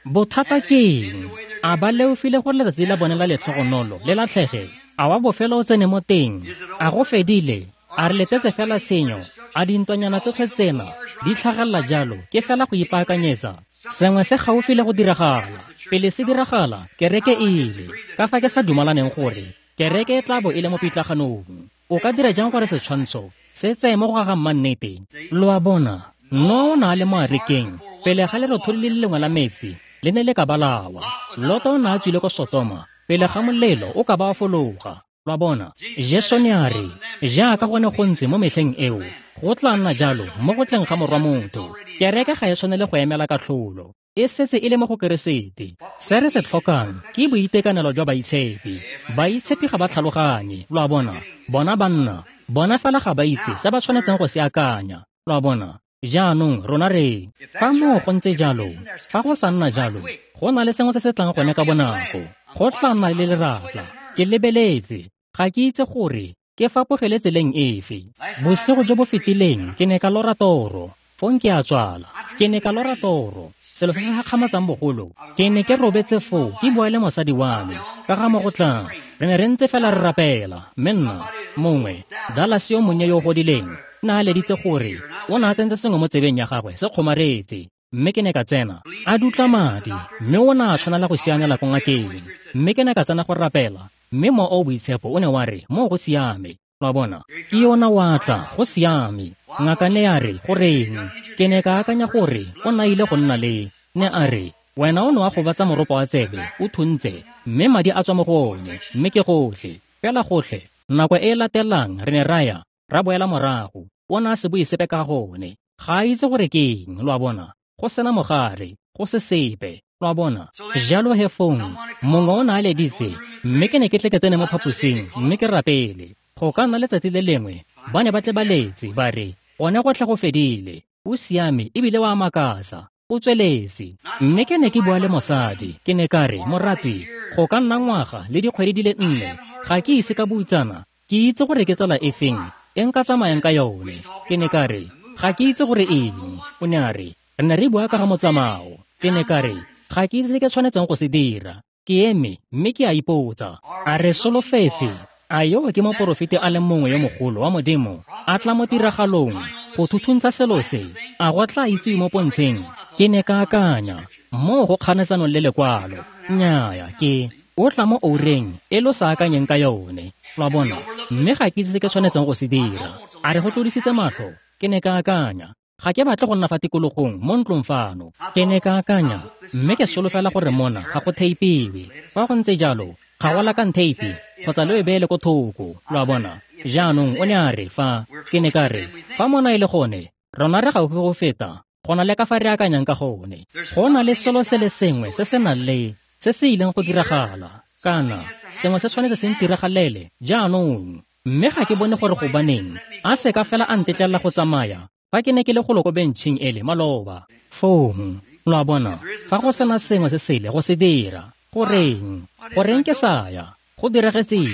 Speaker 1: Bothata ke eng? A ba leofile gore letsatsi la bone la letlhogonolo le latlhege? A wa bofelo o tsene mo teng? A go fedile? A re letetse fela tshenyo? A dintwanyana tsotlhe tsena di tlhagelela jalo ke fela go ipaakanyetsa? Sengwe se gaufi le go diragala. Pele se diragala, kereke e ile. Ka fa ke sa dumalaneng gore kereke e tla bo e le mo pitlaganong. O ka dira jang gore setshwantsho se tseye mo go ga mannete? Lo a bona, Noa o ne a le mo arekeng pele ga lerotholi le le lengwe la metsi le ne le ka balawa. Lota o ne a tswile ko Sotoma pele ga molelo o ka ba wa fologa. Lo a bona, Jesu ne a re, jaaka go ne go ntse mo metlheng eo, Go tla nna jalo mo go tleng ga Morwa Motho. Kereke ga e tshwanele go emela katlholo, e setse e le mo go Keresete. Se re se tlhokang ke boitekanelo jwa baitshepi. Baitshepi ga ba tlhaloganye, lo a bona. Bona banna, bona fela ga ba itse se ba tshwanetseng go se akanya, lo a bona. Jaanong rona re, fa moo go ntse jalo, fa go sa nna jalo, go na le sengwe se se tlang gone ka bonako. Go tla nna le leratla. Ke lebeletse, ga ke itse gore ke fapogele tseleng efe. Bosigo jo bo fetileng ke ne ka lora toro, fong ke a tswala. Ke ne ka lora toro, selo se se gakgamatsang bogolo. Ke ne ke robetse foo ke bua le mosadi wa me ka ga mo go tlang. Re ne re ntse fela re rapela, mme nna mongwe, Dallas yo monnye yo o godileng, ne a leditse gore o ne a tsentse sengwe mo tsebeng ya gagwe se kgomaretse. Mme ke ne ka tsena, a dutla madi, mme o ne a tshwanela go sianela ko ngakeng. Mme ke ne ka tsena go rapela, mme Mowa o o Boitshepo o ne wa re, moo go siame. Lo a bona, ke yona wa tla, go siame. Ngaka ne ya re, goreng? Ke ne ka akanya gore o na ile go nna le. Ne a re, wena o ne wa gobatsa moropo wa tsebe, o thuntse, mme madi a tswa mo go one, mme ke gotlhe, fela gotlhe. Nako e e latelang re ne ra ya, ra boela morago. O ne a se bue sepe ka gone. Ga a itse gore ke eng, lo a bona. Go sena mogare, go se sepe, lo a bona. Jalo he fong, mongwe o ne a leditse, mme ke ne ke tle ke tsene mo phaposing, mme ke rapele. Go ka nna letsatsi le lengwe, ba ne ba tle ba letse, ba re, gone gotlhe go fedile, o siame ebile wa makatsa, o tsweletse. Mme ke ne ke bua le mosadi, ke ne ka re, moratwi, go ka nna ngwaga le dikgwedi di le nne, ga ke ise ka butsana, ke itse gore ke tsela efeng e nka tsamayang ka yone. Ke ne ka re, ga ke itse gore eng. O ne a re, re ne re bua ka ga motsamao. Ke ne ka re, ga ke itse se ke tshwanetseng go se dira. Ke eme mme ke a ipotsa, a re solofetse, a yo ke moporofeti a le mongwe yo mogolo wa Modimo a tla mo tiragalong go thuthuntsha selo se, a go tla itsiwe mo pontsheng? Ke ne ka akanya, moo go kganetsanong le lekwalo. Nnyaya, ke o tla mo oureng e lo sa akanyeng ka yone, lo a bona. Mme ga ke itse se ke tshwanetseng go se dira. A re go tlodisitse matlho? Ke ne ka akanya, ga ke batle go nna fa tikologong mo ntlong fano. Ke ne ka akanya, mme ke solofela gore mona ga go theipiwe. Fa go ntse jalo, ga go lakang theipi kgotsa lo e beele ko thoko, lo a bona. Jaanong o ne a re, fa ke ne ka re, fa mona e le gone, rona re gaufi go feta go na le ka fa re akanyang ka gone. Go na le selo se le sengwe se se nang le se se ileng go diragala, kana sengwe se tshwanetse se ntiragalele jaanong. Mme ga ke bone gore gobaneng a se ka fela a ntetlelela go tsamaya fa ke ne ke le golo ko bentšheng ele maloba. Fong, lo a bona, fa go sena sengwe se sele go se dira, goreng? Goreng ke sa ya? Go diragetseng?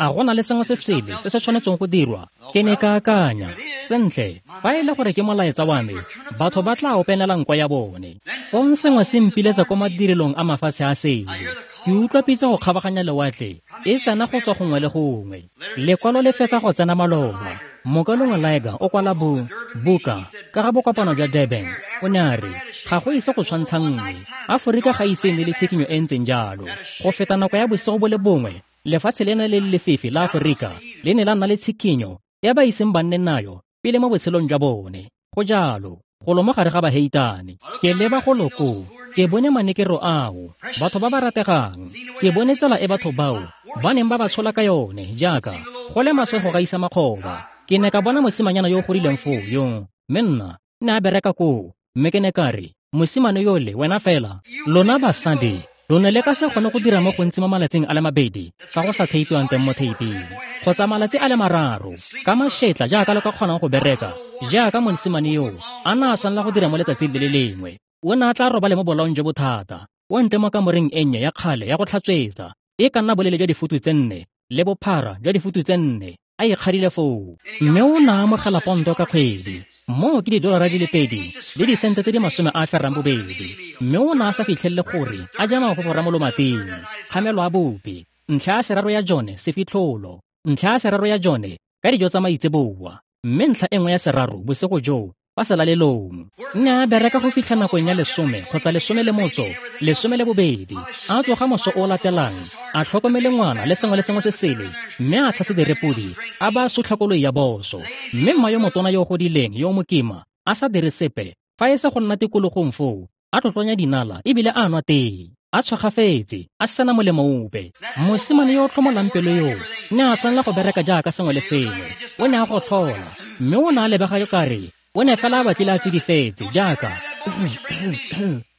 Speaker 1: A go na le sengwe se sele se se tshwanetseng go dirwa? Ke ne ka akanya, sentle, fa e le gore ke molaetsa wa me, batho ba tla openela nko ya bone. Fong sengwe se mpiletsa ko madirelong a mafatshe a sele. Ke utlwa pitso go kgabaganya lewatle, e tsena go tswa gongwe le gongwe. Lekwalo le fetsa go tsena maloba. Mokalongwe Liger o kwala bo buka ka ga bokopano jwa Durban. O ne a re, ga go ise go tshwantsha nngwe. Aforika ga ise e nne le tshikinyo e ntseng jalo. Go feta nako ya bosigo bo le bongwe, lefatshe lena le le lefifi la Aforika le ne la nna le tshikinyo ya ba iseng ba nne nayo pele mo botshelong jwa bone. Go jalo, golo mo gare ga baheitane. Ke leba golo koo, ke bone manekero ao, batho ba ba rategang. Ke bone tsela e batho bao ba neng ba ba tshola ka yone, jaaka go le maswe go gaisa makgoba. Ke ne ka bona mosimanyana yo o godileng foo yo, mme nna ne a bereka koo. Mme ke ne ka re, mosimane yole, wena fela, lona basadi, lo ne le ka se kgone go dira mo gontsi mo malatsing a le mabedi fa go sa theipiwang teng mo theiping, kgotsa malatsi a le mararo, ka mašetla jaaka le ka kgonang go bereka, jaaka mosimane yo a na a tshwanela go dira mo letsatsing le le lengwe. O ne a tla robale mo bolaong jo bothata, o ntle mo kamoreng e nnye ya kgale ya go tlhatswetsa, e ka nna boleele jwa difutu tse nne le bophara jwa difutu tse nne, a ikgadile foo. Mme o ne a amogela ponto ka kgwedi, moo ke didolara di le pedi le disente tse di masome a ferang bobedi. Mme o ne a sa fitlhelele gore a ja mafofora mo lomating, kgamelo a bopi, ntlha ya seraro ya jone sefitlholo, ntlha ya seraro ya jone ka dijo tsa maitseboa, mme ntlha e nngwe ya seraro bosigo joo fa selalelong. Nne a bereka go fitlha nakong ya lesome kgotsa lesome le motso, lesome le bobedi, a tsoga moso o latelang, a tlhokomele ngwana le sengwe le sengwe se sele, mme a tshase direpodi, a ba a sutlha koloi ya boso. Mme mma yo motona yo o godileng yo o mokima, a sa dire sepe, fa e se go nna tikologong foo, a tlotlonya dinala ebile a nwa tee. a tshwagafetse, a sena molemo ope. Mosimane yo o tlhomolang pelo yoo ne a tshwanela go bereka jaaka sengwe le sengwe. O ne a gotlhola, mme o ne a lebega kare o ne fela a batlile a tsidifetse jaaka.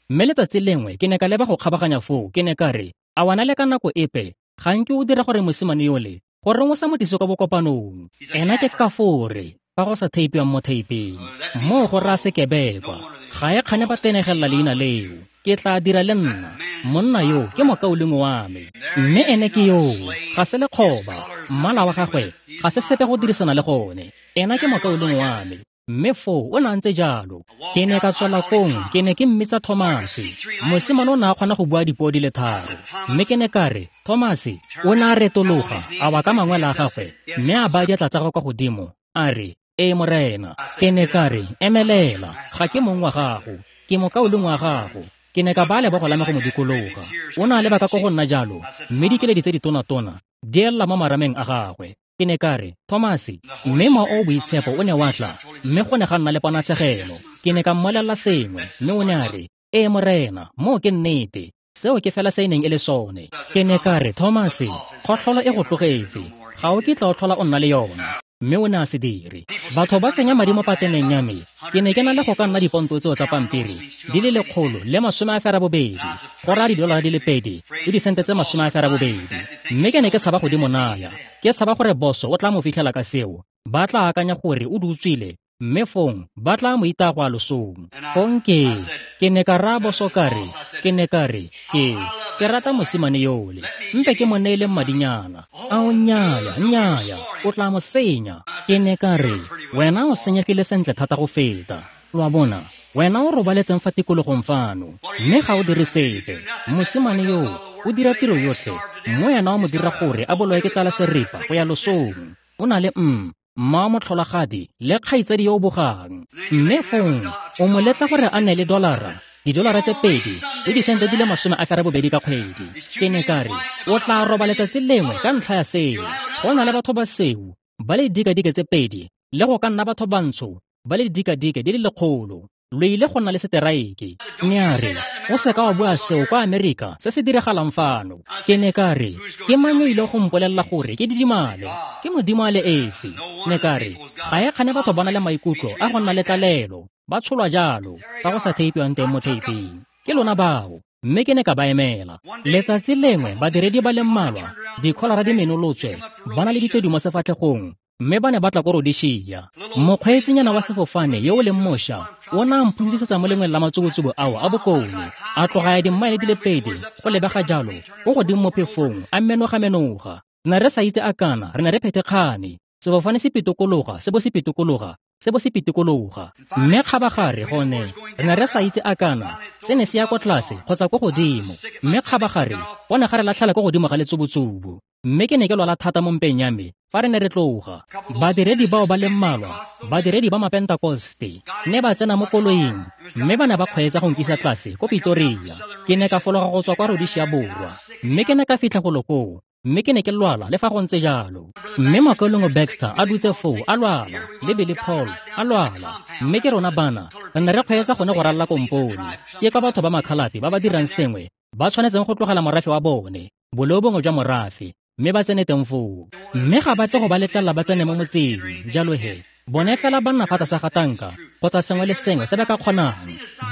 Speaker 1: Mme letsatsi lengwe ke ne ka leba go kgabaganya foo, ke ne ka re, a wana le ka nako epe ga nke o dira gore mosimane yole gore o sa mo tlise kwa bokopanong. Ena ke kafore fa go sa theipiwang mo theipeng. Moo go raya sekebekwa. Ga e kgane ba tenegelela leina leo. Ke tla dira le nna. Monna yo ke mokaulengwe wa me. Mme ene ke yoo, ga se lekgoba. Mmala wa gagwe ga se sepe go dirisana le gone. Ena ke mokaulengwe wa me. Mme foo o ne a ntse jalo. Ke ne ka tswela kong, ke ne ke mmitsa Thomase. Mosimane o ne a kgona go bua dipuo di le tharo. Mme ke ne ka re, Thomase, o ne a retologa, a wa ka mangwele a gagwe, mme a baya diatla tsa gagwe kwa godimo, a re, ee morena. Ke ne ka re, emelela, ga ke mong wa gago, ke mokaulengwe wa gago. Ke ne ka baya lebogo la me go mo dikologa. O ne a leba ka ko go nna jalo, mme dikeledi tse ditonatona di ella mo marameng a gagwe. Ke ne ka re, Thomase, mme mowa o o boitshepo o ne wa tla, mme go ne ga nna le ponatshegelo. Ke ne ka mmolelela sengwe, mme o ne a re, ee morena, moo ke nnete. Seo ke fela se e neng e le sone. Ke ne ka re, Thomase, kgotlholo e go tlogetse. Ga o kitla o tlhola o nna le yona. Mme o ne a se dire. Batho ba tsenya madi mo pateneng ya me. Ke ne ke na le go ka nna diponto tseo tsa pampiri di le lekgolo le masome a ferabobedi, go raya didolara di le pedi le disente tse masome a ferabobedi. Mme ke ne ke tshaba go di mo naya. Ke tshaba gore boso o tla mo fitlhela ka seo. Ba tla akanya gore o di utswile, mme fong ba tla mo itaya go ya losong. Fong ke ke ne ka raya boso ka re, ke ne ka re, ke ke rata mosimane yole. Mpe ke mo neele madinyana. Ao nnyaya, nnyaya, o tla mo senya. Ke ne ka re, wena o senyegile sentle thata go feta. Lo a bona, wena o robaletseng fa tikologong fano, mme ga o dire sepe. Mosimane yoo o dira tiro yotlhe, mme wena o mo dira gore a bolowe ke tlala seripa go ya losong. O na le mm mma motlholagadi le kgaitsadi yo o bogang. Mme fong o mo letla gore a nne le dolara, didolara tse pedi le disente di le masome a ferabobedi ka kgwedi. Ke ne ka re, o tla roba letsatsi lengwe ka ntlha ya seo. Go na le batho ba seo ba le dikadike tse pedi le go ka nna batho bantsho ba le dikadike di le lekgolo. Lo ile go nna le seteraeke. Ne a re, o seka wa bua seo kwa Amerika se se diragalang fano. Ke ne ka re, ke mang yo ile go mpolelela gore ke didimale? Ke Modimo a le esi. Ne ka re, ga e kgane batho ba na le maikutlo a go nna le tlalelo, ba tsholwa jalo, fa go sa theipiwang teng mo theiping. Ke lona bao. Mme ke ne ka ba emela. Letsatsi lengwe badiredi ba le mmalwa, dikholara di menolotswe, ba na le ditedu mo sefatlhegong, mme ba ne ba tla ko Rhodesia. Mokgweetsinyana wa sefofane yo o leng mošwa o ne a mphodisetsa mo lengweng la matsubutsubu ao a bokone. A tloga ya dimmaele di le pedi go lebega jalo ko godimo mo phefong, a menoga-menoga. Ne re sa itse a kana, re ne re phethekgane. Sefofane se pitokologa, se bo se pitokologa, se bo se pitikologa. Mme kgabagare gone re ne re sa itse a kana se ne se ya kwa tlase kgotsa ko godimo. Mme kgabagare go ne ga re latlhela ko godimo ga letsubutsubu. Mme ke ne ke lwala thata mo mpeng ya me fa re ne re tloga. Badiredi bao ba le mmalwa, badiredi ba Mapentekoste, ne ba tsena mo koloing mme ba ne ba kgweetsa go nkisa tlase ko Pretoria. Ke ne ka fologa go tswa kwa Rhodesia Borwa, mme ke ne ka fitlha golo koo. Mme ke ne ke lwala le fa go ntse jalo. Mme mokaulengwe Baxter a dutse foo a lwala, le Billy Paul a lwala. Mme ke rona bana re ne re kgweetsa gone go ralala kompone. Ke kwa batho ba makhalate ba ba dirang sengwe ba tshwanetseng go tlogela morafe wa bone, boleo bongwe jwa morafe, mme ba tsene teng foo. Mme ga ba tle go ba letlelela ba tsene mo motseng. Jalo he, bone fela ba nna fa tlase ga tanka kgotsa sengwe le sengwe se ba ka kgonang,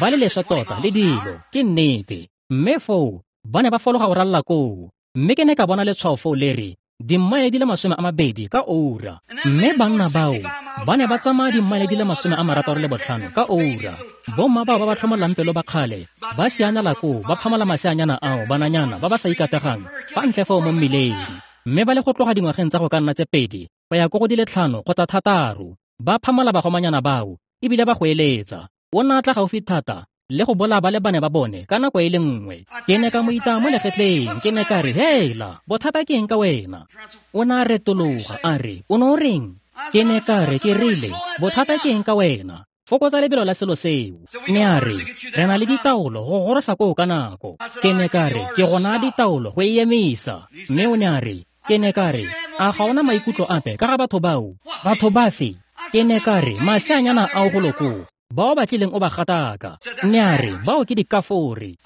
Speaker 1: ba le leswe tota le dilo, ke nnete. Mme foo ba ne ba fologa go ralala koo. Mme ke ne ka bona letshwao foo le re dimmaele di le masome a mabedi ka oura. Mme banna bao ba ne ba tsamaya dimmaele di le masome a marataro le botlhano ka oura. Bomma bao ba ba tlhomolang pelo ba kgale ba sianela koo, ba phamola maseanyana ao bananyana ba ba sa ikategang fa ntle foo mo mmileng. Mme ba le go tloga dingwageng tsa go ka nna tse pedi go ya ko go di le tlhano kgotsa thataro, ba phamola bagomanyana bao ebile ba go eletsa. O ne a tla gaufi thata le go bolaya ba le bane ba bone ka nako e le nngwe. Ke ne ka mo itaya mo legetleng, ke ne ka re, hela, bothata ke eng ka wena? O ne a retologa a re, o ne o reng? Ke ne ka re, ke rile, bothata ke eng ka wena? Fokotsa lebelo la selo seo. Ne a re, re na le ditaolo go gorosa koo ka nako. Ke ne ka re, ke go naya ditaolo go e emisa. Mme o ne a re, ke ne ka re, a ga ona maikutlo ape ka ga batho bao? Batho bafe? Ke ne ka re, maseanyana ao golo koo. Bao ba tlileng o ba gataka. Ne a re, bao ke dikafore.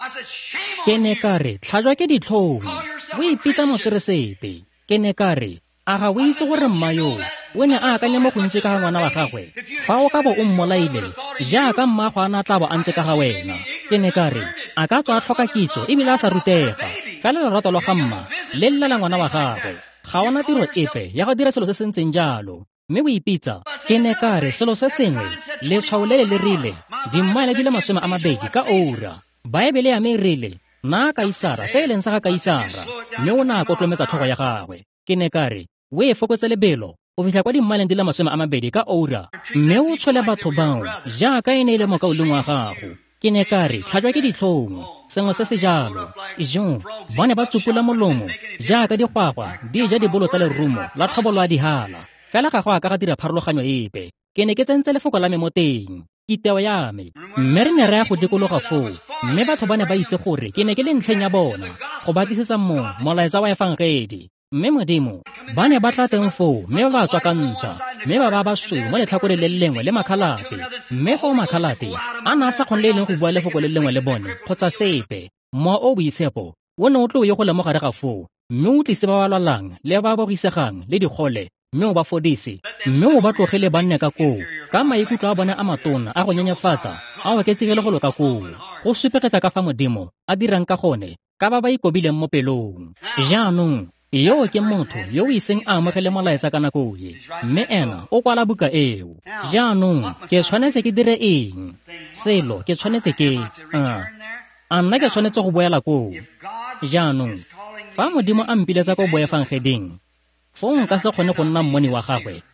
Speaker 1: Ke ne ka re, tlhajwa ke ditlhong. O ipitsa mokeresete. Ke ne ka re, a ga o itse gore mma yo o ne a akanya mo gontsi ka ga ngwana wa gagwe? Fa o ka bo o mmolaile, jaaka mmago a na tla bo a ntse ka ga wena. Ke ne ka re, a ka tswa a tlhoka kitso ebile a sa rutega, fela lorato lwa ga mma le llela ngwana wa gagwe. Ga ona tiro epe ya go dira selo se se ntseng jalo, mme o ipitsa. Ke ne ka re, selo se sengwe, letshwao le le le rile, dimmaele di le masome a mabedi ka oura. Baebele ya me e rile, na Kaisara se e leng sa ga Kaisara, mme o ne a kotlometsa tlhogo ya gagwe. Ke ne ka re, o e fokotse lebelo go fitlha kwa dimmaeleng di le masome a mabedi ka oura, mme o tshwele batho bao jaaka e ne e le mokaulengwe wa gago. Ke ne ka re, tlhajwa ke ditlhong, sengwe se se jalo. Jo, ba ne ba tsupula molomo jaaka digwagwa di ja dibolo tsa lerumo la tlhobolo a dihala. Fela ga go a ka ga dira pharologanyo epe. Ke ne ke tsentse lefoko la me mo teng, kiteo ya me. Mme re ne re ya go dikologa foo, mme batho ba ne ba itse gore ke ne ke le ntlheng ya bona go ba tlisetsa mo molaetsa wa efangedi. Mme Modimo, ba ne ba tla teng foo, mme ba ba tswa ka ntsha, mme ba ba basweu mo letlhakoreng le lengwe le makhalate. Mme foo makhalate a ne a sa kgone le e leng go bua lefoko le lengwe le bone kgotsa sepe. Mowa o boitshepo o ne o tlo ye go le mo gare ga foo, mme o tlise ba ba lwalang le ba ba bogisegang le digole, mme o ba fodise, mme o ba tlogele ba nne ka koo ka maikutlo a bone a matona a go nyenyefatsa a oketsegile go loka koo, go supegetsa ka fa Modimo a dirang ka gone ka ba ba ikobileng mo pelong. Jaanong yo ke motho yo o iseng a amogele molaetsa ka nako e, mme ena o kwala buka eo. Jaanong ke tshwanetse ke dire eng? Selo ke tshwanetse ke a a nna ke tshwanetse go boela koo. Jaanong fa Modimo a mpiletsa ko boefangeding, foo nka se kgone go nna mmoni wa gagwe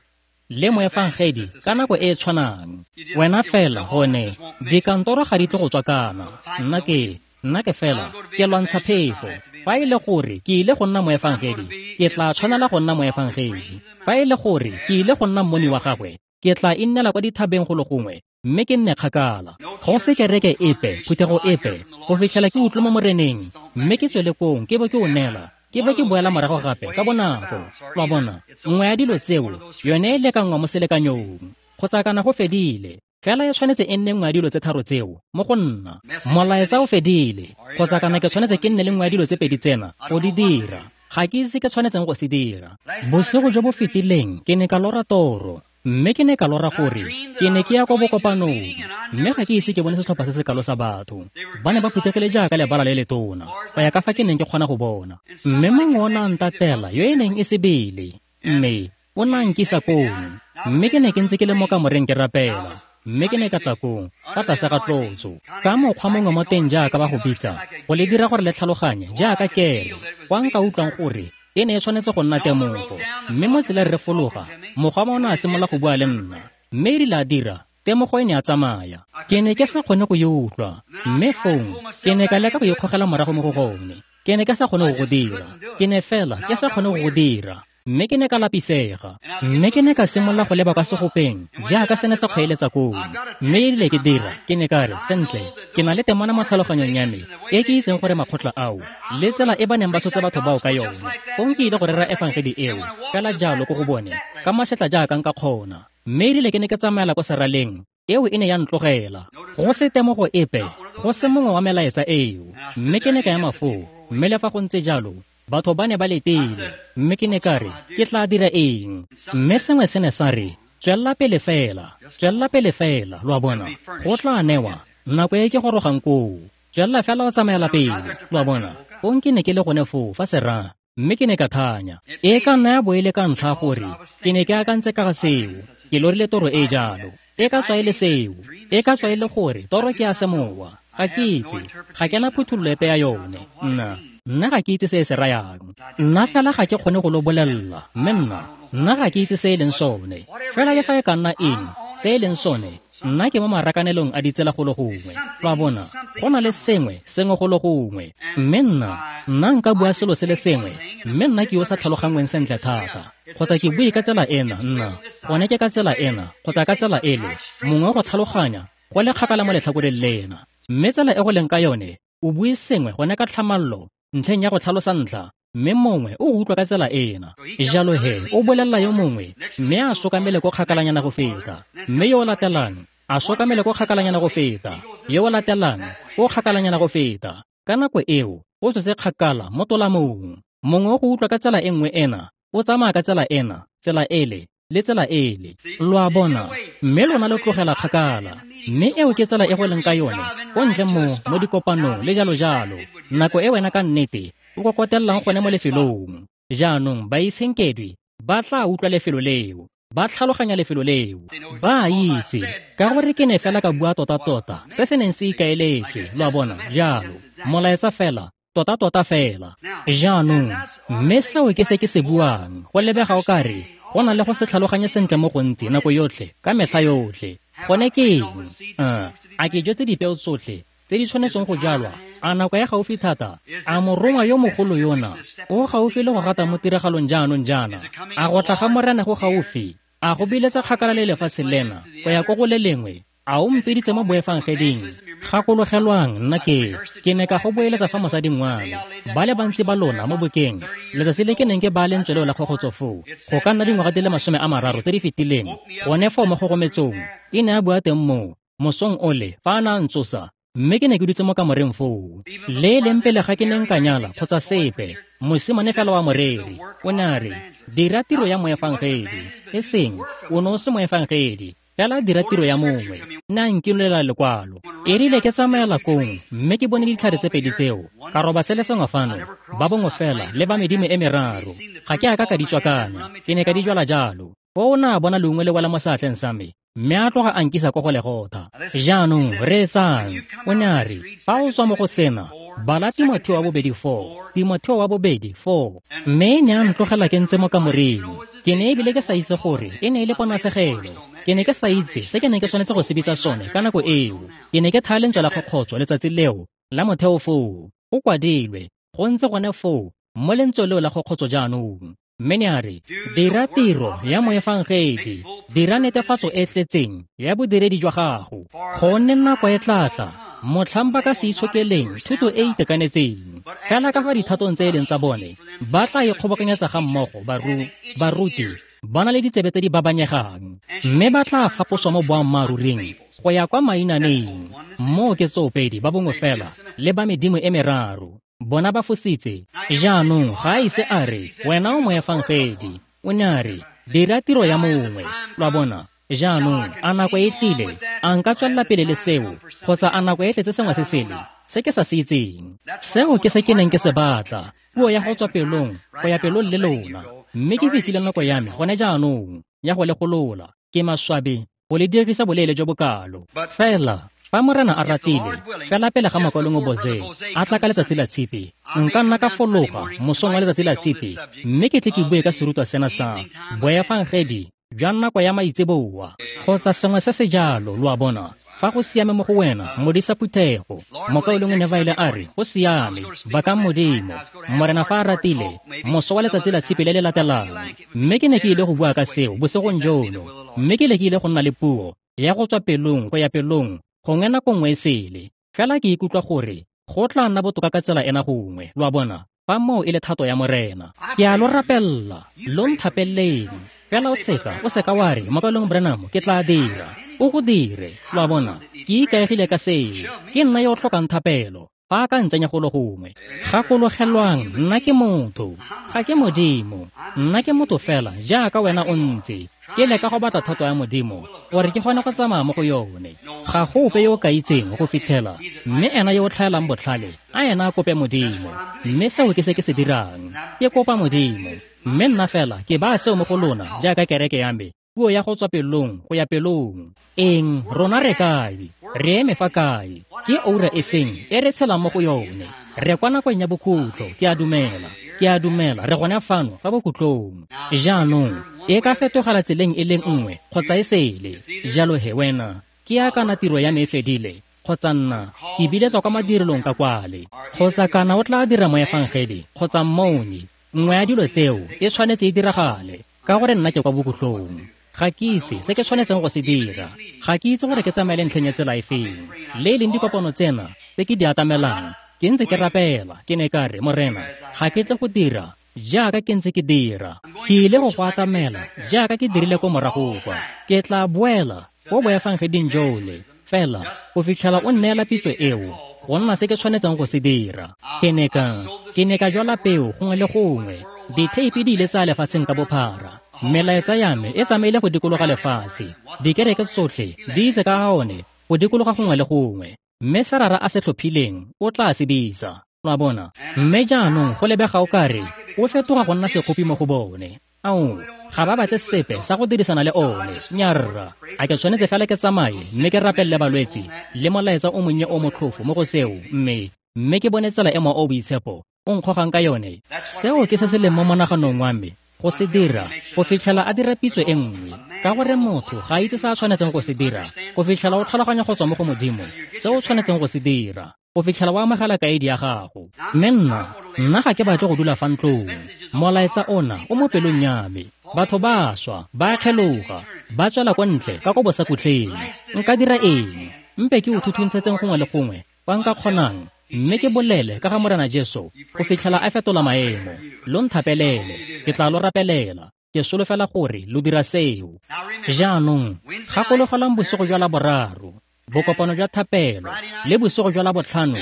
Speaker 1: le moefangedi ka nako e e tshwanang. Wena fela gone dikantoro ga di tle go tswakana. Nna ke nna ke fela ke lwantsha phefo. Fa e le gore ke ile go nna moefangedi, ke tla tshwanela go nna moefangedi. Fa e le gore ke ile go nna mmoni wa gagwe, ke tla innela kwa dithabeng go le gongwe, mme ke nne kgakala. Go se kereke epe, phuthego epe, go fitlhela ke utlwe mo Moreneng, mme ke tswele kong ke bo ke o neela, ke be ke boela morago gape ka bonako. Lwa bona, nngwe ya dilo tseo yone e lekanngwa mo selekanyong, kgotsa kana go fedile. Fela e tshwanetse e nne nngwe ya dilo tse tharo tseo mo go nna. Molaetsa o fedile, kgotsa kana ke tshwanetse ke nne le nngwe ya dilo tse pedi tsena go di dira. Ga ke itse ke tshwanetseng go se dira. Bosigo jo bo fetileng ke ne ka lora toro, mme ke ne ka lora gore ke ne ke ya kwa bokopanong, mme ga ke ise ke bone setlhopha se se kalo sa batho. Ba ne ba phuthegile jaaka lebala le letona, go ya ka fa ke neng ke kgona go bona. Mme mongwe o ne a ntatela yo e neng e sebele, mme o ne a nkisa kong. Mme ke ne ke ntse ke le mo kamoreng ke rapela, mme ke ne ka tla kong ka tlase ga tlotso ka mokgwa mongwe mo teng jaaka ba go bitsa, go le dira gore le tlhaloganye jaaka kere, kwa nka utlwang gore e ne e tshwanetse go nna temogo. Mme mo tseleng re fologa, mokgwa o ne a simolola go bua le nna, mme e rile a dira, temogo e ne a tsamaya. Ke ne ke sa kgone go e utlwa, mme fong ke ne ka leka go ikgogela morago mo go gone. Ke ne ke sa kgone go go dira, ke ne fela ke sa kgone go go dira. Mme ke ne ka lapisega, mme ke ne ka simolola go leba kwa segopeng jaaka se ne se kgweeletsa koo. Mme e rile ke dira, ke ne ka re, sentle, ke na le temana mo tlhaloganyong ya me e ke itseng gore makgotla ao le tsela e ba neng ba tshotse batho bao ka yone, fong ke ile go rera efangedi eo fela jalo ko go bone ka mašetla jaaka nka kgona. Mme e rile ke ne ke tsamaela ko seraleng, eo e ne ya ntlogela, go se temogo epe, go se mongwe wa melaetsa eo. Mme ke ne ka ema foo, mme le fa go ntse jalo batho ba ne ba letile. Mme ke ne ka re, ke tla dira eng? Mme sengwe se ne sa re, tswelela pele fela, tswelela pele fela. Lo a bona, go tla newa nako e ke gorogang koo. Tswelela fela o tsamaela pele. Lo a bona, fong ke ne ke le gone foo fa sera, mme ke ne ka thanya. E ka nna ya bo e le ka ntlha gore ke ne ke akantse ka ga seo, ke lorile toro e jalo. E ka tswa e le seo, e ka tswa e le gore toro ke ya semowa. Ga ke itse, ga ke na phuthololo epe ya yone. Nna nna ga ke itse se e se rayang. Nna fela ga ke kgone go lo bolelela, mme nna nna ga ke itse se e leng sone. Fela le fa e ka nna eng se e leng sone, nna ke mo marakanelong a ditsela go le gongwe. Lo a bona, go na le sengwe sengwe go le gongwe. Mme nna nna nka bua selo se le sengwe, mme nna ke yo sa tlhalogangweng sentle thata, kgotsa ke bue ka tsela ena, nna gone ke ka tsela ena kgotsa ka tsela ele, mongwe go tlhaloganya go le kgakala mo letlhakoreng lena. Mme tsela e go leng ka yone, o bue sengwe gone ka tlhamallo ntlheng ya go tlhalosa ntlha, mme mongwe o utlwa ka tsela ena. Jalo he o bolelela yo mongwe, mme a sokamele ko kgakalanyana go feta, mme yo o latelang a sokamele ko kgakalanyana go feta, yo o latelang o kgakalanyana go feta. Ka nako eo o tswetse kgakala mo tolamong. Mongwe o go utlwa ka tsela e nngwe ena, o tsamaya ka tsela ena, tsela ele le tsela ele. Lo a bona, mme lona lo tlogela kgakala. Mme eo ke tsela e go leng ka yone ko ntle mo mo dikopanong le jalo jalo. Nako e wena ka nnete o kokotellang gone mo lefelong. Jaanong baitshenkedwi ba tla utlwa lefelo leo, ba tlhaloganya lefelo leo, ba a itse ka gore ke ne fela ka bua tota-tota se se neng se ikaeletswe. Lo a bona, jalo molaetsa fela tota-tota fela. Jaanong mme seo ke se ke se buang, go lebega o kare go na le go se tlhaloganye sentle mo gontsi nako yotlhe ka metlha yotlhe. Gone ke eng? Uh, a ke jetse dipeo tsotlhe tse di tshwanetseng go jalwa? A nako ya gaufi thata? A morongwa yo mogolo yona o gaufi le go gata mo tiragalong jaanong jaana? A go tla ga Morena go gaufi? A go biletsa kgakala le lefatshe lena go ya ko go le lengwe? A o mpeditse mo boefangeding? Gakologelwang nna ke ke ne ka go boeletsa fa mosading wa me. Ba le bantsi ba lona mo bokeng letsatsi le ke neng ke ba lentswe leo la kgogotso foo, go ka nna dingwaga di le masome a mararo tse di fetileng, gone foo mo kgogometsong e ne a bua teng moo mosong ole fa a ne a ntsosa, mme ke ne ke dutse mo kamoreng foo. Le e leng pele ga ke ne nka nyala kgotsa sepe, mosimane fela wa moreri o ne a re, dira tiro ya moefangedi. E seng o ne o se moefangedi, fela dira tiro ya mongwe. Ne a nkilolela lekwalo. E rile ke tsamaela kong mme ke bone ditlhare tse pedi tseo, ka roba se le sengwe fano, ba bongwe fela le ba medimo e meraro. Ga ke a ka ka di tswakanya, ke ne ka di jwala jalo. Foo o ne a bona lengwe le wela mo seatleng sa me, mme a tloga a nkisa ko go Legotha. Jaanong reetsang, o ne a re, fa o tswa mo go sena, bala Timotheo wa bobedi four, Timotheo wa bobedi four. Mme ne a ntlogela ke ntse mo kamoreng. Ke ne ebile ke sa itse gore e ne e le ponasegelo. Ke ne ke sa itse se ke neng ke tshwanetse go se bitsa sone ka nako eo. Ke ne ke thaya lentswe la kgokgotso letsatsi leo la motheo foo. Go kwadilwe, go ntse gone foo mo lentswe leo la kgokgotso jaanong. Mme ne a re, dira tiro ya moefangedi, dira netefatso e tletseng ya bodiredi jwa gago, gonne nako e tla tla motlhang ba ka se itshokeleng thuto e e itekanetseng. Fela ka fa dithatong tse e leng tsa bone, ba tla ikgobokanyetsa ga mmogo baru, baruti ba na le ditsebe tse di babanyegang, mme ba tla faposwa mo boammaaruring go ya kwa mainaneng. Moo ke tsoopedi ba bongwe fela le ba medimo e meraro. Bona ba fositse. Jaanong ga a ise a re, wena o moefangedi. O ne a re, dira tiro ya mongwe. Lo a bona? Jaanong a nako e tlile? A nka tswelela pele le seo, kgotsa a nako e tletse sengwe se sele se ke sa se itseng? Seo ke se ke neng ke se batla, puo ya go tswa pelong go ya pelong le lona. Mme ke fetile nako ya me gone jaanong ya go le golola. Ke maswabi go le dirisa boleele jo bokalo. Fela fa Morena a ratile, fela pele ga Mokaulengwe Boze a tla ka letsatsi la Tshipi, nka nna ka fologa mosong wa letsatsi la Tshipi, mme ke tle ke bue ka serutwa sena sa boefangedi jwa nako ya maitseboa kgotsa sengwe se se jalo. Lo a bona? Fa go siame mo go wena, modisa phuthego. Mokaulengwe Neville a re, go siame, bakang Modimo. Morena fa a ratile, moso wa letsatsi la Tshipi le le latelang. Mme ke ne ke ile go bua ka seo bosigong jono, mme ke ile ke ile go nna le puo ya go tswa pelong go ya pelong gongwe nako nngwe e sele. Fela ke ikutlwa gore go tla nna botoka ka tsela ena gongwe. Lo a bona? Fa moo e le thato ya Morena, ke a lo rapella, lo nthapeleleng. Fela o seka, o seka wa re, Mokaulengwe Branham, ke tla dira. O go dire. Lo a bona? Ke ikaegile ka seo. Ke nna yo o tlhokang thapelo fa a ka ntsenya golo gongwe. Gakologelwang, nna ke motho, ga ke Modimo. Nna ke motho fela jaaka wena o ntse. Ke leka go batla thato ya Modimo gore ke kgone go tsamaya mo go yone. Ga go ope yo o ka itseng go fitlhela, mme ena yo o tlhaelang botlhale a ena a kope Modimo. Mme seo ke se ke se dirang, ke kopa Modimo. Mme nna fela ke baya seo mo go lona jaaka kereke ya me, puo ya go tswa pelong go ya pelong. Eng, rona re kae? Re eme fa kae? Ke oura e feng e re tshelang mo go yone? Re kwa nakong ya bokhutlo, ke a dumela. Ke a dumela, re gone fano fa bokhutlong. Jaanong e ka fetogela tseleng e leng nngwe kgotsa e sele. Jalo he wena, ke ya kana tiro ya me e fedile, kgotsa nna ke biletswa kwa madirelong ka kwale, kgotsa kana o tla dira moefangedi kgotsa mmoni. Nngwe ya dilo tseo e tshwanetse e diragale, ka gore nna ke kwa bokhutlong. Ga ke itse se ke tshwanetseng go se dira. Ga ke itse gore ke tsamaele ntlheng ya tsela e feng. Le e leng dikopano tsena tse ke di atamelang, ke ntse ke rapela. Ke ne ka re, Morena, ga ke tle go dira jaaka ke ntse ke dira. Ke ile go go atamela jaaka ke dirile ko morago kwa. Ke tla boela ko boefangeding jole, fela go fitlhela o nneela pitso eo go nna se ke tshwanetseng go se dira. Ke ne ka ke ne ka jwala peo gongwe le gongwe, ditheipi di ile tsa lefatsheng ka bophara. Melaetsa ya me e tsamaile go dikologa lefatshe, dikereke tsotlhe di itse ka ga one go dikologa gongwe le gongwe, mme se Rara a se tlhophileng o tla se bitsa. Lo a bona? Mme jaanong go lebega o kare o fetoga go nna sekgopi mo go bone. Ao, ga ba batle sepe sa go dirisana le one. Nyarra, a ke tshwanetse fela ke tsamaye mme ke rapelele balwetse le molaetsa o monnye o motlhofo mo go seo, mme mme ke bone tsela e Mowa o Boitshepo o nkgogang ka yone. Seo ke se se leng mo monaganong wa me go se dira go fitlhela a dira pitso e nngwe, ka gore motho ga a itse se a tshwanetseng go se dira go fitlhela o tlhaloganya go tswa mo go Modimo se o tshwanetseng go se dira, go fitlhela o amogela kaedi ya gago. Mme nna nna ga ke batle go dula fa ntlong. Molaetsa ona o mo pelong ya me. Batho ba swa, ba kgeloga, ba tswela kwa ntle ka ko bosakutleng. Nka dira eng? Mpe ke o thuthuntshetseng gongwe le gongwe kwa nka kgonang, mme ke bolele ka ga Morena Jesu go fitlhela a fetola maemo. Lo nthapelele, ke tla lo rapelela. Ke solofela gore lo dira seo. Jaanong gakologelang bosigo jwa Laboraro, bokopano jwa thapelo, le bosigo jwa Labotlhano,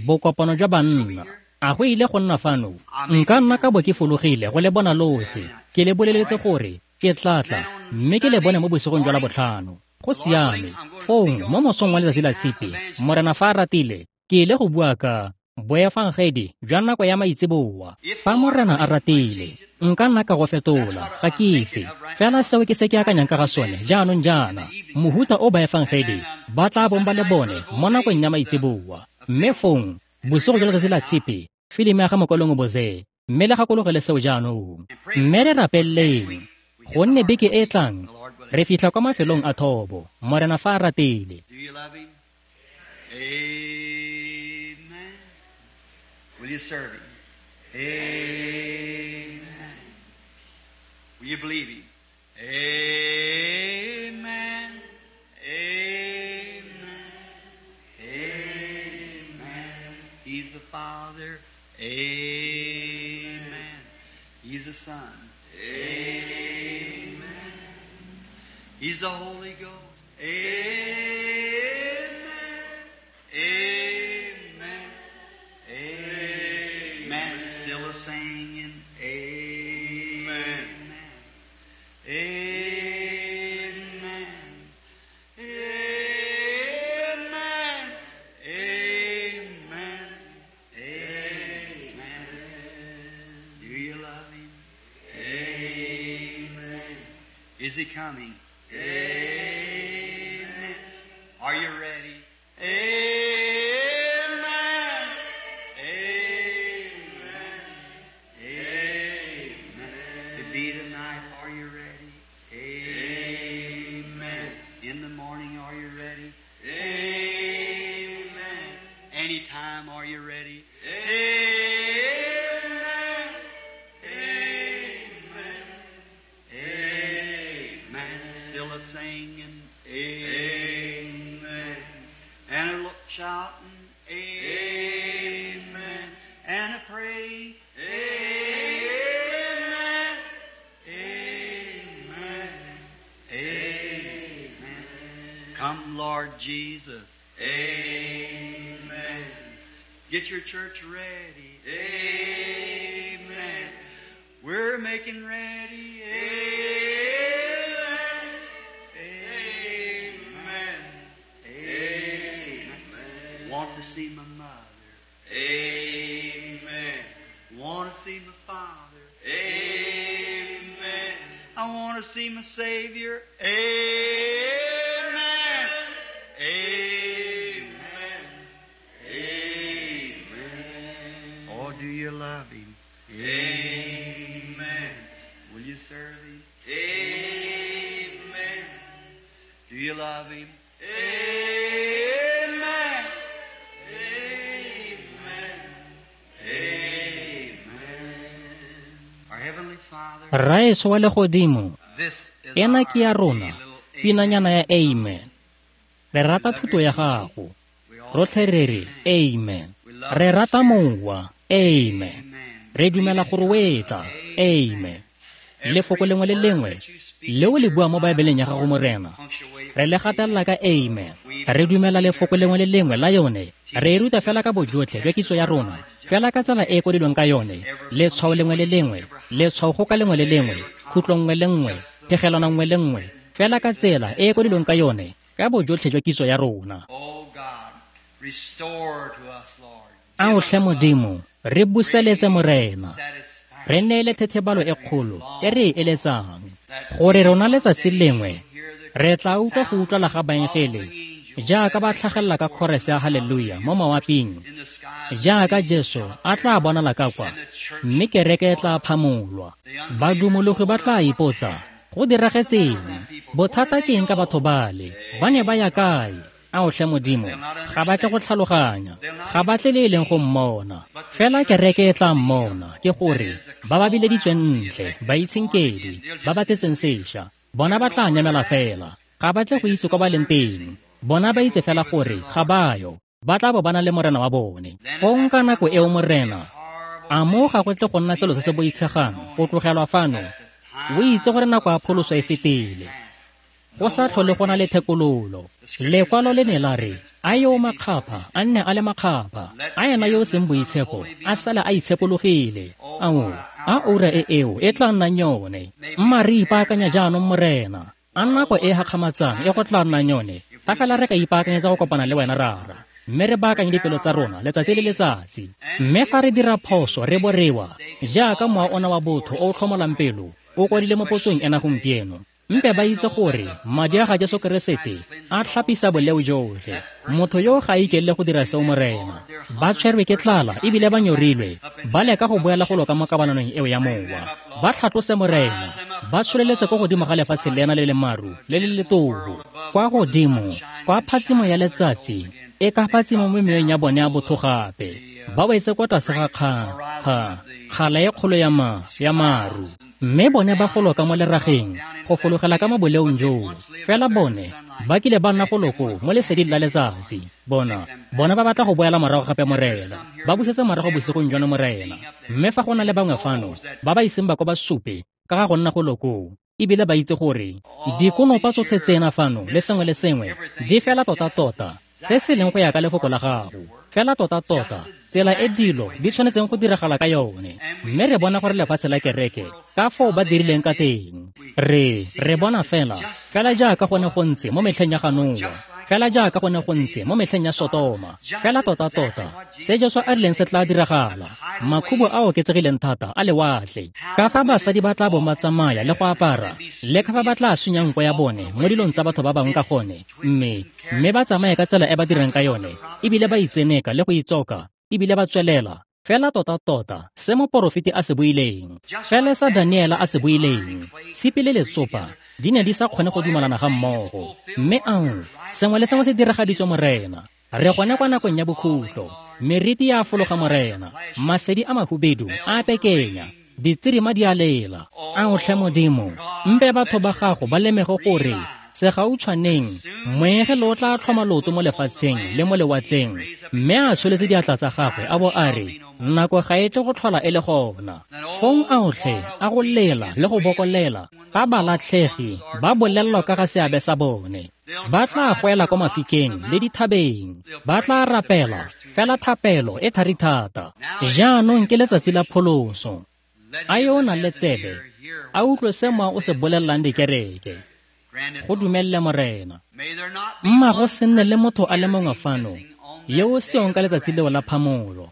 Speaker 1: bokopano jwa banna. A go ile go nna fano? Nka nna ka bo ke fologile go le bona lotlhe. Ke le boleletse gore ke tla tla mme ke le bone mo bosigong jwa Labotlhano. Go siame. Fong mo mosong wa letsatsi la Tshipi, Morena fa a ratile, ke ile go bua ka boefangedi jwa nako ya maitseboa. Fa Morena a ratile, nka nna ka go fetola, ga ke itse. Fela seo ke se ke akanyang ka ga sone jaanong jaana, mohuta o baefangedi ba tla bong ba le bone mo nakong ya maitseboa. Mme fong bosigo jwa letsatsi la Tshipi, filimi ya ga Mokolong Boze, mme le gakologele seo jaanong. Mme re rapeleleng, gonne beke e tlang re fitlha kwa mafelong a thobo, Morena fa a ratile.
Speaker 2: Do you love him? Amen. Will you serve him? Amen. Will you believe him? Amen. Amen. Amen. He's the Father. Amen. He's the Son. Amen. He's the Holy Ghost. Amen. Amen. Amen. Still a singing. Amen. Amen. Amen. Amen. Amen. Do you love him? Amen. Is he coming? Amen. Are you ready? Amen. Amen. Amen. To be tonight, are you ready? Amen. In the morning, are you ready? Amen. Anytime, are you ready? Amen. Amen. Amen. Still a singing. Amen. And a shouting. Amen. And a praying. Amen. Amen. Amen. Come, Lord Jesus. Amen. Get your church ready. Amen. We're making ready. Amen. Amen. Amen. Want to see my mother. Amen. Want to see my father. Amen. I want to see my Savior. Amen. Amen. Amen. Oh, do you love him? Amen. Will you serve him? Amen. Do you love him? Amen. Amen. Amen. Our Heavenly Father,
Speaker 1: Rraetsho wa legodimo,
Speaker 2: this is
Speaker 1: ena ke ya
Speaker 2: our
Speaker 1: rona,
Speaker 2: little
Speaker 1: pinanyana ya amen. Re rata thuto ya gago.
Speaker 2: We all
Speaker 1: Rotlhe re re amen. Re rata Mowa, amen.
Speaker 2: Amen.
Speaker 1: Re dumela gore o etla, amen. Lefoko lengwe le lengwe le o le bua mo Baebeleng ya gago Morena, re le gatelela ka amen. Re dumela lefoko lengwe le lengwe la yone. Re e ruta fela ka bojotlhe jwa kitso ya rona, fela ka tsela e e kwadilweng ka yone. Letshwao lengwe le lengwe, letshwao go ka lengwe le lengwe, khutlo nngwe le nngwe, phegelwana nngwe le nngwe, fela ka tsela e e kwadilweng ka yone, ka bojotlhe jwa kitso ya rona. Ao tlhe Modimo, re buseletse Morena. Re neele thethebalo e kgolo e re e eletsang, gore rona letsatsi lengwe re tla utlwa go utlwala ga baengele jaaka ba tlhagelela ka chorus ya haleluya mo mawaping, jaaka Jesu a tla bonala ka kwa, mme kereke e tla phamolwa. Badumologi ba tla ipotsa, go diragetseng? Bothata ke eng ka batho bale? Ba ne ba ya kae? Ao tlhe Modimo, ga ba tle go tlhaloganya, ga ba tle le e leng go mmona. Fela kereke e tla mmona, ke gore ba ba bileditsweng ntle, baitshenkedwi, ba ba tletseng sešwa, bona ba tla nyamela fela, ga ba tle go itse kwa ba leng teng. Bona ba itse fela gore ga ba yo, ba tla bo ba na le Morena wa bone. Gong ka nako eo Morena, a mo ga go tle go nna selo se se boitshegang go tlogelwa fano, o itse gore nako ya pholoso e fetile. Go sa tlhole go na le thekololo. Lekwalo le ne la re, a yo makgapha a nne a le makgapha, a ena yo o seng boitshepo a sale a itshekologile. Ao, a ura e eo e tla nnang yone. Mma re ipaakanya jaanong Morena. A nako e gakgamatsang e go tla nnang yone, fa fela re ka ipaakanyetsa go kopana le wena Rara, mme re baakanye dipelo tsa rona letsatsi le letsatsi. Mme fa re dira phoso re borewa, jaaka mowa ona wa botho o o tlhomolang pelo o kwadile mo potsong ena gompieno, mpe ba itse gore madi a ga Jesu Keresete a tlhapisa boleo jotlhe. Motho yo ga a ikelele go dira seo Morena. Ba tshwerwe ke tlala ebile ba nyorilwe, ba leka go boela go loka mo kabalanong eo ya mowa. Ba tlhatlose Morena, ba tsholeletse ko godimo ga lefatshe lena le le maru le le letobo, kwa godimo kwa phatsimo ya letsatsi e ka phatsimo mo meweng ya bone ya botho gape. Ba wetse kwa tlase ga kga ga kgala e kgolo ya ma ya maru, mme bone ba goloka mo lerageng go fologela ka mo boleong joo. Fela bone ba kile ba nna goloko mo leseding la letsatsi. Bona bona ba batla go boela morago gape Morena, ba busetse morago bosigong jono Morena. Mme fa go na le bangwe fano ba ba iseng ba ko ba supe ka ga go nna goloko, ebile ba itse gore dikonopa tsotlhe tsena fano le sengwe le sengwe di fela tota-tota se se leng go ya ka lefoko la gago, fela tota-tota tsela e dilo di tshwanetseng go diragala ka yone. Mme re bona gore lefatshe la kereke ka foo ba dirileng ka teng. Re re bona fela fela jaaka go ne go ntse mo metlheng ya ga Noa, fela jaaka go ne go ntse mo metlheng ya Sotoma, fela tota-tota se Jesu a rileng se tla diragala. Makhubo a oketsegileng thata a lewatle, ka fa basadi ba tla bong ba tsamaya le go apara, le ka fa ba tla sunyang nko ya bone mo dilong tsa batho ba bangwe ka gone, mme mme ba tsamaye ka tsela e ba dirang ka yone, ebile ba itseneka le go itsoka, ebile ba tswelela fela tota-tota se moporofeti a se buileng, fela sa Daniela a se buileng. Tshipi le letsopa di ne di sa kgone go dumalana ga mmogo. Mme ao, sengwe le sengwe se diragaditswe Morena. Re gone kwa nakong ya bokhutlo, meriti ya fologa Morena, masedi a mahubedu a pekenya, ditsirima di a lela. Ao tlhe Modimo, mpe batho ba gago ba lemege gore segautshwaneng moengele o tla tlhoma loto mo lefatsheng le mo lewatleng, mme a tsholetse diatla tsa gagwe a bo a re, nako ga e tle go tlhola e le gona. Fong aotlhe a go lela le go bokolela ga balatlhegi ba bolelelwa ka ga seabe sa bone. Ba tla goela kwa mafikeng le dithabeng, ba tla rapela fela thapelo e thari thata. Jaanong ke letsatsi la pholoso. A yo o nang le tsebe a utlwe se mowa o se bolelelang dikereke. Go dumelle Morena. Mma go se nne le motho a le mongwe fano yo o seong ka letsatsi leo la phamolo.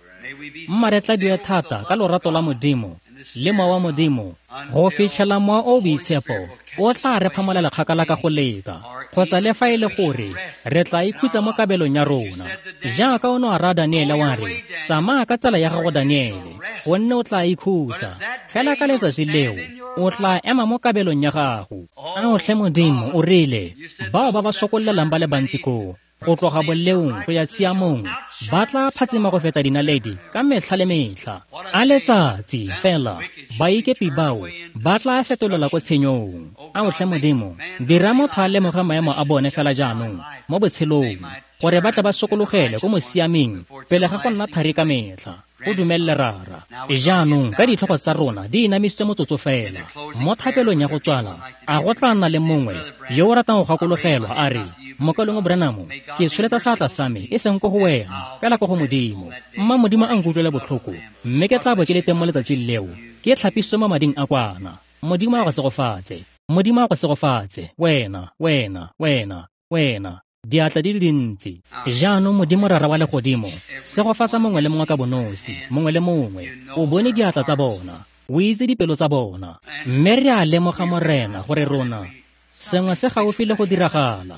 Speaker 1: Mma re tladiwe thata ka lorato la Modimo le mowa wa Modimo go fitlhela mowa o boitshepo o tla re phamolela kgakala ka go leta, kgotsa le fa e le gore re tla ikhutsa mo kabelong ya rona. Jaaka o ne wa raya Daniele wa re, tsamaya ka tsela ya gago Daniele, gonne o tla ikhutsa. Fela ka letsatsi leo o tla ema mo kabelong ya gago. Ao tlhe Modimo, o rile bao ba ba sokollelang ba le bantsi koo go tloga boleong go ya tshiamong ba tla phatsima go feta dinaledi ka metlha le metlha. A letsatsi fela baikepi bao ba tla fetolela ko tshenyong. Ao tlhe Modimo, dira motho a lemoge maemo a bone fela jaanong mo botshelong, gore ba tle ba sokologele ko mosiameng pele ga go nna thari ka metlha. Go dumelele Rara. Jaanong ka ditlhogo tsa rona di inamisitswe motsotso fela mo thapelong ya go tswala, a go tla nna le mongwe yo o ratang go gakologelwa a re, Mokaulengwe Branham, ke tsholetsa seatla sa me e seng ko go wena, fela ko go Modimo. Mma Modimo a nkutlwele botlhoko, mme ke tla bo ke le teng mo letsatsing leo, ke tlhapisitswe mo mading a kwana. Modimo a go segofatse. Modimo a go segofatse. Wena, wena, wena, wena. Diatla di le dintsi. Jaanong Modimo Rara wa legodimo, segofatsa mongwe le mongwe ka bonosi, mongwe le mongwe. O bone diatla tsa bona, o itse dipelo tsa bona. Mme re a lemoga Morena gore rona sengwe se gaufi le go diragala.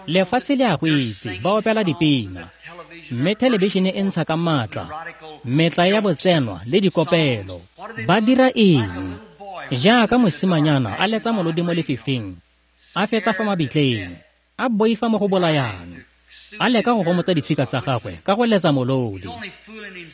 Speaker 1: Lefatshe le a go itse, ba opela dipina, mme thelebišene e ntsha ka maatla metla ya botsenwa le dikopelo. Ba dira eng? Jaaka mosimanyana a letsa molodi mo lefifing, a feta fa mabitleng, a boifa mo go bolayang, a leka go gomotsa ditshika tsa gagwe ka go letsa molodi.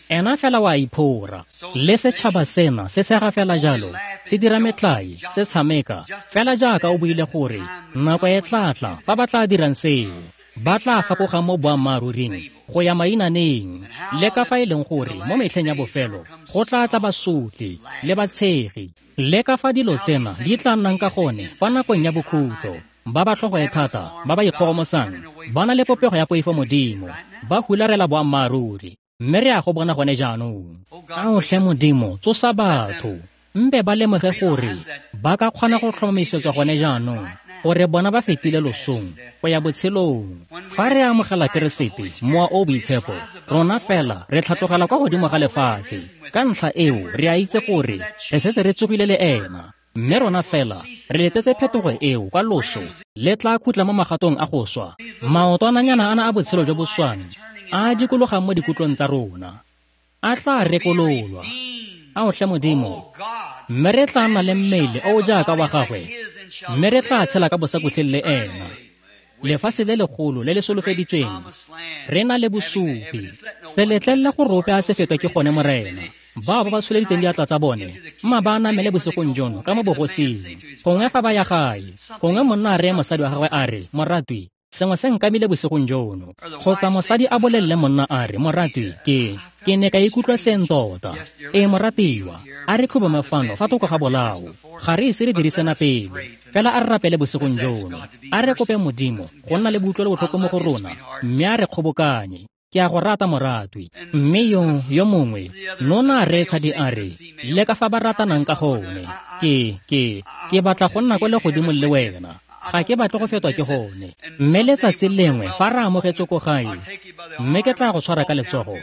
Speaker 1: Ena fela wa iphora. Le setšhaba sena se sega fela jalo, se dira metlae, se tshameka fela jaaka o buile gore nako e tla tla fa ba tla dirang seo, ba tla fapoga mo boammaaruring go ya mainaneng. Le ka fa e leng gore mo metlheng ya bofelo go tla tla basotli le batshegi. Le ka fa dilo tsena di tla nnang ka gone kwa nakong ya bokhutlo, ba ba tlhogo e thata, ba ba ikgogomosang, ba na le popego ya poifo Modimo, ba hularela boammaaruri. Mme re a go bona gone jaanong. Ao tlhe Modimo, tsosa batho, mpe ba lemoge gore ba ka kgona go tlhomamisetswa gone jaanong gore bona ba fetile losong go ya botshelong. Fa re amogela Keresete, Mowa o Boitshepo, rona fela re tlhatlogela kwa godimo ga lefatshe. Ka ntlha eo re a itse gore re setse re tsogile le ena, mme rona fela re letetse phetogo eo kwa loso le tla khutla mo magatong a go swa. Maotwananyana ana a botshelo jo bo swang a dikologang mo dikutlong tsa rona a tla rekololwa. Ao tlhe Modimo, mme re tla nna le mmele o o jaaka wa gagwe, mme re tla tshela ka bosakhutleng le ena. Lefatshe le legolo le le solofeditsweng, re na le bosupi. Se letlelele gore ope a se fetwe ke gone Morena. Bao ba ba tsholeditseng diatla tsa bone, mma ba namele bosigong jono ka mo bogosing. Gongwe fa ba ya gae, gongwe monna a reye mosadi wa gagwe a re, Moratwi, sengwe se nkamile bosigong jono. Kgotsa mosadi a bolelele monna a re, Moratwi, ke ke ne ka ikutlwa seng tota. Ee moratiwa, a re khubame fano fa thoko ga bolao. Ga re ise re dirisena pele, fela a re rapele bosigong jono. A re kope Modimo go nna le boutlwelo botlhoko mo go rona, mme a re kgobokanye. Ke a go rata moratwi. Mme yo yo mongwe nona a reetsa di a re, le ka fa ba ratanang ka gone, ke ke ke batla go nna kwa legodimong le wena. Ga ke batle go fetwa ke gone. Mme letsatsi lengwe fa re amogetswe ko gae, mme ke tla go tshwara ka letsogo,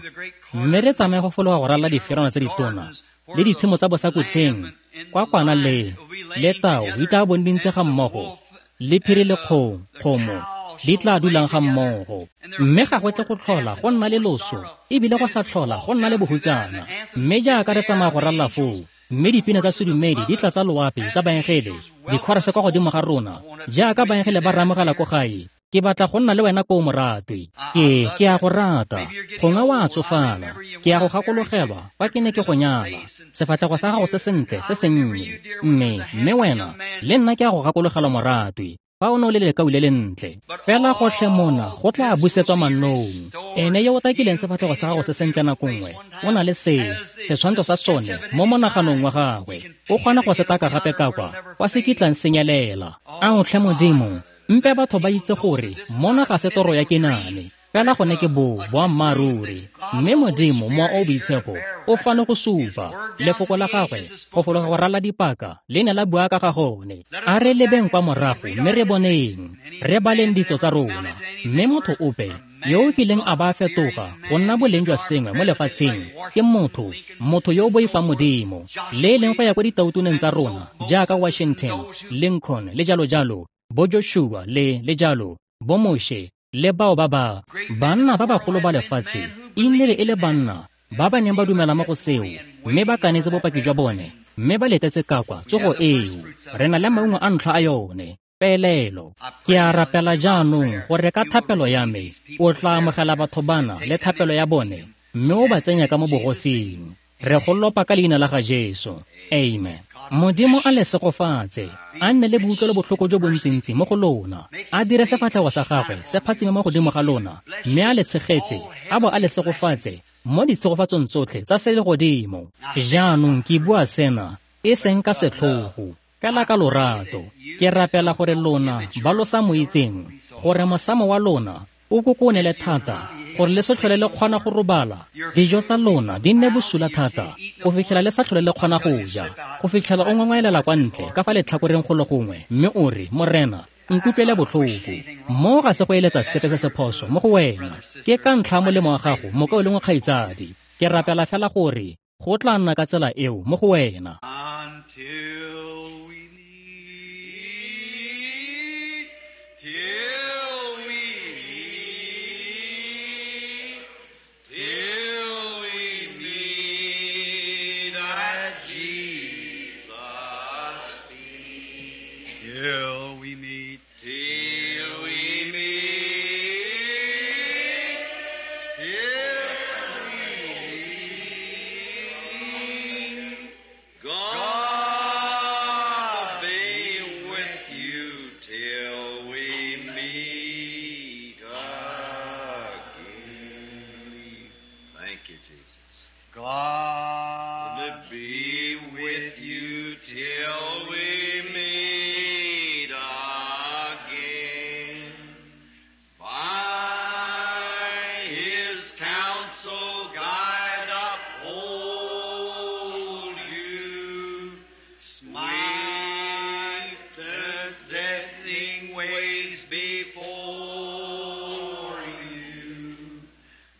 Speaker 1: mme re tsamaye go fologa go ralala diferwana tse ditona le ditshimo tsa bosakutleng kwa kwana le le tau di tla bong di ntse ga mmogo, le phiri le kgomo kgomo di tla dulang ga mmogo. Mme ga go tle go tlhola go nna le loso, ebile go sa tlhola go nna le bohutsana. Mme jaaka re tsamaya go ralala foo, mme dipina tsa sedumedi di tla tsa loapi tsa baengele di khorase kwa godimo ga rona jaaka baengele ba ramogela ko gae, ke batla go nna le wena ko moratwi. Ke ke a go rata. Gongwe wa tsofala, ke a go gakologelwa fa ke ne ke go nyala, sefatlhego sa gago se sentle se sennye. Mme mme wena le nna ke a go gakologelwa moratwi, fa o ne o le lekau le lentle. Fela gotlhe mona go tla busetswa mannong. Ene yo o takileng sefatlhego sa gago se sentle nako nngwe, o na le se setshwantsho sa sone mo monaganong wa gagwe, o kgona go se taka gape ka kwa kwa se kitlang senyelela. Ao tlhe Modimo, mpe batho ba itse gore mona ga se toro ya kenane, fela gone ke bo boammaaruri. Mme Modimo Mowa o Boitshepo o fano go supa lefoko la gagwe go fologa go rala dipaka le ne la bua ka ga gone. A re lebeng kwa morago mme re boneng, re baleng ditso tsa rona. Mme motho ope yo o kileng a ba fetoga go nna boleng jwa sengwe mo lefatsheng ke motho, motho yo o boifang Modimo. Le e leng go ya kwa ditautuneng tsa rona jaaka Washington, Lincoln le jalo jalo, bo Joshua le le jalo, bo Moshe le bao ba ba banna ba bagolo ba lefatshe e nnile e le banna ba ba neng ba dumela mo go seo, mme ba kanetse bopaki jwa bone, mme ba letetse ka kwa tsogo eo. Re na le maungo a ntlha a yone, peelelo. Ke a rapela jaanong gore ka thapelo ya me o tla amogela batho bana le thapelo ya bone, mme o ba tsenya ka mo bogosing. Re go lopa ka leina la ga Jesu. Amen. Modimo a le segofatse, a nne le boutlwelo botlhoko jo bontsintsi mo go lona, a dire sefatlhego sa gagwe se phatsime mo godimo ga lona, mme a le tshegetse, a bo a le segofatse mo ditshegofatsong tsotlhe tsa selegodimo. Jaanong ke bua sena e seng ka setlhogo, fela ka lorato. Ke rapela gore lona ba lo sa mo itseng, gore mosamo wa lona o kokonele thata, gore le se tlhole le kgona go robala. Dijo tsa lona di nne bosula thata go fitlhela le sa tlhole le kgona go ja, go fitlhela o ngongwaelela kwa ntle ka fa letlhakoreng go le gongwe, mme o re, Morena, nkutlwele botlhoko. Mo ga se go eletsa sepe se se phoso mo go wena, ke ka ntlha molemo wa gago, mokaulengwe kgaitsadi. Ke rapela fela gore go tla nna ka tsela eo mo go wena.
Speaker 2: Until we meet, till we meet, till we meet at Jesus' feet. Till we meet, till we meet, till we meet. God be with you till we meet again. Thank you, Jesus. God be with you till we meet again. By his counsel guide uphold you. Smite the deathing ways before you.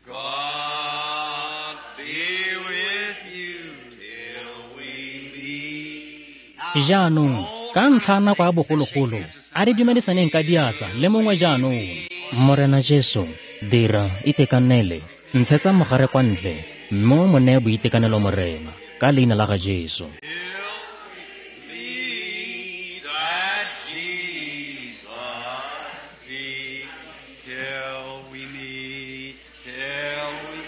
Speaker 2: God be with you till we meet.
Speaker 1: Jaanong ka ntlha ya nako ya bogologolo, a re dumedisaneng ka diatla le mongwe jaanong. Morena Jesu, dira itekanele, ntshetsa mogare kwa ntle, mme o mo neye boitekanelo Morena, ka leina la ga Jesu.
Speaker 2: Meet at Jesus' feet till we meet, till we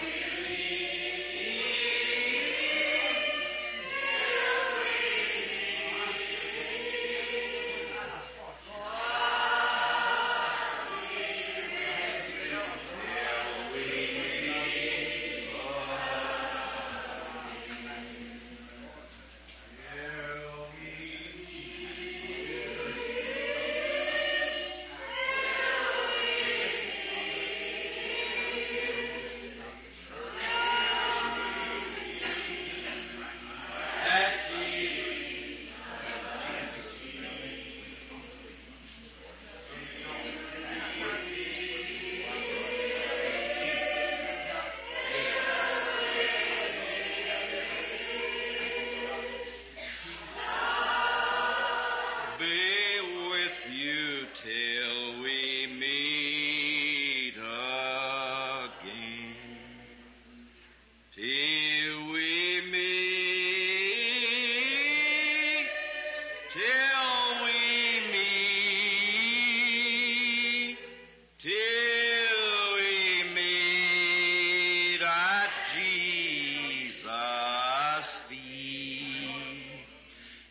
Speaker 2: be with you till we meet again. Till we meet, till we meet, till we meet at Jesus' feet.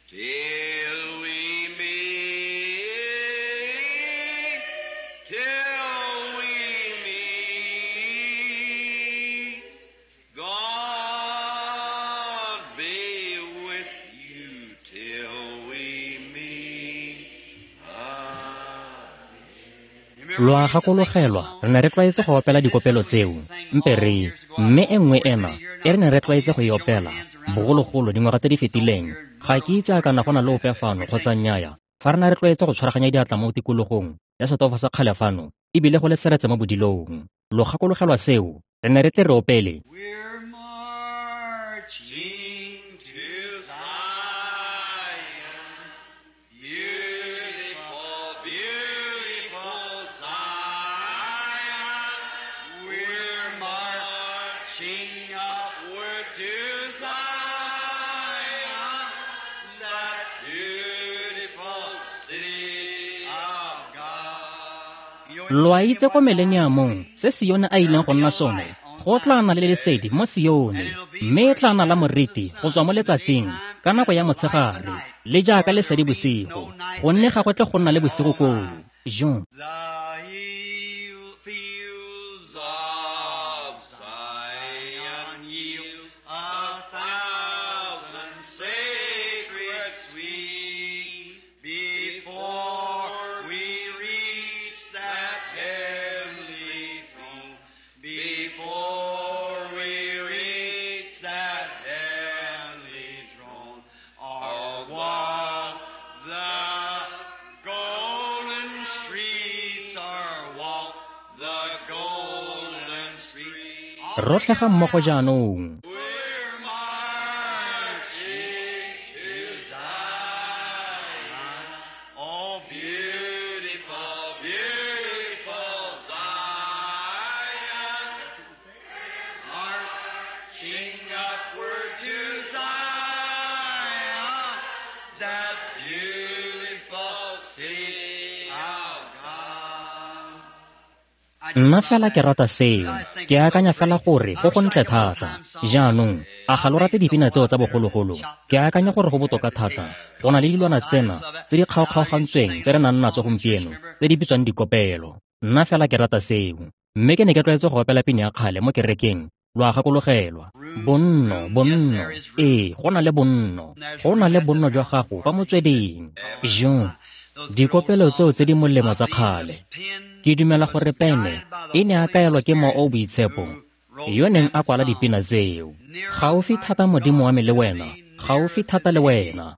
Speaker 2: Till we meet, till we meet, God be with you till we meet again.
Speaker 1: Lo a gakologelwa, re ne re tlwaetse go opela dikopelo tseo, mpe re, mme e nngwe ena e re ne re tlwaetse go e opela bogologolo dingwaga tse di fetileng. Ga ke itse a kana go na le ope fano kgotsa nnyaya, fa re ne re tlwaetse go tshwaraganya diatla mo tikologong ya setofo sa kgale fano, ebile go le seretse mo bodilong. Lo gakologelwa seo, re ne re tle re opele.
Speaker 2: We're marching to Zion, beautiful, beautiful Zion. We're marching upward to Zion, that beautiful city of God.
Speaker 1: Lo a itse ko mileniamong se Sione a ileng go nna sone, go tla nna le lesedi mo Sione, mme e tla nna la moriti go tswa mo letsatsing ka nako ya motshegare, le jaaka lesedi bosigo, gonne ga go tle go nna le bosigo koo. Jo.
Speaker 2: The hill fields of Zion
Speaker 1: Rotlhe ga mmogo jaanong.
Speaker 2: We're marching to Zion. Oh, beautiful, beautiful Zion. Marching upward to Zion, that beautiful city of God.
Speaker 1: Nna fela ke rata seo. Ke akanya fela gore go gontle thata. Jaanong, a ga lo rate dipina tseo tsa bogologolo? Ke akanya gore go botoka thata go na le dilwana tsena tse di kgaokgaogantsweng tse re nang natso gompieno tse di bitswang dikopelo. Nna fela ke rata seo. Mme ke ne ke tlwaetse go opela pina ya kgale mo kerekeng. Lo a gakologelwa. Bonno, bonno. Ee, go na le bonno. Go na le bonno jwa gago kwa motsweding. Jo, dikopelo tseo tse di molemo tsa kgale. Ke dumela gore pene e ne a kaelwa ke Mowa o o Boitshepo yo neng a kwala dipina tseo. Gaufi thata Modimo wa me le wena, gaufi thata le wena.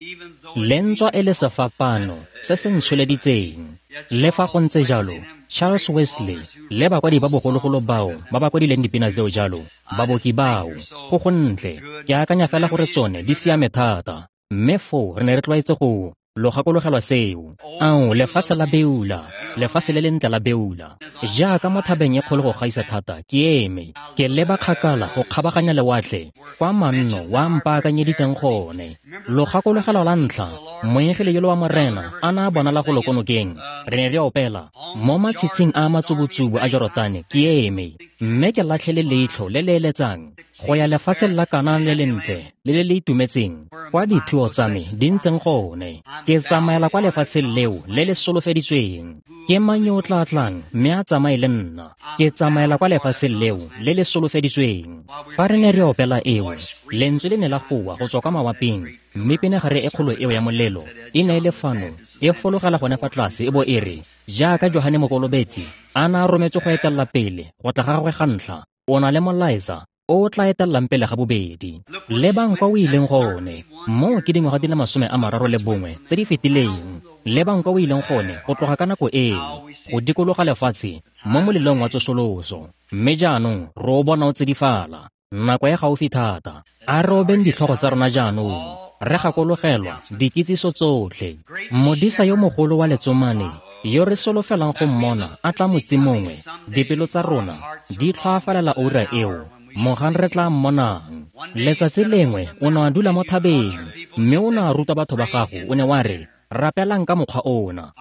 Speaker 1: Le ntswa e le sefapano se se ntsholeditseng. Le fa go ntse jalo, Charles Wesley le bakwadi ba bogologolo bao ba ba kwadileng dipina tseo jalo, baboki bao, go gontle. Ke akanya fela gore tsone di siame thata. Mme foo re ne re tlwaetse go lo gakologelwa seo. Ao, lefatshe la Beula, lefatshe le lentle la Beula. Jaaka mo thabeng e kgolo go gaisa thata, ke eme, ke leba kgakala go kgabaganya lewatle, kwa manno wa mpaakanyeditseng gone. Lo gakologelwa la ntlha, moengele yolo wa Morena a na a bonala go lo ko nokeng. Re ne re opela mo matshitshing a matsubutsubu a Jorotane, ke eme, mme ke latlhele leitlho le le eletsang go ya lefatsheng la Kanana le lentle le le le itumetseng, kwa dithuo tsa me di ntseng gone. Ke tsamaela kwa lefatsheng leo le le solofeditsweng. Ke mang yo o tla tlang mme a tsamaye le nna? Ke tsamaela kwa lefatsheng leo le le solofeditsweng. Fa re ne re opela eo, lentswe le ne la goa go tswa kwa mawaping, mme pinagare e kgolo eo ya molelo e ne e le fano e fologela gone fa tlase e bo e re, jaaka Johane Mokolobetsi a na a rometswe go etelela pele go tla ga gagwe ga ntlha, o na le molaetsa o tla etellang pele ga bobedi. Lebang kwa o ileng gone. Moo ke dingwaga di le masome a mararo le bongwe tse di fetileng. Lebang kwa o ileng gone go tloga ka nako eo, go dikologa lefatshe mo molelong wa tsosoloso. Mme jaanong re o bona o tsidifala. Nako e gaufi thata. A re obeng ditlhogo tsa rona jaanong. Re gakologelwa dikitsiso tsotlhe. Modisa yo mogolo wa letsomane yo re solofelang go mmona a tla motse mongwe, dipelo tsa rona di tlhoafalela oura eo mogang re tla mmonang. Letsatsi lengwe o ne a dula mo thabeng, mme o ne a ruta batho ba gago. O ne wa re, rapelang ka mokgwa ona.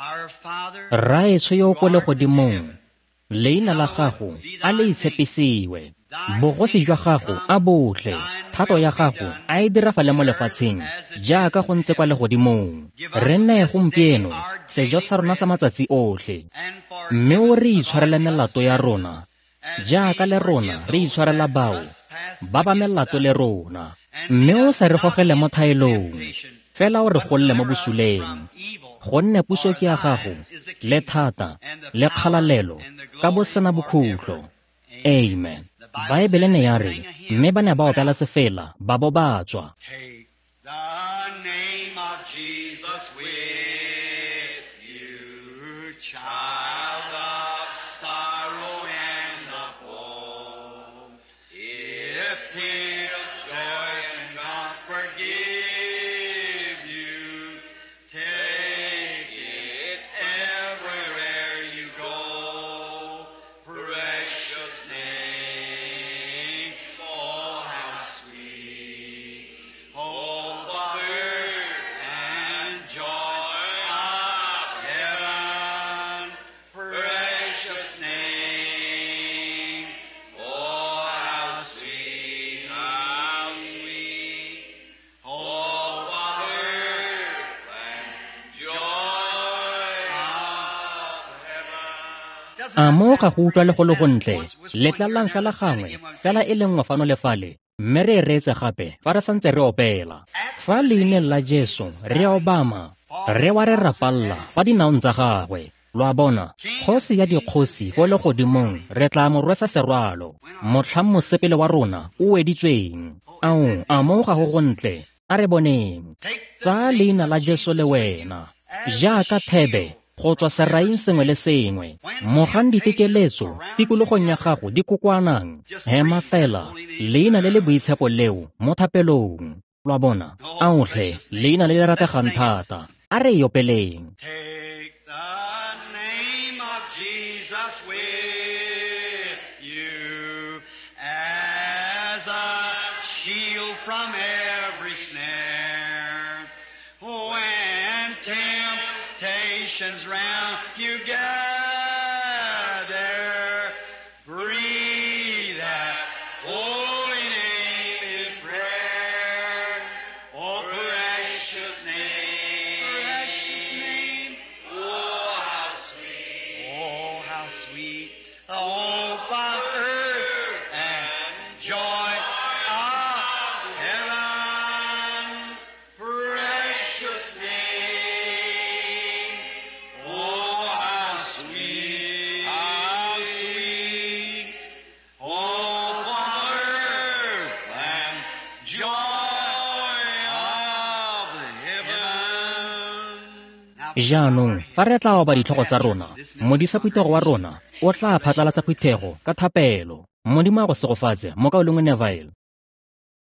Speaker 1: Rraetsho yo o ko legodimong, leina la gago a le itshepisiwe. Bogosi jwa gago a botle, thato ya gago a e dirafale mo lefatsheng jaaka go ntse kwa legodimong. Re neye gompieno sejo sa rona sa matsatsi otlhe, mme o re itshwarele melato ya rona jaaka le rona re itshwarela bao ba ba melato le rona. Mme o sa re gogele mo thaelong, fela o re golle mo bosuleng. Gonne puso ke ya gago, le thata, le kgalalelo, ka bosena bokhutlo. Amen. Baebele ne ya re, mme ba ne ba opela sefela, ba bo ba tswa.
Speaker 2: Take the name of Jesus with you, child of sorrow and of woe. If tears, joy, and comfort give you, take it everywhere you go. Precious name, oh how sweet, hope of earth and joy of heaven. Precious name, oh how sweet, how sweet, hope of earth and joy of heaven.
Speaker 1: A moo ga go utlwa le go le gontle? Letlalang fela gangwe, fela e le nngwe fano le fale, mme re e reetse gape fa re santse re opela. Fa leineng la Jesu re obama, re wa re rapalla fa dinaong tsa gagwe. Lo a bona, kgosi ya dikgosi ko legodimong re tla mo rwesa serwalo, motlhang mosepele wa rona o weditsweng. Ao, a moo ga go gontle? A re boneng. Tsaya leina la Jesu le wena, jaaka thebe go tswa seraing sengwe le sengwe. Mogang ditekeletso tikologong ya gago di kokoanang, hema fela leina le le boitshepo leo mo thapelong. Lo a bona? Aotlhe, leina le le rategang thata. A re e opeleng.
Speaker 2: Take the name of Jesus with you as a shield from every snare. When temptations round you gather, breathe that holy name in prayer. Oh, precious name, precious name, oh, how sweet, oh, how sweet, the hope of earth and joy of heaven. Precious name, oh, how sweet, how sweet, hope of earth and joy of heaven.
Speaker 1: Jaanong fa re tla oba ditlhogo tsa rona, modisa phuthego wa rona o tla phatlalatsa phuthego ka thapelo. Modimo a go segofatse, mokaulengwe Neville.